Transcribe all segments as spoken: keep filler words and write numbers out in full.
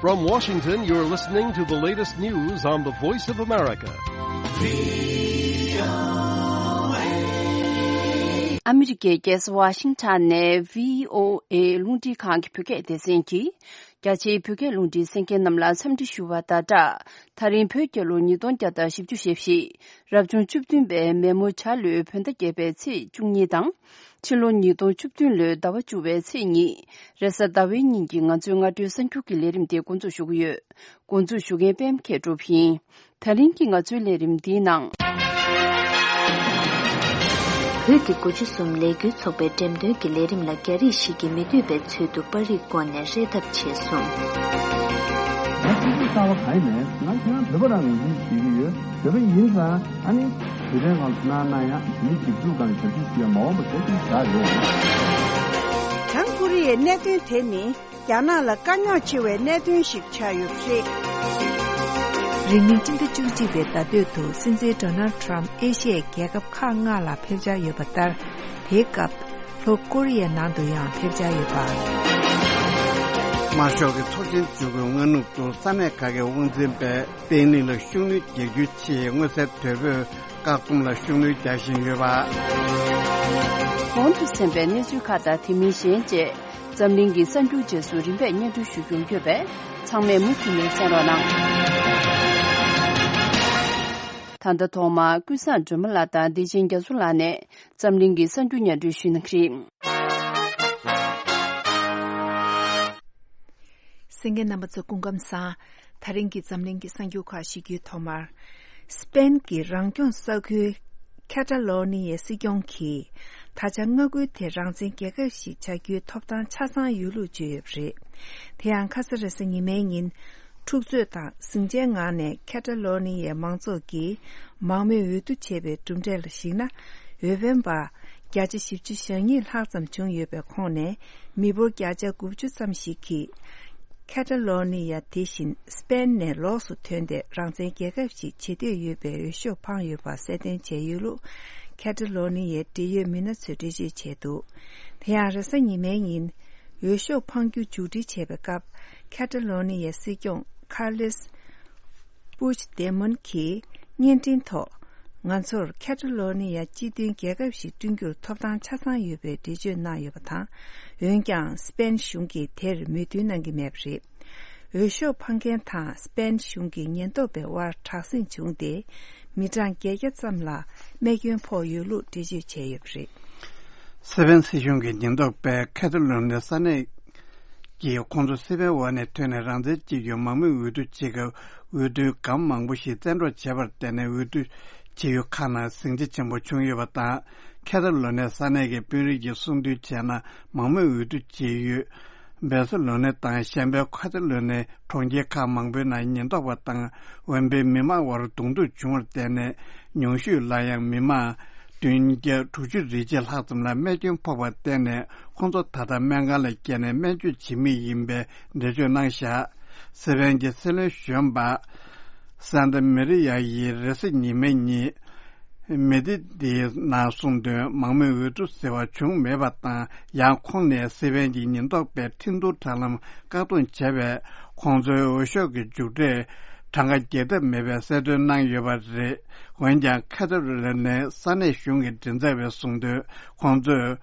From Washington, you're listening to the latest news on the Voice of America. ཨ་མི་རི་ཀའི་རྒྱལ་ས་ཝ་ཤིང་ཊོན་ནས་བྷི་ཨོ་ཨེ་རླུང་འཕྲིན་ཁང་གི་བོད་སྐད་སྡེ་ཚན་གྱིས། རྒྱ་ཆེའི་བོད་སྐད་རླུང་འཕྲིན་གསན་མཁན་རྣམས་ལ་འཚམས་འདྲི་ཞུ་བ་དང་སྦྲགས། ད་རིང་བོད་རྒྱལ་ལོ་ཉིས་སྟོང་བརྒྱ་དང་བཞི་བཅུ་ཞེ་བཞི། རབ་བྱུང་བཅུ་བདུན་པའི་མེ་མོ་བྱ་ལོའི་བོད་ཟླ་བརྒྱད་པའི་ཚེས་བཅུ་གཉིས་དང་། ཕྱི་ལོ་ཉིས་སྟོང་བཅུ་བདུན་ལོའི་ཟླ་བ་བཅུ་བའི་ཚེས་གཉིས། རེས་གཟའ་ཟླ་བའི་ཉིན་གྱི་ང་ཚོའི་སྔ་དྲོའི་གསར་འགྱུར་གྱི་ལས་རིམ་དེ་འགོ་འཛུགས་ཞུ་གི་ཡོད། འགོ་འཛུགས་ཞུ་མཁན་པད་མ་མཁས་གྲུབ་ཡིན། ད་རིང་གི་ང་ཚོའི་ལས་རིམ་འདིའི་ནང་། བོད་ཀྱི་དགུ་བཅུ་གསུམ་ལས་འགུལ་ཚོགས་པའི་འགྲེམས་སྟོན་གྱི་ལས་རིམ་ལ་རྒྱ་རིགས་ཤིག་གིས་མི་འདོད་པའི་ཚུལ་དུ་པར་རིས་བཀོད་ནས་རེ་ཐབས་བྱས་སོང་། ང་ཆུ་ཚོད་གསར་པ་ག་ཡིན་ནས་ང་ཁྱེད་རང་བོད་པ་རང་ངོས་འཛིན་བྱེད་ཀྱི་ཡོད། བོད་པ་ཡིན་ཙང་ཨ་ནི་དུས་དྲན་སྒང་གནང་ན་ཡང་མི་འཇིགས་སྐུལ་སྒང་ཞབས་ཞུ་ཞུ་ཡ་མ་འོངས་པ་གལ་ཆེན་ཞིག་ཆགས་ཡོད། བྱང་ཀོ་རི་ཡའི་གནད་དོན་དེ་ནི། རྒྱ་ནག་ལ་དཀའ་རྙོག་ཆེ་བའི་གནད་དོན་ཞིག་ཆགས་ཡོད་པ་རེད། རིང་མིན་སྤྱི་ཟླ་བཅུ་གཅིག་པའི་ཟླ་སྟོད་དུ་སྲིད་འཛིན་ཌོ་ནལ་ཌི་ཊརམ་ཕི་ཨེ་ཤི་ཡའི་རྒྱལ་ཁབ་ཁག་ལྔ་ལ་ཕེབས་འཆར་ཡོད་པ་ལྟར། དེའི་སྐབས་ལྷོ་ཀོ་རི་ཡའི་ནང་དུ་ཡང་ཕེབས་འཆར་ཡོད་པ། དམར་ཤོག་གི་ཚོགས་ཆེན་བཅུ་དགུའི་སྔ་ནུབ་ཏུ་ས་གནས་ཁག་གི་དབང་འཛིན་པས་བརྟན་ལྷིང་ལ་ཤུགས་སྣོན་རྒྱག་རྒྱུའི་ཆེད་མངོན་གསལ་དོད་པོས། བཀག་སྡོམ་ལ་ཤུགས་སྣོན་རྒྱག་བཞིན་ཡོད་པ། གོང་དུ་གསན་པའི་གནས་ཚུལ་ཁག་དང་དེ་མིན་གཞན་བཅས་འཛམ་གླིང་གི་གསར་འགྱུར་རྗེས་སུ་རིམ་པས་སྙན་སྒྲོན་ཞུ་རྒྱུ་ཡོད་པས་ཚང་མས་མུ་མཐུད་ནས་གསན་རོགས་གནང་། ད་ལྟ་ཐོག་མར་ཀུན་བཟང་སྒྲོལ་མ་ལགས་དང་བདེ་ཆེན་རྒྱ་མཚོ་ལགས་ནས་འཛམ་གླིང་གི་གསར་འགྱུར་སྙན་སྒྲོན་ཞུ་གནང་གི་རེད། གསན་མཁན་རྣམ་པ་ཚོ་སྐུ་ཁམས་བཟང་། ད་རིང་གི་འཛམ་གླིང་གི་གསར་འགྱུར་ཁག་ཞུ་རྒྱུའི་ཐོག་མར། སི་པེན་གྱི་རང་སྐྱོང་ས་ཁུལ་ཁེ་ཏ་ལོ་ནི་ཡའི་སྲིད་སྐྱོང་གིས་ད་ཆ་མངའ་ཁུལ་དེ་རང་བཙན་རྒྱལ་ཁབ་ཞིག་བྱ་རྒྱུའི་ཐོབ་ཐང་ཆ་ཚང་ཡོད་ལུགས་བརྗོད་ཡོད་པ་རེད། དེ་ཡང་ཁ་ས་རེས་གཟའ་ཉི་མའི་ཉིན། འཁྲུག་རྩོད་དང་ཟིང་ཆའི་ངང་ནས་ཁེ་ཏ་ལོ་ནི་ཡའི་མང་ཚོགས་ཀྱིས་མང་མོས་འོས་བསྡུ་བྱས་པའི་གྲུབ་འབྲས་ལ་གཞིགས་ན། འོས་འཕེན་པ་བརྒྱ་ཆ་བཞི་བཅུ་ཞེ་གཉིས་ལྷག་ཙམ་བྱུང་ཡོད་པའི་ཁོངས་ནས་མི་འབོར་བརྒྱ་ཆ་དགུ་བཅུ་ཙམ་ཞིག་གིས། ཁེ་ཏ་ལོ་ནི་ཡ་དེ་བཞིན་སི་པེན་ནས་ལོགས་སུ་ཐོན་ཏེ་རང་བཙན་རྒྱལ་ཁབ་ཞིག་བྱེད་འདོད་ཡོད་པའི་འོས་ཤོག་འཕངས་ཡོད་པ་གསལ་སྟོན་བྱས་ཡོད་ལུགས་ཁེ་ཏ་ལོ་ནི་ཡའི་འབྲེལ་ཡོད་མི་སྣ་ཚོས་འགྲེལ་བརྗོད་བྱས་འདུག་དེ་ཡང་རེས་གཟའ་ཉི་མའི་ཉིན་འོས་ཤོག་འཕངས་རྒྱུ་མཇུག་སྒྲིལ་བྱས་པའི་སྐབས་ཁེ་ཏ་ལོ་ནི་ཡའི་སྲིད་སྐྱོང་ཁར་ལེས་པུཆ་དེ་མོན་གྱིས་བརྙན་འཕྲིན་ཐོག་ང་ཚོར་ཁེ་ཏ་ལོ་ནི་ཡ་སྤྱི་མཐུན་རྒྱལ་ཁབ་ཞིག་བསྐྲུན་རྒྱུར་ཐོབ་ཐང་ཆ་ཚང་ཡོད་པའི་འགྲེལ་བརྗོད་གནང་ཡོད་པ་དང་། འོན་ཀྱང་སི་པེན་གཞུང་གིས་དེར་མོས་མཐུན་གནང་གི་མེད་པ་རེད། འོས་ཤོག་འཕངས་མཁན་དང་སི་པེན་གཞུང་གི་ཉེན་རྟོག་པའི་དབར་དྲག་ཟིང་བྱུང་སྟེ། མི་གྲངས་བརྒྱད་བརྒྱ་ཙམ་ལ་རྨས་སྐྱོན་ཕོག་ཡོད་ལུགས་འགྲེལ་བརྗོད་བྱས་ཡོད་པ་རེད། སི་པེན་སྲིད་གཞུང་གི་ཉེན་རྟོག་པས་ཁེ་ཏ་ལོ་ནི་ཡ་ས་གནས་ཀྱིས་ཁོང་ཚོ་སི་པེན་འོག་ནས་ཐོན་ནས་རང་བཙན་གཅིག་གྱུར་མང་མོས་འོས་བསྡུ་བྱེད་སྐབས་འོས་བསྡུའི་སྒམ་མང་པོ་ཞིག་བཙན་འཕྲོག་བྱས་པར་བརྟེན་ནས་འོས་བསྡུ་བྱེད་ཡུལ་ཁག་ནང་ཟིང་ཆ་ཆེན་པོ་བྱུང་ཡོད་པ་དང་། ཁེ་ཏ་ལོ་ནི་ཡ་ས་གནས་ཀྱི་དཔོན་རིགས་ཀྱིས་གསུངས་དོན་བྱས་ན། མང་མོས་འོས་བསྡུ་བྱེད་ཡུལ་བེ་སི་ལོ་ནི་དང་གཞན་པའི་ཁེ་ཏ་ལོ་ནི་གྲོང་ཁྱེར་ཁག་མང་པོའི་ནང་ཉེན་རྟོག་པ་དང་འོས་འཕེན་མི་མང་དབར་གདོང་ཐུག་བྱུང་བར་བརྟེན་ནས། ཉུང་ཤོས་ལ་ཡང་མི་མང་བདུན་བརྒྱ་དྲུག་ཅུ་རེ་གཅིག་ལྷག་ཙམ་ལ་རྨས་སྐྱོན་ཕོག་པར་བརྟེན་ནས། ཁོང་ཚོ་ད་ལྟ་སྨན་ཁང་ལ་བསྐྱལ་ནས་སྨན་བཅོས་བྱེད་མུས་ཡིན་པའི་འགྲེལ་བརྗོད་གནང་བཞག་སི་པེན་གྱི་སྲིད་བློན་གཞོན་པ་སན་ཏ་མེ་རི་ཡ་ཡིས་རེས་གཟའ་ཉི་མའི་ཉིན་མེ་ཏི་དེའི་ནང་གསུངས་དོན། མང་མོས་འོས་བསྡུ་ཟེར་བ་བྱུང་མེད་པ་དང་། ཡང་ཁོང་ནས་སི་པེན་གྱི་ཉེན་རྟོག་པས་འཕྲིན་བསྡུར་དྲ་ལམ་བཀག་སྡོམ་བྱས་པས། ཁོང་ཚོའི་འོས་ཤོག་གི་མཇུག་འབྲས་གྲངས་ཀ་རྒྱས་ཐབས་མེད་པའི་གསལ་སྟོན་གནང་ཡོད་པ་རེད། འོན་ཀྱང་ཁ་ཐོར་ལ་ནི་ས་གནས་གཞུང་གི་མགྲིན་ཚབ་པས་གསུངས་དོན། ཁོང་ཚོས་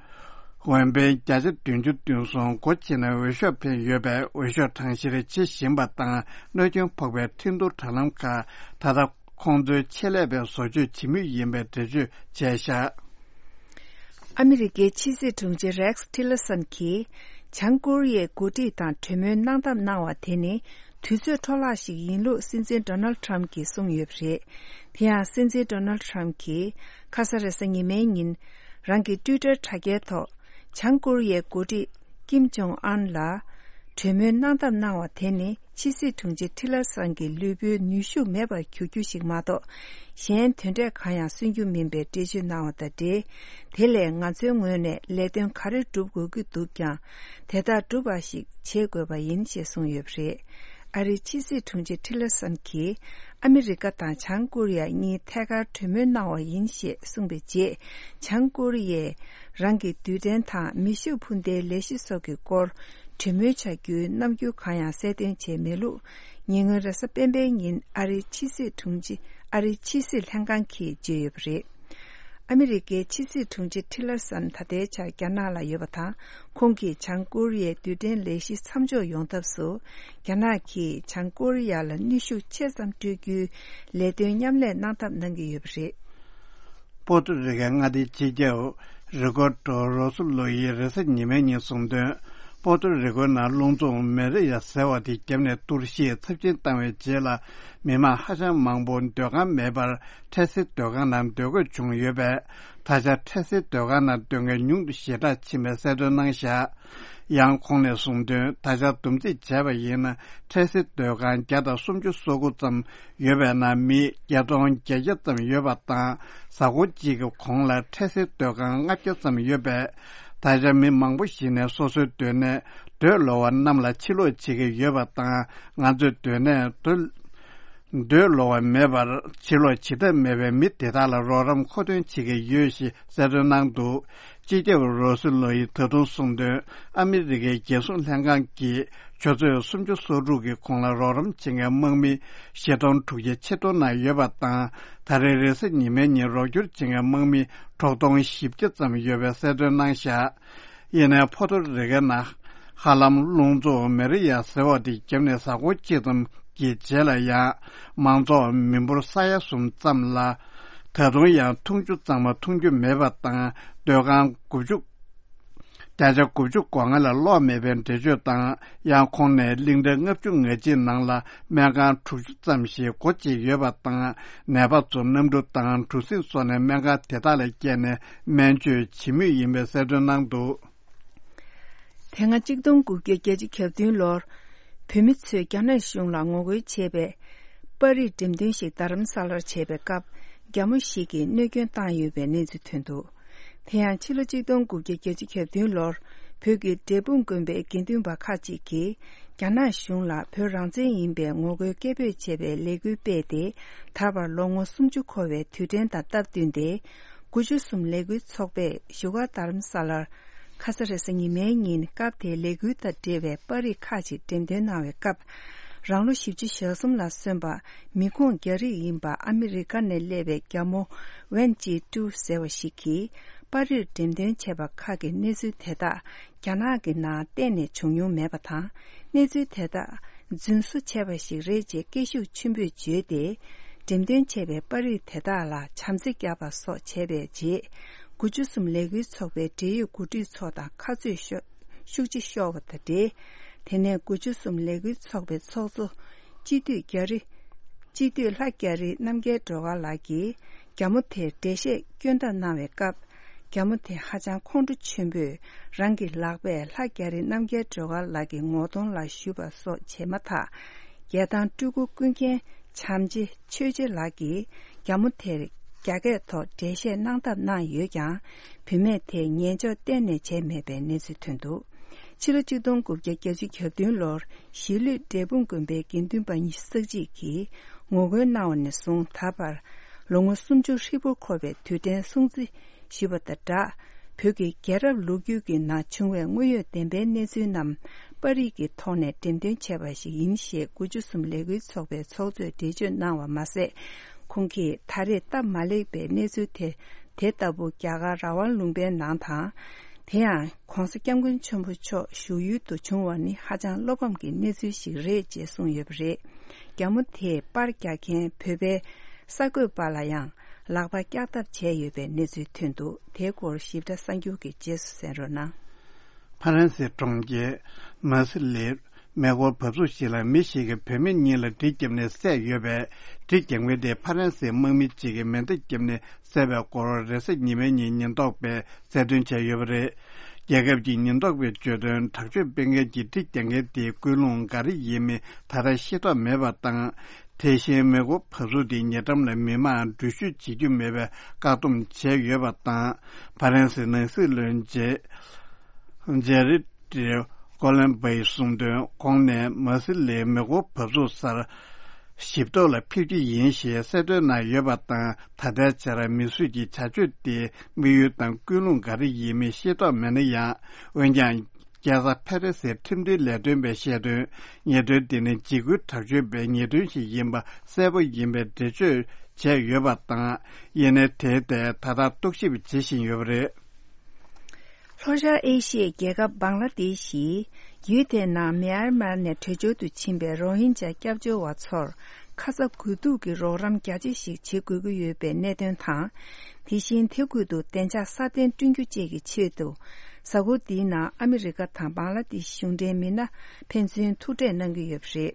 འོས་འཕེན་བརྒྱ་ཆ་བདུན་ཅུ་དོན་གསུམ་སྒོ་ཕྱེ་ནས་འོས་ཤོག་འཕེན་ཡོད་པས། འོས་ཤོག་གྲངས་བཤེར་བྱེད་བཞིན་པ་དང་། གནོད་སྐྱོན་ཕོག་པའི་འཕྲིན་བསྡུར་དྲ་ལམ་ཁག་ད་ལྟ་ཁོང་ཚོའི་ཆེད་ལས་པས་བཟོ་བཅོས་བྱེད་མུས་ཡིན་པའི་འགྲེལ་བརྗོད་བྱས་བཞག་ཨ་མི་རི་ཀའི་ཕྱི་སྲིད་དྲུང་ཆེ་རེགས་ཊི་ལར་སན་གྱིས་བྱང་ཀོ་རི་ཡའི་འགོ་ཁྲིད་དང་གྲོས་མོལ་གནང་ཐབས་གནང་བ་དེ་ནི་དུས་ཚོད་འཕྲོ་བརླག་ཞིག་ཡིན་ལུགས་སྲིད་འཛིན་ཌོ་ནལ་ཌི་ཊརམ་གྱིས་གསུངས་ཡོད་པ་རེད། དེ་ཡང་སྲིད་འཛིན་ཌོ་ནལ་ཌི་ཊརམ་གྱིས་ཁ་ས་རེས་གཟའ་ཉི་མའི་ཉིན་རང་གི་ཊུའི་ཊར་དྲ་རྒྱའི་ཐོག་བྱང་ཀོ་རི་ཡའི་འགོ་ཁྲིད་ཀིམ་ཇོང་ཨན་ལ་གྲོས་མོལ་གནང་ཐབས་གནང་བ་དེ་ནི་ཕྱི་སྲིད་དྲུང་ཆེ་ཊི་ལར་སན་གྱི་ལུས་པོའི་ནུས་ཤུགས་མེད་པར་གྱུར་རྒྱུ་ཞིག་མ་གཏོགས། གཞན་དོན་འབྲས་གང་ཡང་སོན་རྒྱུ་མིན་པའི་འགྲེལ་བརྗོད་གནང་བ་དང་འབྲེལ། དེ་ལས་ང་ཚོའི་ངོས་ནས་ལས་དོན་ག་རེ་སྒྲུབ་དགོས་ཀྱི་འདུག་ཀྱང་། དེ་དག་སྒྲུབ་པ་ཞིག་བྱེད་དགོས་པ་ཡིན་ཞེས་གསུངས་ཡོད་པ་རེད། ཨ་རིའི་ཕྱི་སྲིད་དྲུང་ཆེ་ཊི་ལར་སན་གྱིས་ཨ་མི་རི་ཀ་དང་བྱང་ཀོ་རི་ཡ་གཉིས་ཐད་ཀར་གྲོས་མོལ་གནང་བ་ཡིན་ཞེས་གསུངས་པའི་རྗེས། བྱང་ཀོ་རི་ཡས་རང་གི་རྡུལ་ཕྲན་དང་མེ་ཤུགས་འཕུར་མདེལ་ལས་གཞི་སོགས་ཀྱི་སྐོར། གྲོས་མོལ་བྱ་རྒྱུའི་རྣམ་འགྱུར་གང་ཡང་གསལ་སྟོན་བྱས་མེད་ལུགས། ཉེ་སྔོན་རེས་གཟའ་སྤེན་པའི་ཉིན་ཨ་རིའི་ཕྱི་སྲིད་དྲུང་ཆེ། ཨ་རིའི་ཕྱི་སྲིད་ལྷན་ཁང་གིས་བརྗོད་ཡོད་པ་རེད། ཨ་མི་རི་ཀའི་ཕྱི་སྲིད་དྲུང་ཆེ་ཊི་ལར་སན་ད་ལྟའི་ཆར་རྒྱ་ནག་ལ་ཡོད་པ་དང་། ཁོང་གིས་བྱང་ཀོ་རི་ཡའི་རྡུལ་ཕྲན་ལས་གཞི་མཚམས་འཇོག་ཡོང་ཐབས་སུ། རྒྱ་ནག་གིས་བྱང་ཀོ་རི་ཡ་ལ་གནོན་ཤུགས་ཆེ་ཙམ་སྤྲོད་རྒྱུའི་ལས་དོན་མཉམ་ལས་གནང་ཐབས་གནང་གི་ཡོད་པ་རེད། པོ་ཏོ་རི་ཀའི་མངའ་སྡེའི་སྤྱི་ཁྱབ་རི་ཀོར་ཏོ་རོ་སུ་ལོ་ཡིས་རེས་གཟའ་ཉི་མའི་ཉིན་གསུངས་དོན། པོ་ཏོ་རི་ཀོའི་ནང་རླུང་འཚུབ་མེ་རི་ཡ་ཟེར་བ་དེ་བརྒྱབ་ནས་གཏོར་བཤིག་ཚབས་ཆེན་བཏང་བའི་རྗེས་ལ། མི་མང་ཧ་ཅང་མང་པོ་སྡོད་ཁང་མེད་པར་འཕྲལ་སེལ་སྡོད་ཁང་ནང་སྡོད་དགོས་བྱུང་ཡོད་པས། ད་ཆ་འཕྲལ་སེལ་སྡོད་ཁང་ནང་སྡོད་མཁན་ཉུང་དུ་ཞེ་དྲག་ཕྱིན་པའི་གསལ་སྟོན་གནང་བཞག་ཡང་ཁོང་ནས་གསུངས་དོན། ད་ཆ་བསྡོམས་རྩིས་བྱས་པ་ཡིན་ན། འཕྲལ་སེལ་སྡོད་ཁང་བརྒྱ་དང་སུམ་ཅུ་སོ་དགུ་ཙམ་ཡོད་པའི་ནང་མི་བརྒྱད་སྟོང་བརྒྱད་བརྒྱ་ཙམ་ཡོད་པ་དང་། གཟའ་འཁོར་གཅིག་གི་གོང་ལ་འཕྲལ་སེལ་སྡོད་ཁང་ལྔ་བརྒྱ་ཙམ་ཡོད་པས། ད་ཆ་མི་མང་པོ་ཞིག་ནས་སོ་སོའི་སྡོད་གནས་སྡོད་ལོ་བ་རྣམས་ལ་ཕྱིར་ལོག་བྱེད་ཀྱི་ཡོད་པ་དང་། ང་ཚོའི་སྡོད་གནས་སྡོད་སྡོད་ལོ་བ་མེད་པར་ཕྱིར་ལོག་བྱེད་ཐབས་མེད་པའི་མི་དེ་དག་ལ་རོགས་རམ་མཁོ་འདོན་བྱེད་ཀྱི་ཡོད་ཞེས་གསལ་སྟོན་གནང་འདུག་སྤྱི་ཁྱབ་རོ་སི་ལོ་ཡིས་ད་དུང་གསུངས་དོན། ཨ་མི་རི་ཀའི་རྒྱལ་སྲུང་ལྷན་ཁང་གིས་ཆུ་ཚོད་སུམ་ཅུ་སོ་དྲུག་གི་གོང་ལ་རོགས་རམ་བྱེད་མཁན་དམག་མི་བཞི་སྟོང་དྲུག་བརྒྱ་ཕྱིར་གཏོང་གནང་ཡོད་པ་དང་། ད་རེས་རེས་གཟའ་ཉི་མའི་ཉིན་རོགས་སྐྱོར་བྱེད་མཁན་དམག་མི་དྲུག་སྟོང་བཞི་བརྒྱ་ཙམ་ཡོད་པའི་གསལ་སྟོན་གནང་བཞག་ཡིན་ནའི་ཕོ་ཏོ་རི་ཀའི་ནང་ཧ་ལམ་རླུང་འཚུབ་མེ་རི་ཡ་ཟེར་བ་དེ་བརྒྱབ་ནས་གཟའ་འཁོར་གཅིག་ཙམ་གྱི་རྗེས་ལ་ཡང་མང་ཚོགས་མི་འབོར་ས་ཡ་གསུམ་ཙམ་ལ་ད་དུང་ཡང་འཐུང་ཆུ་གཙང་མ་འཐུང་རྒྱུ་མེད་པ་དང་། སྡོད་ཁང་དགུ་བཅུ། བརྒྱ་ཆ་དགུ་བཅུ་གོ་ལྔ་ལ་གློག་མེད་པའི་འགྲེལ་བརྗོད་དང་། ཡང་ཁོང་ནས་གླིང་ཕྲན་ལྔ་བཅུ་ང་གཅིག་ནང་ལ་སྨན་ཁང་དྲུག་ཅུ་ཙམ་ཞིག་སྒོ་འབྱེད་ཡོད་པ་དང་། ནད་པ་ཚོ་གནམ་གྲུ་དང་གྲུ་གཟིངས་སོགས་ནས་སྨན་ཁང་དེ་དག་ལ་བསྐྱལ་ནས་སྨན་བཅོས་བྱེད་མུས་ཡིན་པའི་གསལ་སྟོན་གནང་འདུག་དེ་སྔ་གཅིག་སྟོང་དགུ་བརྒྱ་བརྒྱད་ཅུ་གྱ་བདུན་ལོར་བོད་མི་ཚོས་རྒྱ་ནག་གཞུང་ལ་ངོ་རྒོལ་བྱས་པའི་པར་རིས་འགྲེམས་སྟོན་ཞིག་རྡ་རམ་ས་ལར་བྱས་པའི་སྐབས། རྒྱ་མོ་ཞིག་གིས་གནོད་སྐྱོན་བཏང་ཡོད་པའི་གནས་ཚུལ་ཐོན་འདུག་དེ་ཡང་ཕྱི་ལོ་གཅིག་སྟོང་དགུ་བརྒྱ་བརྒྱད་ཅུ་གྱ་བདུན་ལོར་བོད་ཀྱི་འབྲས་སྤུངས་དགོན་པའི་དགེ་འདུན་པ་ཁག་ཅིག་གིས་རྒྱ་ནག་གཞུང་ལ་བོད་རང་བཙན་ཡིན་པའི་ངོ་རྒོལ་སྐད་འབོད་བྱས་པའི་ལས་འགུལ་སྤེལ་ཏེ། ད་བར་ལོ་ངོ་སུམ་ཅུ་འཁོར་བའི་དུས་དྲན་དང་སྟབས་བསྟུན་ཏེ། དགུ་བཅུ་གསུམ་ལས་འགུལ་ཚོགས་པས་བཞུགས་སྒར་རྡ་རམ་ས་ལར་ཁ་ས་རེས་གཟའ་ཉི་མའི་ཉིན་སྐབས་དེའི་ལས་འགུལ་དང་འབྲེལ་བའི་པར་རིས་ཁག་ཅིག་འགྲེམས་སྟོན་གནང་བའི་སྐབས། རང་ལོ་བཞི་བཅུ་ཞེ་གསུམ་ལ་སོན་པ་མི་ཁོངས་རྒྱ་རིགས་ཡིན་པ་ཨ་མི་རི་ཀ་ནས་སླེབས་པའི་རྒྱ་མོ་ཝན་ཅི་ཀྲུའུ་ཟེར་བ་ཞིག་གིས་པར་རིས་འགྲེམས་སྟོན་བྱས་པ་ཁག་གི་གནས་ཚུལ་དེ་དག་རྒྱ་ནག་གི་ནང་གཏན་ནས་བྱུང་མྱོང་མེད་པ་དང་། གནས་ཚུལ་དེ་དག་རྫུན་བཟོ་བྱས་པ་ཞིག་རེད་ཅེས་སྐད་ཤུགས་ཆེན་པོས་བརྗོད་དེ། འགྲེམས་སྟོན་བྱས་པའི་པར་རིས་དེ་དག་ལ་བྱམས་བརྩེ་བརྒྱབ་པ་སོགས་བྱས་པའི་རྗེས། དགུ་བཅུ་གསུམ་ལས་འགུལ་ཚོགས་པའི་འབྲེལ་ཡོད་འགོ་ཁྲིད་ཚོ་དང་ཁ་རྩོད་ཤོ་ཤུགས་ཆེ་ཤོར་བ་དང་འབྲེལ། དེ་ནས་དགུ་བཅུ་གསུམ་ལས་འགུལ་ཚོགས་པའི་ཚོགས་གཙོ་སྤྱི་འཐུས་རྒྱ་རི། སྤྱི་འཐུས་ལྷ་རྒྱ་རི་རྣམ་རྒྱལ་སྒྲོལ་དཀར་ལགས་ཀྱིས་རྒྱ་མོ་དེར་འགྲེལ་བཤད་སྐྱོན་བརྡ་གནང་བའི་སྐབས། རྒྱ་མོ་དེ་ཧ་ཅང་ཁོང་ཁྲོ་ཆེན་པོས་རང་གི་ལག་པས་ལྷ་རྒྱ་རི་རྣམ་རྒྱལ་སྒྲོལ་དཀར་ལགས་ཀྱི་ངོ་གདོང་ལ་གཞུས་པ་སོགས་བྱས་མ་ཐག་རྒྱལ་ཐང་སྤྲུལ་སྐུ་ཀུན་མཁྱེན་བྱམས་ཆེ་ཆོས་རྗེ་ལགས་ཀྱིས་རྒྱ་མོ་དེར་རྒྱ་སྐད་ཐོག་འགྲེལ་བཤད་གནང་ཐབས་གནང་ཡོད་ཀྱང་། བུད་མེད་དེས་ཉན་འཇོག་གཏན་ནས་བྱས་མེད་པའི་གནས་ཚུལ་ཐོན་འདུག་ཕྱི་ལོ་ཆིག་སྟོང་དགུ་བརྒྱ་བརྒྱད་ཅུ་གྱ་བདུན་ལོར་གཞིས་ལུས་འབྲས་སྤུངས་དགོན་པའི་དགེ་འདུན་པ་ཉི་ཤུ་རྩ་གཅིག་གིས་ངོ་རྒོལ་གནང་བ་ནས་བཟུང་ད་བར་ལོ་ངོ་སུམ་ཅུ་ཧྲིལ་པོར་འཁོར་བའི་དུས་དྲན་སྲུང་བརྩི་ཞུས་པ་དང་སྦྲགས། བོད་ཀྱི་རྒྱལ་རབས་ལོ་རྒྱུས་ཀྱི་ནང་བྱུང་བའི་དངོས་ཡོད་བདེན་པའི་གནས་ཚུལ་རྣམས་པར་རིས་ཀྱི་ཐོག་ནས་འགྲེམས་སྟོན་བྱས་པ་ཞིག་ཡིན་ཞེས་དགུ་བཅུ་གསུམ་ལས་འགུལ་ཚོགས་པའི་ཚོགས་གཙོས་འགྲེལ་བརྗོད་གནང་བ་མ་ཟད། ཁོང་གིས་ད་རེས་སྟབས་མ་ལེགས་པའི་གནས་ཚུལ་དེ་དེ་ལྟ་བུ་རྒྱ་གར་ར་ཝན་ལུང་པའི་ནང་དང་། དེ་ཡང་༸གོང་ས་༸སྐྱབས་མགོན་ཆེན་པོ་མཆོག་བཞུགས་ཡུལ་དུ་བྱུང་བ་ནི་ཧ་ཅང་བློ་ཕམ་གྱི་གནས་ཚུལ་ཞིག་རེད་ཅེས་གསུངས་ཡོད་པ་རེད། རྒྱ་མོ་དེས་པར་རྒྱག་མཁན་བོད་པའི་གསར་འགོད་པ་ལ་ཡང་ལག་པ་བཀྱག་ཐབས་བྱས་ཡོད་པའི་གནས་ཚུལ་ཐོན་འདུག་དེའི་སྐོར་ཞིབ་ཕྲ་གསར་འགྱུར་གྱི་རྗེས་སུ་གསན་རོགས་གནང་། ཕ་རན་སིའི་གྲོང་ཁྱེར་མར་སི་ལིར་མེ་འཁོར་བབས་ཚུགས་ཤིག་ལ་མི་ཞིག་གིས་བུད་མེད་གཉིས་ལ་གྲི་བརྒྱབ་ནས་བསད་ཡོད་པས། གྲི་རྒྱག་མཁན་དེ་ཕ་རན་སིའི་དམག་མི་གཅིག་གིས་མེ་མདའ་བརྒྱབ་ནས་བསད་པའི་སྐོར་རེས་གཟའ་ཉི་མའི་ཉིན་ཉེན་རྟོག་པས་གསལ་སྟོན་བྱས་ཡོད་པ་རེད། རྒྱལ་ཁབ་ཀྱི་ཉེན་རྟོག་པས་བརྗོད་དོན། དྲག་སྤྱོད་སྤེལ་མཁན་གྱིས་གྲི་རྒྱག་མཁན་དེའི་ཀུན་སློང་ག་རེ་ཡིན་མིན་ད་ལྟ་ཤེས་རྟོགས་མེད་པ་དང་། དེ་བཞིན་མེ་འཁོར་བབས་ཚུགས་དེའི་ཉེ་འགྲམ་ལ་མི་མང་འགྲུལ་བཞུད་བྱེད་རྒྱུ་མེད་པའི་བཀག་སྡོམ་བྱས་ཡོད་པ་དང་། ཕ་རན་སིའི་ནང་སྲིད་བློན་ཇེ་ཇེ་རི་ཏྲི་ཀོ་ལན་བྷའི་གསུངས་དོན། ཁོང་ནས་མར་སི་ལིའི་མེ་འཁོར་བབས་ཚུགས་སར་ཞིབ་རྟོག་ལ་ཕེབས་ཀྱི་ཡིན་ཞེས་གསལ་སྟོན་གནང་ཡོད་པ་དང་། ད་ལྟའི་ཆར་མི་གསོད་ཀྱི་བྱ་སྤྱོད་དེའི་དམིགས་ཡུལ་དང་ཀུན་སློང་ག་རེ་ཡིན་མིན་ཤེས་རྟོགས་མེད་ན་ཡང་། འོན་ཀྱང་། རྒྱལ་ས་ཕེ་རེ་སིའི་ཁྲིམས་མཐུན་ལས་དོན་པས་བཤད་དོན། ཉེས་དོན་འདི་ནི་འཇིགས་སྐུལ་དྲག་སྤྱོད་པའི་ཉེས་དོན་ཞིག་ཡིན་པ་གསལ་པོ་ཡིན་པའི་འགྲེལ་བརྗོད་བྱས་ཡོད་པ་དང་། ཡིན་ནའི་དེའི་ཐད་ད་ལྟ་རྟོག་ཞིབ་བྱེད་བཞིན་ཡོད་པ་རེད། ལྷོ་ཤར་ཨེ་ཤི་ཡའི་རྒྱལ་ཁབ་བང་ལ་དེཤ་ཡིས་ཡུལ་དེའི་ནང་མེ་ཨར་མར་ནས་བྲོས་བྱོལ་དུ་ཕྱིན་པའི་རོ་ཧིན་ཇཱ་སྐྱབས་བཅོལ་བ་ཚོར་ཁ་ཚ་དགོས་གཏུགས་ཀྱི་རོགས་རམ་རྒྱ་ཆེ་ཞིག་བྱེད་དགོས་ཀྱི་ཡོད་པའི་གནད་དོན་དང་། དེ་བཞིན་དེ་ཁུལ་དུ་བདེ་འཇགས་སྲ་བརྟན་བསྐྲུན་རྒྱུ་བཅས་ཀྱི་ཆེད་དུ། གཟའ་འཁོར་འདིའི་ནང་ཨ་མི་རི་ཀ་དང་བང་ལ་དེཤ་གཞུང་འབྲེལ་མི་སྣ་ཕན་ཚུན་ཐུག་འཕྲད་གནང་གི་ཡོད་པ་རེད།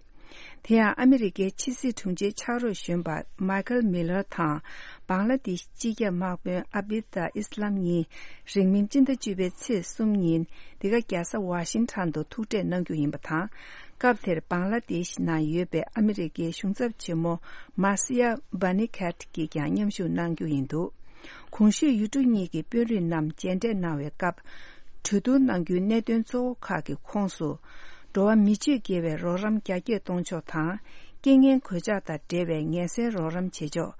དེ་ཡང་ཨ་མི་རི་ཀའི་ཕྱི་སྲིད་དྲུང་ཆེ་ཕྱག་རོགས་གཞོན་པ་མཱི་ཁལ་མི་ལར་དང་། བང་ལ་དེཤ་སྤྱི་ཁྱབ་དམག་དཔོན་ཨ་བྷི་ད་ཨི་སི་ལམ་གཉིས་རིང་མིན་སྤྱི་ཟླ་བཅུ་པའི་ཚེས་གསུམ་ཉིན་འདི་ག་རྒྱལ་ས་ཝ་ཤིང་ཊོན་དུ་ཐུག་འཕྲད་གནང་རྒྱུ་ཡིན་པ་དང་། སྐབས་དེར་བང་ལ་དེཤ་ནང་ཡོད་པའི་ཨ་མི་རི་ཀའི་གཞུང་ཚབ་ཆེན་མོ་མཱ་སི་ཡ་བྷ་ནི་ཁེཊ་གྱིས་ཀྱང་མཉམ་ཞུགས་གནང་རྒྱུ་ཡིན་འདུག་གོང་ཞུས་ཡུལ་གྲུ་གཉིས་ཀྱི་དཔོན་རིགས་རྣམས་མཇལ་འཕྲད་གནང་བའི་སྐབས། གྲོས་བསྡུར་གནང་རྒྱུའི་གནད་དོན་གཙོ་བོ་ཁག་གི་ཁོངས་སུ། འགྲོ་བ་མི་སྤྱོད་དགེ་བའི་རོགས་རམ་རྒྱ་སྐྱེད་གཏོང་ཕྱོགས་དང་། རྐྱེན་ངན་གོད་ཆག་དང་འབྲེལ་བའི་ངལ་སེལ་རོགས་རམ་བྱེད་ཕྱོགས།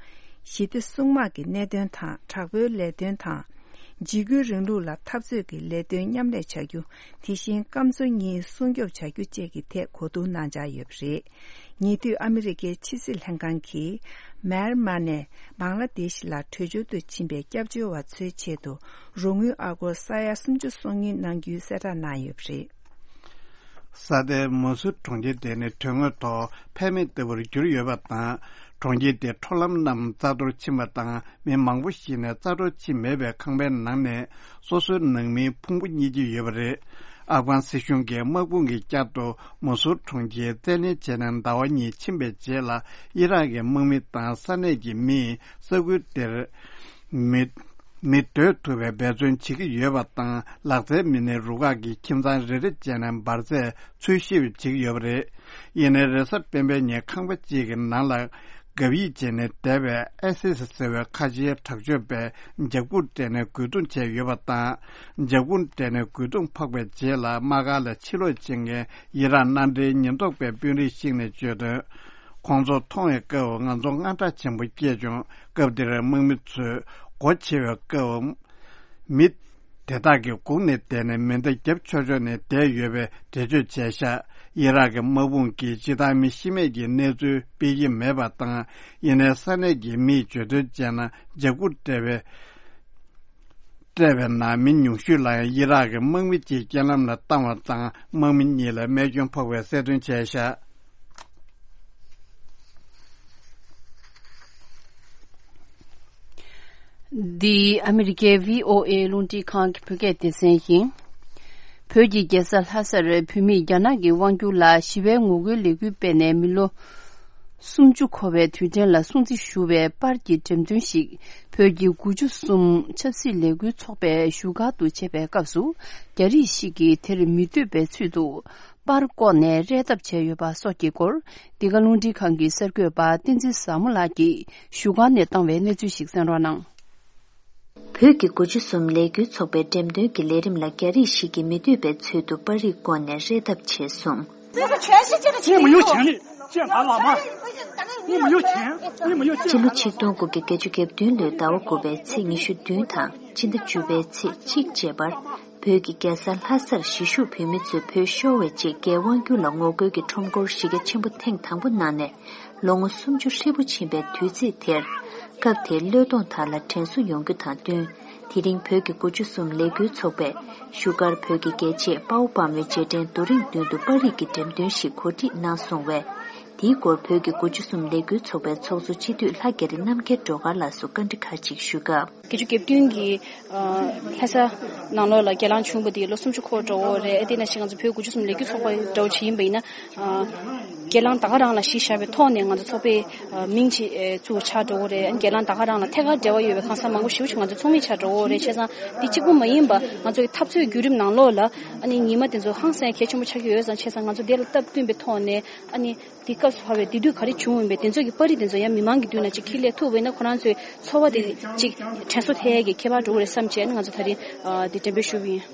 ཞི་བདེ་སྲུང་དམག་གི་གནད་དོན་དང་དྲག་པོའི་ལས་དོན་དང་། འཇིགས་སྐུལ་རིང་ལུགས་ལ་འཐབ་རྩོད་ཀྱི་ལས་དོན་མཉམ་ལས་བྱ་རྒྱུ། དེ་བཞིན་སྐམ་མཚོ་གཉིས་སྲུང་སྐྱོབ་བྱ་རྒྱུ་བཅས་ཀྱི་ཐད་གོ་བསྡུར་གནང་འཆར་ཡོད་པ་རེད། ཉེ་དུས་ཨ་མི་རི་ཀའི་ཕྱི་སྲིད་ལྷན་ཁང་གིས་མེར་མ་ནས་བང་ལ་དེཤ་ལ་བྲོས་བྱོལ་དུ་ཕྱིན་པའི་སྐྱབས་བཅོལ་བ་ཚོའི་ཆེད་དུ་རོགས་དངུལ་ཨ་སྒོར་ས་ཡ་སུམ་ཅུ་སོ་གཉིས་གནང་རྒྱུའི་གསལ་བསྒྲགས་གནང་ཡོད་པ་རེད། ས་དེའི་མུ་སུལ་གྲོང་ཁྱེར་དེ་ནི་དོན་དངོས་ཐོག་ཕན་མེད་ལྟ་བུར་གྱུར་ཡོད་པ་དང་། གྲོང་ཁྱེར་དེའི་འཕྲོ་ལམ་རྣམས་རྩ་གཏོར་ཕྱིན་པ་དང་། མི་མང་པོ་ཞིག་ནས་རྩ་གཏོར་ཕྱིན་མེད་པའི་ཁང་པའི་ནང་ནས་སོ་སོའི་ནང་མིའི་ཕུང་པོ་རྙེད་ཀྱི་ཡོད་པ་རེད། ཨབ་གྷན་སྲིད་གཞུང་གིས་དམག་དཔུང་གིས་བསྐྱར་དུ་མུ་སུལ་གྲོང་ཁྱེར་རྩད་ལེན་བྱས་ནས་ཟླ་བ་གཉིས་ཕྱིན་པའི་རྗེས་ལ། ཨི་རག་གི་དམག་མི་དང་ས་གནས་ཀྱི་མིས་ས་ཁུལ་དེར་མི་མི་སྡོད་ཐུབ་པའི་འབད་བརྩོན་བྱེད་ཀྱི་ཡོད་པ་དང་། ལག་རྩལ་མི་སྣའི་རུ་ཁག་གིས་ཁྱིམ་ཚང་རེ་རེ་བྱས་ནས་འབར་རྫས་འཚོལ་ཞིབ་བྱེད་ཀྱི་ཡོད་པ་རེད། ཡིན་ནའི་རེས་གཟའ་སྤེན་པའི་ཉིན་ཁང་པ་གཅིག་གི་ནང་ལ་གབ་ཡིབ་བྱས་ནས་བསྡད་པའི་ཨེ་སི་སི་ཟེར་བའི་ཁ་ཆེའི་དྲག་སྤྱོད་པས་འཇབ་རྒོལ་སྤྲད་ནས་རྒོལ་རྡུང་བྱས་ཡོད་པ་དང་། འཇབ་རྒོལ་སྤྲད་ནས་རྒོལ་རྡུང་འཕགས་པའི་རྗེས་ལ་དམག་སྒར་ལ་ཕྱིར་ལོག་བྱེད་མཁན་ཨི་རག་མནའ་འབྲེལ་ཉེན་རྟོག་པའི་དཔོན་རིགས་ཤིག་ནས་བརྗོད་དོན། ཁོང་ཚོ་མཐོང་བའི་སྐབས་ང་ཚོ་དངངས་སྐྲག་ཆེན་པོ་སྐྱེས་བྱུང་། སྐབས་དེར་དམག་མི་ཚོས་སྒོ་ཕྱེ་བའི་སྐབས། མི་དེ་དག་གིས་སྒུག་ནས་བསྡད་ནས་མེ་མདའ་རྒྱབ་ཆོག་ཆོག་ནས་བསྡད་ཡོད་པའི་འགྲེལ་བརྗོད་བྱས་ཤག་ཨི་རག་གི་དམག་དཔུང་གིས་སྤྱིར་བཏང་མི་ཤི་རྨས་ཀྱི་གནས་ཚུལ་སྤེལ་གྱི་མེད་པ་དང་། ཡིན་ནའི་ས་གནས་ཀྱི་མིས་བརྗོད་དོན་བྱས་ན། འཇབ་རྒོལ་སྤྲད་པའི་སྤྲད་པའི་ནང་མི་ཉུང་ཤོས་ལ་ཡང་ཨི་རག་གི་དམག་མི་གཅིག་རྐྱེན་ལམ་ལ་བཏང་བ་དང་། དམག་མི་གཉིས་ལ་རྨས་སྐྱོན་ཕོག་པའི་གསལ་སྟོན་བྱས་ཤག་འདི་ཨ་མི་རི་ཀའི་བྷི་ཨོ་ཨེ་རླུང་འཕྲིན་ཁང་གི་བོད་སྐད་སྡེ་ཚན་ཡིན། བོད་ཀྱི་རྒྱལ་ས་ལྷ་སར་བོད་མིས་རྒྱ་ནག་གི་དབང་སྒྱུར་ལ་ཞི་བའི་ངོ་རྒོལ་ལས་འགུལ་སྤེལ་ནས་མི་ལོ་སུམ་ཅུ་འཁོར་བའི་དུས་དྲན་ལ་སྲུང་བརྩི་ཞུ་བའི་པར་གྱི་འགྲེམས་སྟོན་ཞིག་བོད་ཀྱི་དགུ་བཅུ་གསུམ་ཆབ་སྲིད་ལས་འགུལ་ཚོགས་པས་བཞུགས་སྒར་དུ་བྱས་པའི་སྐབས་སུ། རྒྱ་རིགས་ཤིག་གིས་དེར་མི་འདོད་པའི་ཚུལ་དུ། པར་བཀོག་ནས་རས་ཐབ་བྱས་ཡོད་པ་སོགས་ཀྱི་སྐོར། འདི་ག་རླུང་འཕྲིན་ཁང་གི་གསར་འགོད་པ་བསྟན་འཛིན་བཟང་མོ་ལགས་ཀྱིས་བཞུགས་སྒར་ནས་བཏང་བའི་གནས་ཚུལ་ཞིག་གསན་རོགས་གནང་། བོད་ཀྱི་དགུ་བཅུ་གསུམ་ལས་འགུལ་ཚོགས་པའི་འགྲེམས་སྟོན་གྱི་ལས་རིམ་ལ་རྒྱ་རིགས་ཤིག་གིས་མི་འདོད་པའི་ཚུལ་དུ་པར་རིས་བཀོག་ནས་རས་ཐབ་བྱས་སོང་། 这是全世界的情况。 见俺老妈，你没有钱，你没有见。 སྤྱི་ལོ་ཆིག་སྟོང་དགུ་བརྒྱ་བརྒྱད་ཅུ་གྱ་བདུན་ལོའི་ཟླ་བ་དགུ་པའི་ཚེས་ཉི་ཤུ་བདུན་དང་སྤྱི་ཟླ་བཅུ་པའི་ཚེས་གཅིག་བཅས་པར། བོད་ཀྱི་རྒྱལ་ས་ལྷ་སར་གཞིས་བཞུགས་བོད་མི་ཚོས་བོད་ཤོར་བའི་རྗེས་རྒྱའི་དབང་བསྒྱུར་ལ་ངོ་རྒོལ་གྱི་ཁྲོམ་སྐོར་གཞི་རྒྱ་ཆེན་པོ་ཐེངས་དང་པོ་གནང་ནས་ལོ་ངོ་སུམ་ཅུ་ཧྲིལ་པོ་ཕྱིན་པའི་དུས་ཚིགས་དེར། སྐབས་དེའི་བློས་གཏོང་དག་ལ་དྲན་གསོ་ཡོང་རྒྱུ་དང་བསྟུན། དེ་རིང་བོད་ཀྱི་དགུ་བཅུ་གསུམ་ལས་འགུལ་ཚོགས་པས་བཞུགས་སྒར་བོད་ཀྱི་རྒྱལ་གཅེས་དཔའ་བོ་དཔའ་མོའི་རྗེས་དྲན་རྡོ་རིང་མདུན་དུ་པར་རིས་ཀྱི་འགྲེམས་སྟོན་ཞིག་གོ་སྒྲིག་གནང་སོང་བས། དེའི་སྐོར་བོད་ཀྱི་དགུ་བཅུ་གསུམ་ལས་འགུལ་ཚོགས་པའི་ཚོགས་གཙོ་སྤྱི་འཐུས་ལྷ་རྒྱ་རི་རྣམ་རྒྱལ་སྒྲོལ་དཀར་ལགས་སུ་བཀའ་འདྲི་ཁག་ཅིག་ཞུས་སྐབས། བརྒྱད་ཅུ་གྱ་བདུན་གྱི་ལྷ་ས་ནང་ལོགས་ལ་རྒྱ་ལངས་བྱུང་བ་དེ་ལོ་སུམ་ཅུ་འཁོར་འགྲོ་འོ་རེད། ཨ་དེ་ནང་བཞིན་ང་ཚོ་བོད་དགུ་བཅུ་གསུམ་ལས་འགུལ་ཚོགས་པ་འདྲ་བོ་ཅིག་ཡིན་པ་ཡིན་ན། རྒྱ་ལངས་ད་ག་རང་ལ་གཞི་བཞག་པའི་ཐོག་ནས་ང་ཚོ་ཚོགས་པའི་མིང་ཅིག་བཙུགས་ཆགས་འགྲོ་འོ་རེད། རྒྱ་ལངས་ད་ག་རང་ལ་ཐད་ཀར་འབྲེལ་བ་ཡོད་པའི་གང་ཟག་མང་པོ་ཞེ་པོ་ཅིག་ང་ཚོ་ཚོགས་མི་ཆགས་འགྲོ་འོ་རེད། བྱས་ཙང་འདི་གཅིག་པུ་མ་ཡིན་པ་ང་ཚོ་གི་འཐབ་རྩོད་བརྒྱུད་རིམ་ནང་ལོགས་ལ་ཨ་ནི་ཉི་མ་དེ་ཚོ་ཧང་སང་གལ་ཆེན་པོ་ཆགས་ཀྱི་ཡོད་ཙང་། བྱས་ཙང་ང་ཚོ་དེ་ལ་སྟབས་བསྟུན་པའི་ཐོག་ནས་ཨ་ནི། དེ་སྐབས་སུ་བབས་པའི་དེ་དུས་ག་རེ་བྱུང་ཡིན་པས་དེ་ཚོ་གི་པར་རིས་དེ་ཚོ་ཡང་མི་མང་གི་མདུན་ལ་ཅིག་འཁྱེར་སླེབས་ཐུབ་པ་ཡིན་ན་ཁོ་རང་ཚོའི་ཚོར་བ་དེ་ཅིག་དྲན་གསོ་ཐེབས་ཡས་ཀྱི་ཁྱད་པར་འགྲོ་གི་རེད་བསམ་བྱས་ནས་ང་ཚོ་ད་རིང་དེ་འགྲེམས་སྤེལ་ཞུས་པ་ཡིན།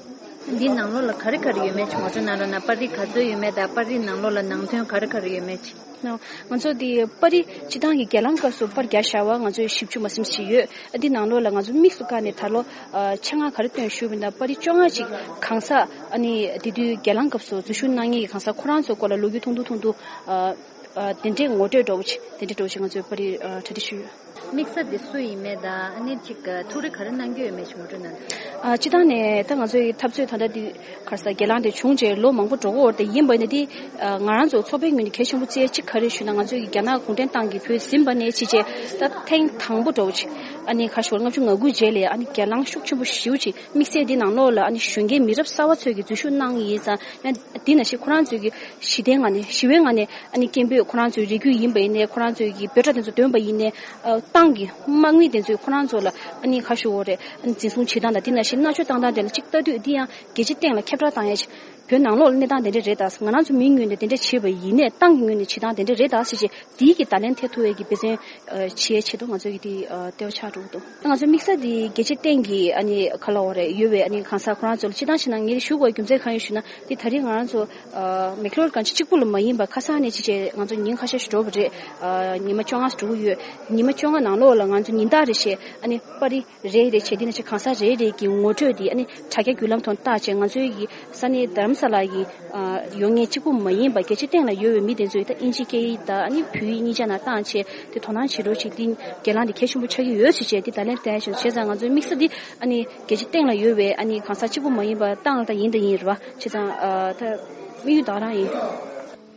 འདི་ནང་ལོགས་ལ་ག་རེ་ག་རེ་ཡོད་མེད་ཅིག་ངོ་སྤྲོད་གནང་རོགས་གནང་། པར་རིས་ག་ཚོད་ཡོད་མེད་དང་པར་རིས་ནང་ལོགས་ལ་ནང་དོན་ག་རེ་ག་རེ་ཡོད་མེད་ཅིག་ང་ཚོ་འདི་པར་རིས་སྤྱི་བཏང་གི་སྒེར་ལངས་སྐབས་སུ་པར་རྒྱག་བཞག་པ་ང་ཚོས་ཞིབ་འཇུག་མ་ཟིན་ཞིག་ཡོད། འདི་ནང་ལོགས་ལ་ང་ཚོ་དམིགས་སུ་བཀར་ནས་ད་ལོ་ཆེད་མངགས་ག་རེ་བཏོན་ཞུས་པ་ཡིན་ན། པར་རིས་བཅོ་ལྔ་ཅིག་གང་ཟག་ཨ་ནི་དེ་དུས་སྒེར་ལངས་སྐབས་སུ་འཛུལ་ཞུགས་གནང་མཁན་གྱི་གང་ཟག་ཁོ་རང་ཚོའི་སྐོར་ལ་ལོ་རྒྱུས་ཐུང་ཐུང་ཐུང་ཐུང་། དེ་འདྲའི་ངོ་སྤྲོད་འདྲ་བོ་ཅིག་དེ་འདྲའི་འདྲ་བོ་ཅིག་ང་ཚོས་པར་རིས་གྲ་སྒྲིག་ཞུས་ཡོད། དམིགས་བསལ་དེ་སུ་ཡིན་མེད་དང་ཨ་ནི་ཅིག་ཐུགས་རེ་ག་རེ་གནང་རྒྱུ་ཡོད་མེད་ཅིག་ངོ་སྤྲོད་གནང་དང་། ཨ་སྤྱིར་བཏང་ནས་ད་ང་ཚོའི་འཐབ་རྩོད་ད་ལྟ་འདི་ག་རེ་ཟེར་སྒེར་ལངས་དེ་བྱུང་རྗེས་ལོ་མང་པོ་འགྲོ་གི་ཡོད་རེད། དེ་ཡིན་པ་ཡིན་ན་འདི་ང་རང་ཚོ་ཚོགས་པའི་ངོས་ནས་གལ་ཆེན་པོ་བརྩི་ཡ་གཅིག་ག་རེ་ཞུས་ན། ང་ཚོའི་རྒྱ་ནག་གུང་ཁྲན་ཏང་གིས་བོད་ཟིན་པ་ནས་ཕྱིན་རྗེས་ད་ཐེངས་དང་པོ་འདྲ་བོ་ཅིག་ཨ་ནི་ག་རེ་ཞུ་དགོས་རེད། ལྔ་བཅུ་ང་དགུ་རྗེས་ལ་ཨ་ནི་སྒེར་ལངས་ཤུགས་ཆེན་པོ་ཞེ་པོ་ཅིག་དམིགས་བསལ་འདི་ནང་ལོགས་ལ་ཨ་ནི་གཞོན་སྐྱེས་མི་རབས་གསར་བ་ཚོས་ཀྱི་འཛུལ་ཞུགས་གནང་ཡིན་ཙང་། ཡང་འདི་ནང་བཞིན་ཁོ་རང་ཚོས་ཀྱི་ཞི་བདེའི་ངང་ནས་ཞི་བའི་ངང་ནས་ཨ་ནི་སྐད་འབོད། ཁོ་རང་ཚོའི་རེ་སྐུལ་ཡིན་པ་ཡིན་ནའི་ཁོ་རང་ཚོའི་གི་འབོད་སྒྲ་དེ་ཚོ་འདོན་པ་ཡིན་ནའི་ཨ་ཏང་གི་དམག་མི་དེ་ཚོས་ཁོ་རང་ཚོ་ལ་ཨ་ནི་ག་རེ་ཞུ་དགོས་རེད། ཨ་ནི་འཛིན་བཟུང་བྱེད་སྟངས་དང་དེ་ནང་བཞིན་མནར་གཅོད་བཏང་སྟངས་དེ་ལ་གཅིག་ལྟ་དུས་འདི་ཡང་རྒྱལ་སྤྱིའི་སྟེང་ལ་ཁྱབ་བསྒྲགས་བཏང་ཡ་ཅིག་བོད་ནང་ལོགས་ལ་གནས་སྟངས་དེ་འདྲ་རེད་ད། ང་རང་ཚོ་མིའི་ངོས་ནས་དེ་འདྲ་བྱས་པ་ཡིན་ནའི་ཏང་གི་ངོས་ནས་བྱེད་སྟངས་དེ་འདྲ་རེད་ད་ཟེར་བྱས་འདིའི་གི་བརྡ་ལན་ཐེབས་ཐུབ་པའི་གི་འབད་བརྩོན་ཨ་བྱེད་ཡའི་ཆེད་དུ་ང་ཚོ་གི་དེ་ཨ་ལྟེ་བ་ཆགས་འགྲོ་གི་འདུག་ང་ཚོ་དམིགས་བསལ་དེ་རྒྱལ་སྤྱིའི་སྟེང་གི་ཨ་ནི་ག་ལབ་དགོས་རེད། ཡོད་པའི་ཨ་ནི་གང་ཟག་ཁོ་རང་ཚོ་ལ་སྤྱིར་བཏང་བྱས་ན་ངས་ཞུ་དགོས་རྒྱུ་མཚན་གང་ཡིན་ཞུ་ན། དེ་ད་རེས་ང་རང་ཚོ་ཨ་མེག་ལོར་གང་ཅི་གཅིག་པུ་ལ་མ་ཡིན་པར་ཁ་སང་ནས་ཅི་བྱས་ང་ཚོ་ཉིན་ཁ་ཤས་ཤིག་འགྲོ་བ་རེད། ཨ་ཉི་མ་བཅོ་ལྔ་འགྲོ་གི་ཡོད། ཉི་མ་བཅོ་ལྔ་ནང་ལོགས་ལ་ང་ཚོ་ཉིན་ལྟར་རེ་བཞིན་ཨ་ནི་པར་རིས་རེ་རེ་བྱས། དེ་ནང་བཞིན་གང་ཟག་རེ་རེ་གི་ངོ་སྤྲོད་དེ་ཨ་ནི་དྲ་རྒྱ་བརྒྱུད་ལམ་ཐོག་བཏང་བྱས། ང་ཚོའི་གི་ས་གནས་དྷ་རམ་ས་ལ་གི་ཨ་ཡོད་མཁན་གཅིག་པུ་མ་ཡིན་པར་རྒྱལ་སྤྱིའི་སྟེང་ལ་ཡོད་པའི་མི་དེ་ཚོས་ད་དབྱིན་ཇིའི་སྐད་ཡིག་དང་ཨ་ནི་བོད་ཡིག་གཉིས་ཆ་ནང་བཏང་བྱས་དེ་དོ་སྣང་བྱེད་རོགས་བྱེད། དེ་སྒེར་ལངས་དེ་གལ་ཆེན་པོ་ཆགས་ཀྱི་ཡོད་ཟེར་བྱས་དེ་བརྡ་ལན་བསྟན་བྱས། བྱས་ཙང་ང་ཚོའི་དམིགས་བསལ་འདི་ཨ་ནི་རྒྱལ་སྤྱིའི་སྟེང་ལ་ཡོད་པའི་ཨ་ནི་གང་ཟག་གཅིག་པུ་མ་ཡིན་པར་ཏང་ལ་ད་ཡིན་ད་ཡིན་རེད་བ། བྱས་ཙང་ཨ་ད་དམིགས་ཡུལ་ད་ག་རང་ཡིན།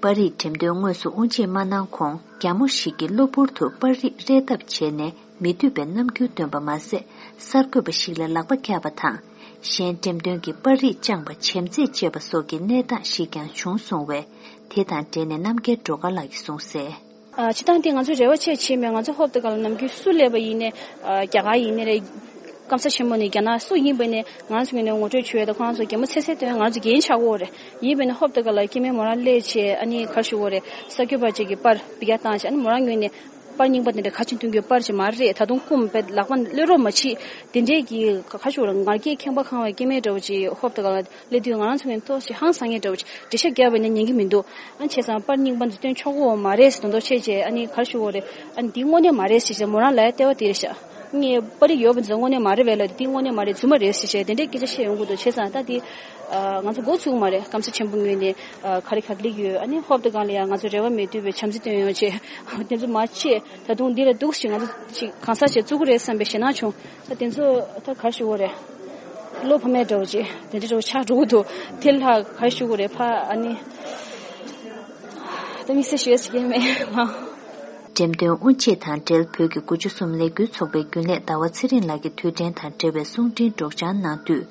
པར་རིས་འགྲེམས་སྟོན་དངོས་སུ་དབུ་འབྱེད་མ་གནང་གོང་རྒྱ་མོ་ཞིག་གིས་གློ་བུར་དུ་པར་རིས་རེག་ཐབས་བྱས་ནས་མི་འདོད་པའི་རྣམ་འགྱུར་སྟོན་པ་མ་ཟད། གསར་འགོད་པ་ཞིག་ལ་ལག་པ་བཀྱགས་པ་དང་། གཞན་འགྲེམས་སྟོན་གྱི་པར་རིས་བཅངས་པ་བྱེམ་རྩེད་བཅས་པ་སོགས་ཀྱི་གནས་སྟངས་ཤིག་ཀྱང་བྱུང་སོང་བས། དེ་དང་འབྲེལ་ནས་རྣམ་རྒྱལ་སྒྲོལ་དཀར་ལགས་ཀྱིས་གསུངས་གསལ། ཨ་སྤྱིར་བཏང་དེ་ང་ཚོ་རེ་བ་ཆེ་བྱེད་མེད། ང་ཚོ་ཧོབ་ཏེ་ག་ལ་ནམ་རྒྱུན་སུ་སླེབས་པ་ཡིན་ནའི་ཨ་རྒྱ་གར་ཡིན་ནའི་རེད། སྐམ་ས་ཆེན་མོ་ནས་རྒྱ་ནག་སུ་ཡིན་པ་ནས་ང་རང་ཚོ་ངོས་ནས་ངོ་སྤྲོད་བྱོས་ཡོད་དང་། ཁོ་རང་ཚོ་གད་མོ་ཚེ་ཚེ་སྟོན། ང་རང་ཚོ་རྒན་ཆགས་ཀྱི་ཡོད་རེད། ཡིན་པ་ནས་ཧོབ་ཏེ་ག་ལ་སྐྱེ་དམན་མོ་རང་སླེབས་བྱས་ཨ་ནི་ག་རེ་ཞུ་དགོས་རེད། གསར་འགོད་པ་ཅིག་གིས་པར་འབུལ་ཡ་བཏང་བྱས་ཨ་ནི་མོ་རང་ངོས་ནས་པར་རྙིང་པ་དེ་འདྲ་ག་ཅིག་འཐུང་རྒྱུ་པར་ཅིག་མ་རེད། ད་དུང་སྐུམ་པའི་ལག་པ་གློད་རོགས་མ་བྱེད། དེ་འདྲའི་གི་ག་རེ་ཞུ་དགོས་རེད། ངར་སྐད་ཁེངས་པ་ཁེངས་པའི་སྐྱེ་དམན་འདྲ་བོ་ཅིག་ཧོབ་ཏེ་ག་ལ་སླེབས་དུས་ང་རང་ཚོ་ངོས་ནས་ཏོག་ཙམ་ཧང་སང་མཁན་འདྲ་བོ་ཅིག་འགྲེལ་བཤད་རྒྱབ་པ་ཡིན་ན་ཉན་གྱི་མི་འདུག་ཨ་ནི་བྱས་ཙང་པར་རྙིང་པ་འདི་སྟོན་ཆོག་གི་མ་རེད་ཟེར་དོན་དག་བྱས་བྱས་ཨ་ནི་ག་རེ་ཞུ་དགོས་རེད། ཨ་ནི་འདི་དངོས་གནས་མ་རེད་ཟེར་བྱས་མོ་རང་ལ་ལྟ་བ་དེ་རེད་ཤག་ངས་པར་རིས་ཡོད་པ་འདི་ཚོ་དངོས་གནས་མ་རེད་པས་ལབ། འདི་དངོས་གནས་མ་རེད། རྫུན་མ་རེད་ཟེར་བྱས་དེ་འདྲའི་སྐད་ཆ་བཤད་ཡོང་གི་འདུག་བྱས་ཙང་ད་འདི་ཨ་ང་ཚོ་འགོ་ཚུགས་མ་རེད། སྐམ་ས་ཆེན་པོ་ངོས་ནས་ཨ་ག་རེ་ག་རེ་སླེབས་ཡོད། ཨ་ནི་ཧོབ་ཏེ་ག་ལ་ཡ་ང་ཚོ་རེ་བ་མེད་དུས་པའི་བྱམས་བརྩེ་སྟོན་ཡོང་བྱས་དེ་ཚོ་མ་བྱས། ད་དུང་འདི་ལ་འདུག་ཞིག་ང་ཚོ་ཅིག་གང་ཟག་ཅིག་བཙུགས་ཀྱི་རེད་བསམ་པའི་ཞེད་སྣང་བྱུང་། ད་དེ་ཚོ་ད་ག་རེ་ཞུ་དགོས་རེད། བློ་ཕམ་མེད་འདྲ་བོ་ཅིག་དེ་འདྲ་འདྲ་བོ་ཆགས་འགྲོ་གི་འདུག་དེ་ལ་ག་རེ་ཞུ་དགོས་རེད། ཕ་ཨ་ནི་ད་དམིགས་བསལ་ཞུ་ཡ་ཞིག་ཡིན་མེད་ང་། འགྲེམས་སྟོན་དབུ་འབྱེད་དང་འབྲེལ་བོད་ཀྱི་དགུ་བཅུ་གསུམ་ལས་འགུལ་ཚོགས་པའི་རྒྱུན་ལས་ཟླ་བ་ཚེ་རིང་ལགས་ཀྱིས་དུས་དྲན་དང་འབྲེལ་བའི་གསུང་འཕྲིན་སྒྲོག་སྦྱང་གནང་དུས།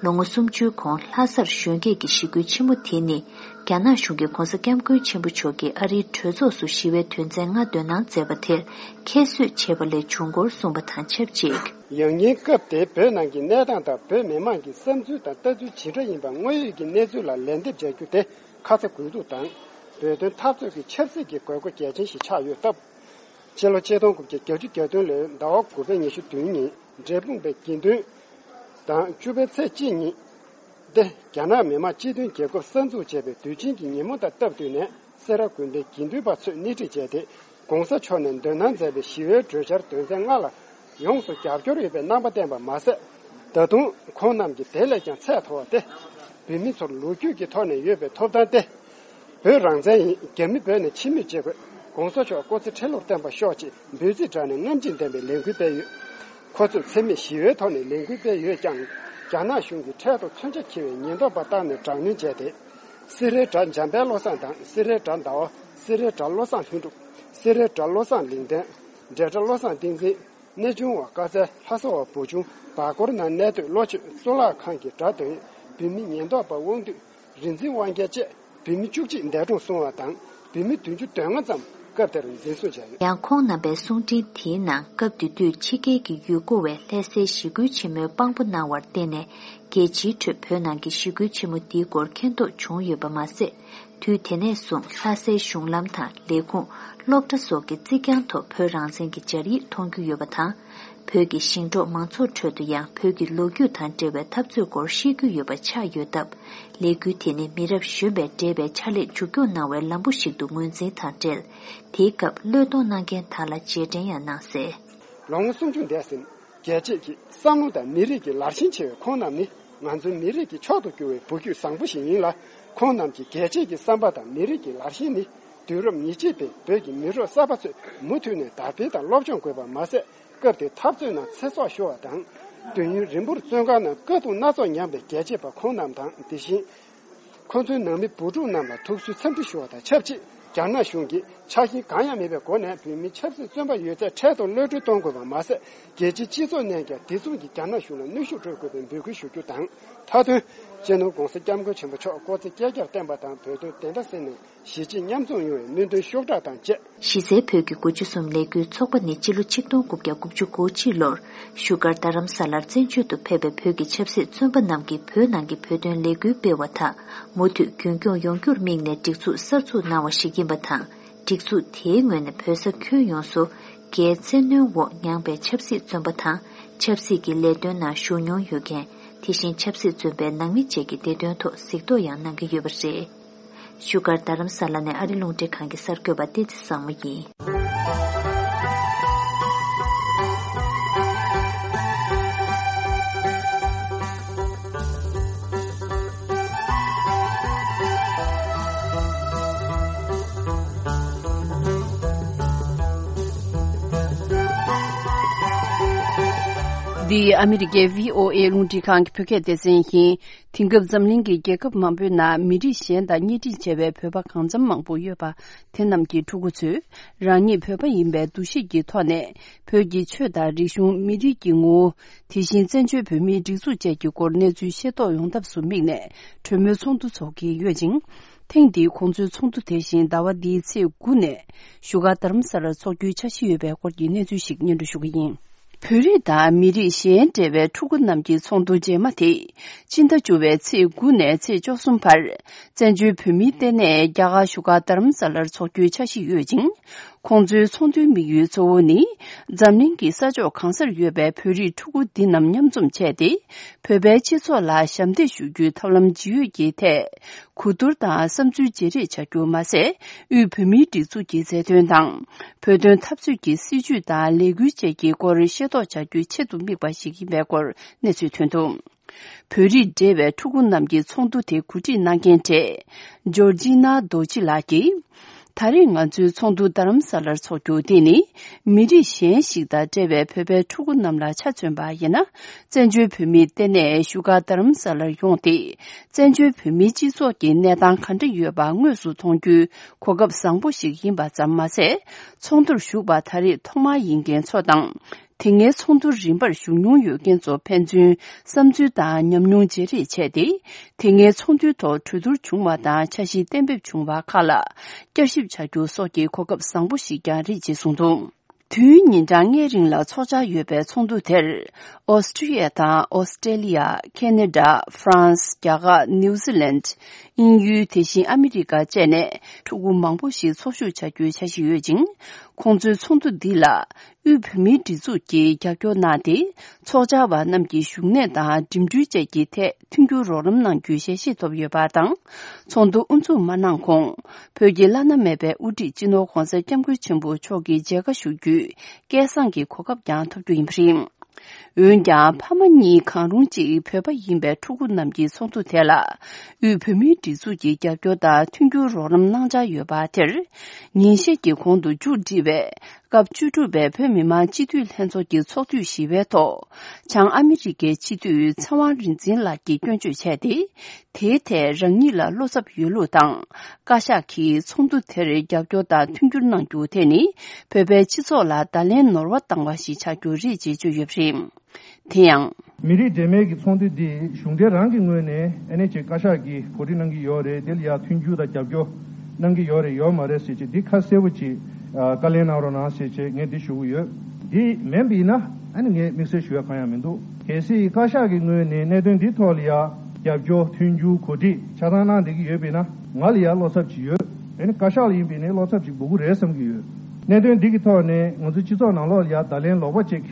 ལོ་ངོ་སུམ་ཅུའི་གོང་ལྷ་སར་གཞོན་སྐྱེས་ཀྱི་ཞི་རྒོལ་ཆེན་མོ་དེ་ནི། རྒྱ་ནག་གཞུང་གིས་༧གོང་ས་༧སྐྱབས་མགོན་ཆེན་པོ་མཆོག་གིས་ཨ་རིའི་གྲོས་ཚོགས་སུ་ཞི་བའི་དོན་ཚན་ལྔ་འདོན་གནང་མཛད་པ་དེར་ཁྱད་གསོད་བྱས་པ་ལས་བྱུང་སྐོར་གསུངས་པ་དང་ཆབས་ཅིག་ཡང་སྙིང་སྐབས་དེའི་བོད་ནང་གི་གནས་སྟངས་དང་བོད་མི་མང་གི་བསམ་ཚུལ་དང་ལྟ་ཚུལ་ཇི་འདྲ་ཡིན་པ་དངོས་ཡོད་ཀྱི་གནས་ཚུལ་ལ་ལན་འདེབས་བྱ་རྒྱུ་དེ་ཁ་ཚ་དགོས་གཏུགས་དང་། བོད་དོན་འཐབ་རྩོད་ཀྱི་ཆབ་སྲིད་ཀྱི་དགོས་མཁོ་གལ་ཆེན་ཞིག་ཆགས་ཡོད་སྟབས། ཕྱི་ལོ་ཆིག་སྟོང་དགུ་བརྒྱ་བརྒྱད་ཅུ་གྱ་བདུན་ལོའི་ཟླ་བ་དགུ་པའི་ཉི་ཤུ་བདུན་ཉིན་འབྲས་སྤུངས་པའི་དགེ་འདུན་དང་བཅུ་པའི་ཚེས་གཅིག་ཉིན་ཏེ་རྒྱ་ནག་མི་དམངས་སྤྱི་མཐུན་རྒྱལ་ཁབ་གསར་འཛུགས་བྱས་པའི་དུས་ཆེན་གྱི་ཉིན་མོ་དང་སྟབས་བསྟུན་ནས་སེ་ར་དགོན་པའི་དགེ་འདུན་པ་ཚོས་སྣེ་ཁྲིད་བྱས་ཏེ་༧གོང་ས་མཆོག་ནས་འདོན་གནང་མཛད་པའི་ཞི་བའི་གྲོས་འཆར་དོན་ཚན་ལྔ་ལ་ཡོངས་སུ་རྒྱབ་སྐྱོར་ཡོད་པའི་རྣམ་པ་བསྟན་པ་མ་ཟད། ད་དུང་ཁོང་རྣམས་ཀྱིས་དེ་ལས་ཀྱང་ཚད་མཐོ་བ་སྟེ། བོད་མི་ཚོར་ལོ་རྒྱུས་ཀྱི་ཐོག་ནས་ཡོད་པའི་ཐོབ་ཐང་སྟེ། བོད་རང་བཙན་ཡིན། རྒྱ་མི་བོད་ནས་ཕྱི་མིར་བྱེད་དགོས། ༸གོང་ས་མཆོག་སྐུ་ཚེ་ཁྲི་ལོར་བརྟན་པར་ཤོག་ཅེས་འབོད་ཚིག་བསྒྲགས་ནས་རྔམ་བརྗིད་ལྡན་པའི་ལས་འགུལ་སྤེལ་ཡོད། ཁོ་ཚོས་འཚེ་མེད་ཞི་བའི་ཐོག་ནས་ལས་འགུལ་སྤེལ་ཡོད་ཀྱང་། རྒྱ་ནག་གཞུང་གིས་འཕྲལ་དུ་མཚོན་ཆ་འཁྱེར་བའི་ཉེན་རྟོག་པ་བཏང་ནས་དྲག་གནོན་བྱས་ཏེ། སེ་རའི་དགྲ་འཇམ་དཔལ་བློ་བཟང་དང་སེ་རའི་དགྲ་ཟླ་བ། སེ་རའི་དགྲ་བློ་བཟང་ལྷུན་གྲུབ། སེ་རའི་དགྲ་བློ་བཟང་ལིང་བསྟན། འབྲས་དགྲ་བློ་བཟང་བསྟན་འཛིན། གནས་ཆུང་བ་དཀར་རྩེ་ལྷ་ས་བ་བུ་ཆུང་བར་སྐོར་ནང་གནས་སྡོད་ལོ་ཆོས་གཙུག་ལག་ཁང་གི་དགྲ་འདོན་བོད་མི་ཉེན་རྟོག་པ་དབང་འདུས་རིག་འཛིན་དབང་རྒྱལ་བཅས་བོད་མི་བཅུ་གཅིག་འདས་གྲོངས་སོང་བ་དང་བོད་མི་བདུན་ཅུ་དོན་ལྔ་ཙམ་སྐབས་དེར་འཛིན་བཟུང་བྱས་ཡོད། ཡང་ཁོང་རྣམ་པའི་གསུང་འཕྲིན་དེའི་ནང་སྐབས་དེ་དུས་ཕྱི་རྒྱལ་གྱི་ཡུལ་སྐོར་བས་ལྷ་སའི་ཞི་རྒོལ་ཆེན་མོའི་དཔང་པོ་གནང་བར་བརྟེན་ནས་རྒྱལ་སྤྱིའི་ཁྲོད་བོད་ནང་གི་ཞི་རྒོལ་ཆེན་མོ་འདིའི་སྐོར་མཁྱེན་རྟོགས་བྱུང་ཡོད་པ་མ་ཟད། དུས་དེ་ནས་བཟུང་ལྷ་སའི་གཞུང་ལམ་དང་ལས་ཁུངས། སློབ་གྲྭ་སོགས་ཀྱི་རྩིག་གྱང་ཐོག་བོད་རང་བཙན་གྱི་སྦྱར་ཡིག་མཐོང་རྒྱུ་ཡོད་པ་དང་། བོད་ཀྱི་ཞིང་འབྲོག་མང་ཚོགས་ཁྲོད་དུ་ཡང་བོད་ཀྱི་ལོ་རྒྱུས་དང་འབྲེལ་བའི་འཐབ་རྩོད་སྐོར་ཤེས་རྒྱུ་ཡོད་པ་ཆགས་ཡོད་སྟབས། ལས་འགུལ་དེ་ནི་མི་རབས་གཞོན་པས་འབྲེལ་བའི་ཕྱག་ལས་མཇུག་སྐྱོང་གནང་བའི་ལམ་བུ་ཞིག་ཏུ་ངོས་འཛིན་དང་འབྲེལ། དེའི་སྐབས་བློས་གཏོང་གནང་མཁན་དག་ལ་རྗེས་དྲན་ཡང་གནང་གསལ། ལོ་ངོ་སུམ་ཅུ་འདས་ཟིན། རྒྱལ་གཅེས་ཀྱི་བསམ་བློ་དང་མི་རིགས་ཀྱི་ལར་ཞེན་ཆེ་བའི་ཁོང་རྣམས་ནི། ང་ཚོའི་མི་རིགས་ཀྱི་མཆོག་ཏུ་གྱུར་བའི་བུ་རྒྱུད་བཟང་པོ་ཞིག་ཡིན་ལ། ཁོང་རྣམས་ཀྱི་རྒྱལ་གཅེས་ཀྱི་བསམ་པ་དང་མི་རིགས་ཀྱི་ལར་ཞེན་ནི། དུས་རབས་ཉེར་གཅིག་པའི་བོད་ཀྱི་མི་རབས་གསར་པ་ཚོས་མུ་མཐུད་ནས་དར་སྤེལ་དང་སློབ་སྦྱོང་དགོས་པ་མ་ཟད། སྐབས་དེའི་འཐབ་རྩོད་ནང་ཚེ་སྲོག་ཤོར་བ་དང་། དུས་ཡུན་རིང་པོར་བཙོན་ཁང་ནང་དཀའ་སྡུག་སྣ་ཚོགས་མྱངས་པའི་རྒྱལ་གཅེས་པ་ཁོང་རྣམས་དང་། དེ་བཞིན། ཁོ་ཚོའི་ནང་མི་བུ་ཕྲུག་རྣམས་ལ་ཐུགས་གསོའི་འཚམས་འདྲི་ཞུ་བ་དང་ཆབས་ཅིག་རྒྱ་ནག་གཞུང་གིས་ཆགས་ཞེན་གང་ཡང་མེད་པའི་སྒོ་ནས་བོད་མིའི་ཆབ་སྲིད་བཙོན་པ་ཡོད་ཚད་འཕྲལ་དུ་གློད་གྲོལ་གཏོང་དགོས་པ་མ་ཟད། རྒྱལ་སྤྱིའི་སྤྱི་ཚོགས་ནས་ཀྱང་དེ་མཚུངས་ཀྱི་རྒྱ་ནག་གཞུང་ལ་གནོན་ཤུགས་སྤྲོད་དགོས་པའི་འབོད་སྐུལ་ཞུ་རྒྱུ་དང་། མཐའ་དོན། སྤྱི་ནོར་༧གོང་ས་༧སྐྱབས་མགོན་ཆེན་པོ་མཆོག་སྐུ་ཚེ་བསྐལ་བརྒྱར་བརྟན་པ་དང་། བོད་དོན་བདེན་མཐའ་གསལ་ནས་གཞིས་བྱེས་མཉམ་འཛོམས་ཡོང་བའི་སྨོན་འདུན་ཤུགས་དྲག་དང་བཅས། གཞི་རྩའི་བོད་ཀྱི་དགུ་བཅུ་གསུམ་ལས་འགུལ་ཚོགས་པ་ནི་སྤྱི་ལོ་ཆིག་སྟོང་དགུ་བརྒྱ་དགུ་བཅུ་གོ་གཅིག་ལོར་བཞུགས་སྒར་རྡ་རམ་ས་ལར་བཙན་བྱོལ་དུ་ཕེབས་པའི་བོད་ཀྱི་ཆབ་སྲིད་བཙོན་པ་རྣམས་ཀྱིས་བོད་ནང་གི་བོད་དོན་ལས་འགུལ་སྤེལ་བ་དག་མུ་མཐུད་རྒྱུན་སྐྱོང་ཡོང་རྒྱུར་དམིགས་ནས་སྒྲིག་འཛུགས་གསར་འཛུགས་གནང་བ་ཞིག་ཡིན་པ་དང་། སྒྲིག་འཛུགས་དེའི་ངོས་ནས་བོད་ས་ཁྱོན་ཡོངས་སུ་རྒྱའི་བཙན་གནོན་འོག་མྱངས་པའི་ཆབ་སྲིད་བཙོན་པ་དང་། ཆབ་སྲིད་ཀྱི་ལས་དོན་ནང་ཞུགས་མྱོང་ཡོད་མཁན། དེ་བཞིན་ཆབ་སྲིད་བཙོན་པའི་ནང་མི་བཅས་ཀྱི་བདེ་དོན་ཐོག་གཟིགས་རྟོག་ཡང་གནང་གི་ཡོད་པ་རེད། བཞུགས་སྒར་རྡ་རམ་ས་ལ་ནས་ཨ་རི་རླུང་འཕྲིན་ཁང་གི་གསར་འགོད་པ་བསྟན་འཛིན་བཟང་མོ་ཡིན། འདི་ཨ་མི་རི་ཀའི་བྷི་ཨོ་ཨེ་རླུང་འཕྲིན་ཁང་གི་བོད་སྐད་སྡེ་ཚན་ཡིན། དེང་སྐབས་འཛམ་གླིང་གི་རྒྱལ་ཁབ་མང་པོའི་ནང་མི་རིགས་གཞན་དང་གཉེན་སྒྲིག་བྱས་པའི་བོད་པ་གང་འཚམ་མང་པོ་ཡོད་པ། དེ་རྣམས་ཀྱི་ཕྲུ་གུ་ཚོས་རང་ཉིད་བོད་པ་ཡིན་པའི་འདུ་ཤེས་ཀྱི་ཐོག་ནས་བོད་ཀྱི་ཆོས་དང་རིག་གཞུང་། མི་རིགས་ཀྱི་ངོ་བོ། དེ་བཞིན་བཙན་བྱོལ་བོད་མིའི་སྒྲིག་འཛུགས་བཅས་ཀྱི་སྐོར་གནས་ཚུལ་ཤེས་རྟོགས་ཡོང་ཐབས་སུ་དམིགས་ནས་གྲོས་མོལ་ཚོགས་འདུ་འཚོགས་ཀྱི་ཡོད་ཅིང་། ཐེངས་འདིའི་ཁོང་ཚོའི་ཚོགས་འདུ་དེ་བཞིན་ཟླ་བ་འདིའི་ཚེས་དགུ་ནས་བཞུགས་སྒར་རྡ་རམ་ས་ལར་འཚོགས་རྒྱུའི་འཆར་གཞི་ཡོད་པའི་སྐོར་གྱི་གནས་ཚུལ་ཞིག་སྙན་སྒྲོན་ཞུ་གི་ཡིན། བོད་རིགས་དང་མི་རིགས་གཞན་འབྲེལ་བའི་ཕྲུ་གུ་རྣམས་ཀྱི་ཚོགས་འདུ་རྗེས་མ་དེ། སྤྱི་ཟླ་བཅུ་བའི་ཚེས་དགུ་ནས་ཚེས་བཅུ་གསུམ་བར། བཙན་བྱོལ་བོད་མིའི་ལྟེ་གནས་རྒྱ་གར་བཞུགས་སྒར་རྡ་རམ་ས་ལར་འཚོགས་རྒྱུའི་འཆར་གཞི་ཡོད་ཅིང་། ཁོང་ཚོའི་ཚོགས་འདུའི་དམིགས་ཡུལ་གཙོ་བོ་ནི། འཛམ་གླིང་གི་ས་ཕྱོགས་གང་སར་ཡོད་པའི་བོད་རིགས་ཕྲུ་གུ་འདི་རྣམས་མཉམ་འཛོམས་བྱས་ཏེ། བོད་པའི་སྤྱི་ཚོགས་ལ་ཞབས་འདེགས་ཞུ་རྒྱུའི་ཐབས་ལམ་ཇི་ཡོད་ཀྱི་ཐད། གོ་བསྡུར་དང་བསམ་ཚུལ་བརྗེ་རེས་བྱ་རྒྱུ་མ་ཟད། དབུས་བོད་མིའི་སྒྲིག་འཛུགས་ཀྱི་མཛད་དོན་དང་། བོད་དོན་འཐབ་རྩོད་ཀྱི་སྲིད་བྱུས་དང་ལས་འགུལ་བཅས་ཀྱི་སྐོར་ཤེས་རྟོགས་བྱ་རྒྱུའི་ཆེད་དུ་དམིགས་པ་ཞིག་ཡིན་པའི་སྐོར་གནས་ཚུལ་ཐོན་འདུག་བོད་རིགས་འབྲེལ་བའི་ཕྲུ་གུ་རྣམས་ཀྱི་ཚོགས་འདུ་དེ་གོ་སྒྲིག་གནང་མཁན་གྲས། ཇོར་ཇི་ན་རྡོ་རྗེ་ལགས་ཀྱིས། ད་རེས་ང་ཚོའི་ཚོགས་འདུ་རྡ་རམ་ས་ལར་འཚོགས་རྒྱུ་དེ་ནི། མི་རིགས་གཞན་ཞིག་དང་འབྲེལ་བའི་བོད་པའི་ཕྲུ་གུ་རྣམས་ལ་ཆ་མཚོན་པ་ཡིན་ན། བཙན་བྱོལ་བོད་མིའི་ལྟེ་གནས་བཞུགས་སྒར་རྡ་རམ་ས་ལར་ཡོང་སྟེ། བཙན་བྱོལ་བོད་མིའི་སྤྱི་ཚོགས་ཀྱི་གནས་སྟངས་ག་འདྲ་ཡོད་པ་དངོས་སུ་མཐོང་རྒྱུའི་གོ་སྐབས་བཟང་པོ་ཞིག་ཡིན་པ་ཙམ་མ་ཟད། ཚོགས་འདུར་ཞུགས་པ་ད་རེས་ཐོག་མ་ཡིན་མཁན་ཚོ་དང་། དེ་སྔའི་ཚོགས་འདུར་རིམ་པར་ཞུགས་མྱོང་ཡོད་མཁན་ཚོ་ཕན་ཚུན་བསམ་ཚུལ་དང་ཉམས་མྱོང་བརྗེ་རེས་བྱས་ཏེ། དེ་སྔའི་ཚོགས་འདུའི་ཐོག་གྲོས་བསྡུར་བྱུང་བ་དང་འཆར་གཞི་གཏན་འབེབས་བྱུང་བ་ཁག་ལ་བསྐྱར་ཞིབ་བྱ་རྒྱུ་སོགས་ཀྱི་གོ་སྐབས་བཟང་པོ་ཞིག་ཀྱང་རེད་ཅེས་གསུངས་འདུག་དུས་ཡུན་ཉིན་གྲངས་ལྔའི་རིང་ལ་འཚོགས་འཆར་ཡོད་པའི་ཚོགས་འདུ་དེར། ཨོ་སི་ཀྲི་ཡ་དང་ཨོ་སི་ཀྲེ་ལི་ཡ། ཁེ་ན་ཌ། ཧྥ་རན་སི། རྒྱ་གར། ནིའུ་ཛི་ལན། དབྱིན་ཡུལ། དེ་བཞིན་ཨ་མི་རི་ཀ་བཅས་ནས་ཕྲུ་གུ་མང་པོ་ཞིག་འཚོགས་ཞུགས་བྱ་རྒྱུའི་འཆར་གཞི་ཡོད་ཅིང་། ཁོང་ཚོའི་ཚོགས་འདུ་འདི་ལ། དབུས་བོད་མིའི་སྒྲིག་འཛུགས་ཀྱིས་རྒྱབ་སྐྱོར་གནང་སྟེ། ཚོགས་བཅར་བ་རྣམས་ཀྱི་བཞུགས་གནས་དང་འགྲིམ་འགྲུལ་བཅས་ཀྱི་ཐད་མཐུན་འགྱུར་རོགས་རམ་གནང་རྒྱུའི་ཞལ་བཞེས་ཐོབ་ཡོད་པ་དང་། ཚོགས་འདུ་དབུ་འཛུགས་མ་གནང་གོང་། བོད་ཀྱི་བླ་ན་མེད་པའི་དབུ་ཁྲིད་སྤྱི་ནོར་༧གོང་ས་༧སྐྱབས་མགོན་ཆེན་པོ་མཆོག་གི་མཇལ་ཁ་ཞུ་རྒྱུའི་སྐལ་བཟང་གི་གོ་སྐབས་ཀྱང་ཐོབ་རྒྱུ་ཡིན་པ་རེད། འོན་ཀྱང་། ཕ་མ་གཉིས་གང་རུང་གཅིག་བོད་པ་ཡིན་པའི་ཕྲུ་གུ་རྣམས་ཀྱི་ཚོགས་འདུ་དེ་ལ། དབུས་བོད་མིའི་སྒྲིག་འཛུགས་ཀྱི་རྒྱབ་སྐྱོར་དང་མཐུན་འགྱུར་རོགས་རམ་གནང་འཆར་ཡོད་པ་དེར། ཉིན་ཤས་ཀྱི་གོང་དུ་མཇུག་སྒྲིལ་བའི་སྐབས་བཅུ་དྲུག་པའི་བོད་མི་མང་སྤྱི་འཐུས་ལྷན་ཚོགས་ཀྱི་ཚོགས་དུས་བཞི་པའི་ཐོག་བྱང་ཨ་མི་རི་ཀའི་སྤྱི་འཐུས་ཚེ་དབང་རིག་འཛིན་ལགས་ཀྱིས་སྐྱོན་བརྗོད་བྱས་ཏེ། དེའི་ཐད་རང་ཉིད་ལ་བློ་འཚབ་ཡོད་ལུགས་དང་། བཀའ་ཤག་གིས་ཚོགས་འདུ་དེར་རྒྱབ་སྐྱོར་དང་མཐུན་འགྱུར་གནང་རྒྱུ་དེ་ནི། བོད་པའི་སྤྱི་ཚོགས་ལ་བརྡ་ལན་ནོར་བ་བཏང་བ་ཞིག་ཆགས་རྒྱུ་རེད་ཅེས་བརྗོད་ཡོད་པ་རེད། དེ་ཡང་། མི་རིགས་འབྲེལ་མོལ་གྱི་ཚོགས་འདུ་འདི་གཞུང་འབྲེལ་རང་གི་ངོས་ནས་ཨ་ནེ་ཅིག་བཀའ་ཤག་གིས་གོ་སྒྲིག་གནང་གི་ཡོད་རེད། དེ་ལ་ཡང་མཐུན་འགྱུར་དང་རྒྱབ་སྐྱོར་གནང་གི་ཡོད་རེད་ཡོད་མ་རེད་ཟེར་ཅིག་འདི་ཁ་གསལ་པོ་ཅིག་བཀའ་ལན་གནང་རོགས་གནང་ཟེར་ཅིག་ངས་འདི་ཞུ་གི་ཡོད། འདི་མིན་པ་ཡིན་ན་ཨ་ནི་ངས་དམིགས་བསལ་ཞུ་ཡ་གང་ཡང་མི་འདུག་གལ་སྲིད་བཀའ་ཤག་གི་ངོས་ནས་གནད་དོན་འདི་ཐོག་ལ་ཡང་རྒྱབ་སྐྱོར་མཐུན་འགྱུར་གོ་སྒྲིག་ཆ་ཚང་གནང་བསྡད་ཀྱི་ཡོད་པ་ཡིན་ན་ང་ལ་ཡང་བློ་འཚབ་ཅིག་ཡོད། ཨ་ནི་བཀའ་ཤག་ལ་ཡིན་པ་ཡིན་ན་བློ་འཚབ་ཅིག་འབུལ་གི་རེད་བསམ་གྱི་ཡོད། གནད་དོན་འདི་གི་ཐོག་ནས་ང་ཚོའི་སྤྱི་ཚོགས་ནང་ལོགས་ལ་ཡང་བརྡ་ལན་ལོག་པ་ཅིག་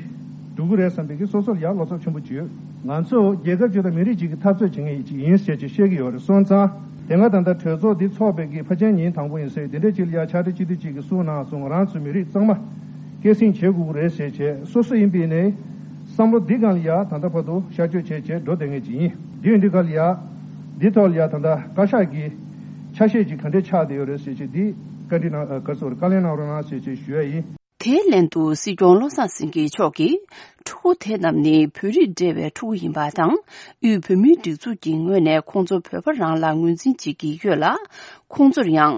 འགྲོ་གི་རེད་བསམ་པའི་གི་སོ་སོར་ཡང་བློ་འཚབ་ཆེན་པོ་ཅིག་ཡོད། ང་ཚོ་རྒྱལ་ཁབ་ཅིག་དང་མི་རིགས་ཅིག་གི་འཐབ་རྩོད་བྱེད་མཁན་ཅིག་ཡིན་ཟེར་ཅིག་བཤད་ཀྱི་ཡོད་རེད་སོང་ཙང་། དེ་སྔ་ད་ལྟ་གྲོས་ཚོགས་འདི་འཚོགས་པའི་གི་ཕལ་ཆེར་ཉིན་དང་པོ་ཡིན་ཟེར། དེ་འདྲ་ཅིག་ལ་ཡ་ཕྱག་སྦྲེལ་སྤྱི་འཐུས་ཅིག་གིས་གསུངས་གནང་སོང་། ང་རང་ཚོའི་མི་རིགས་གཙང་མ་སྐྱེད་སྲིང་བྱེད་དགོས་ཀྱི་རེད་ཟེར་བྱས། སོ་སོ་ཡིན་པའི་ནས་བསམ་བློ་འདི་སྒང་ལ་ཡ་ད་ལྟ་བར་དུ་ཤར་བསྐྱོད་བྱས་བྱས་འགྲོ་བསྡད་མཁན་ཅིག་ཡིན། འདི་ཡིན་དུས་ག་ལ་ཡ་འདི་ཐོག་ལ་ཡ་ད་ལྟ་བཀའ་ཤག་གི་ཆ་ཤས་ཅིག་ག་འདྲས་ཆགས་བསྡད་ཡོད་རེད་ཟེར་བྱས། འདི་བཀའ་འདྲི་གནང་། ཨ། ག་རེ་ཟེར། བཀའ་ལན་གནང་རོགས་གནང་ཟེར་བྱས་ཞུ་ཡ་ཡིན། དེའི་ལན་དུ་སྲིད་སྐྱོང་བློ་བཟང་སེང་གེ་མཆོག་གིས། ཕྲུ་གུ་དེ་རྣམས་ནི་བོད་རིགས་འབྲེལ་བའི་ཕྲུ་གུ་ཡིན་པ་དང་། དབུས་བོད་མིའི་སྒྲིག་འཛུགས་ཀྱི་ངོས་ནས་ཁོང་ཚོ་བོད་པ་རང་ལ་ངོས་འཛིན་བྱེད་ཀྱི་ཡོད་ལ། ཁོང་ཚོར་ཡང་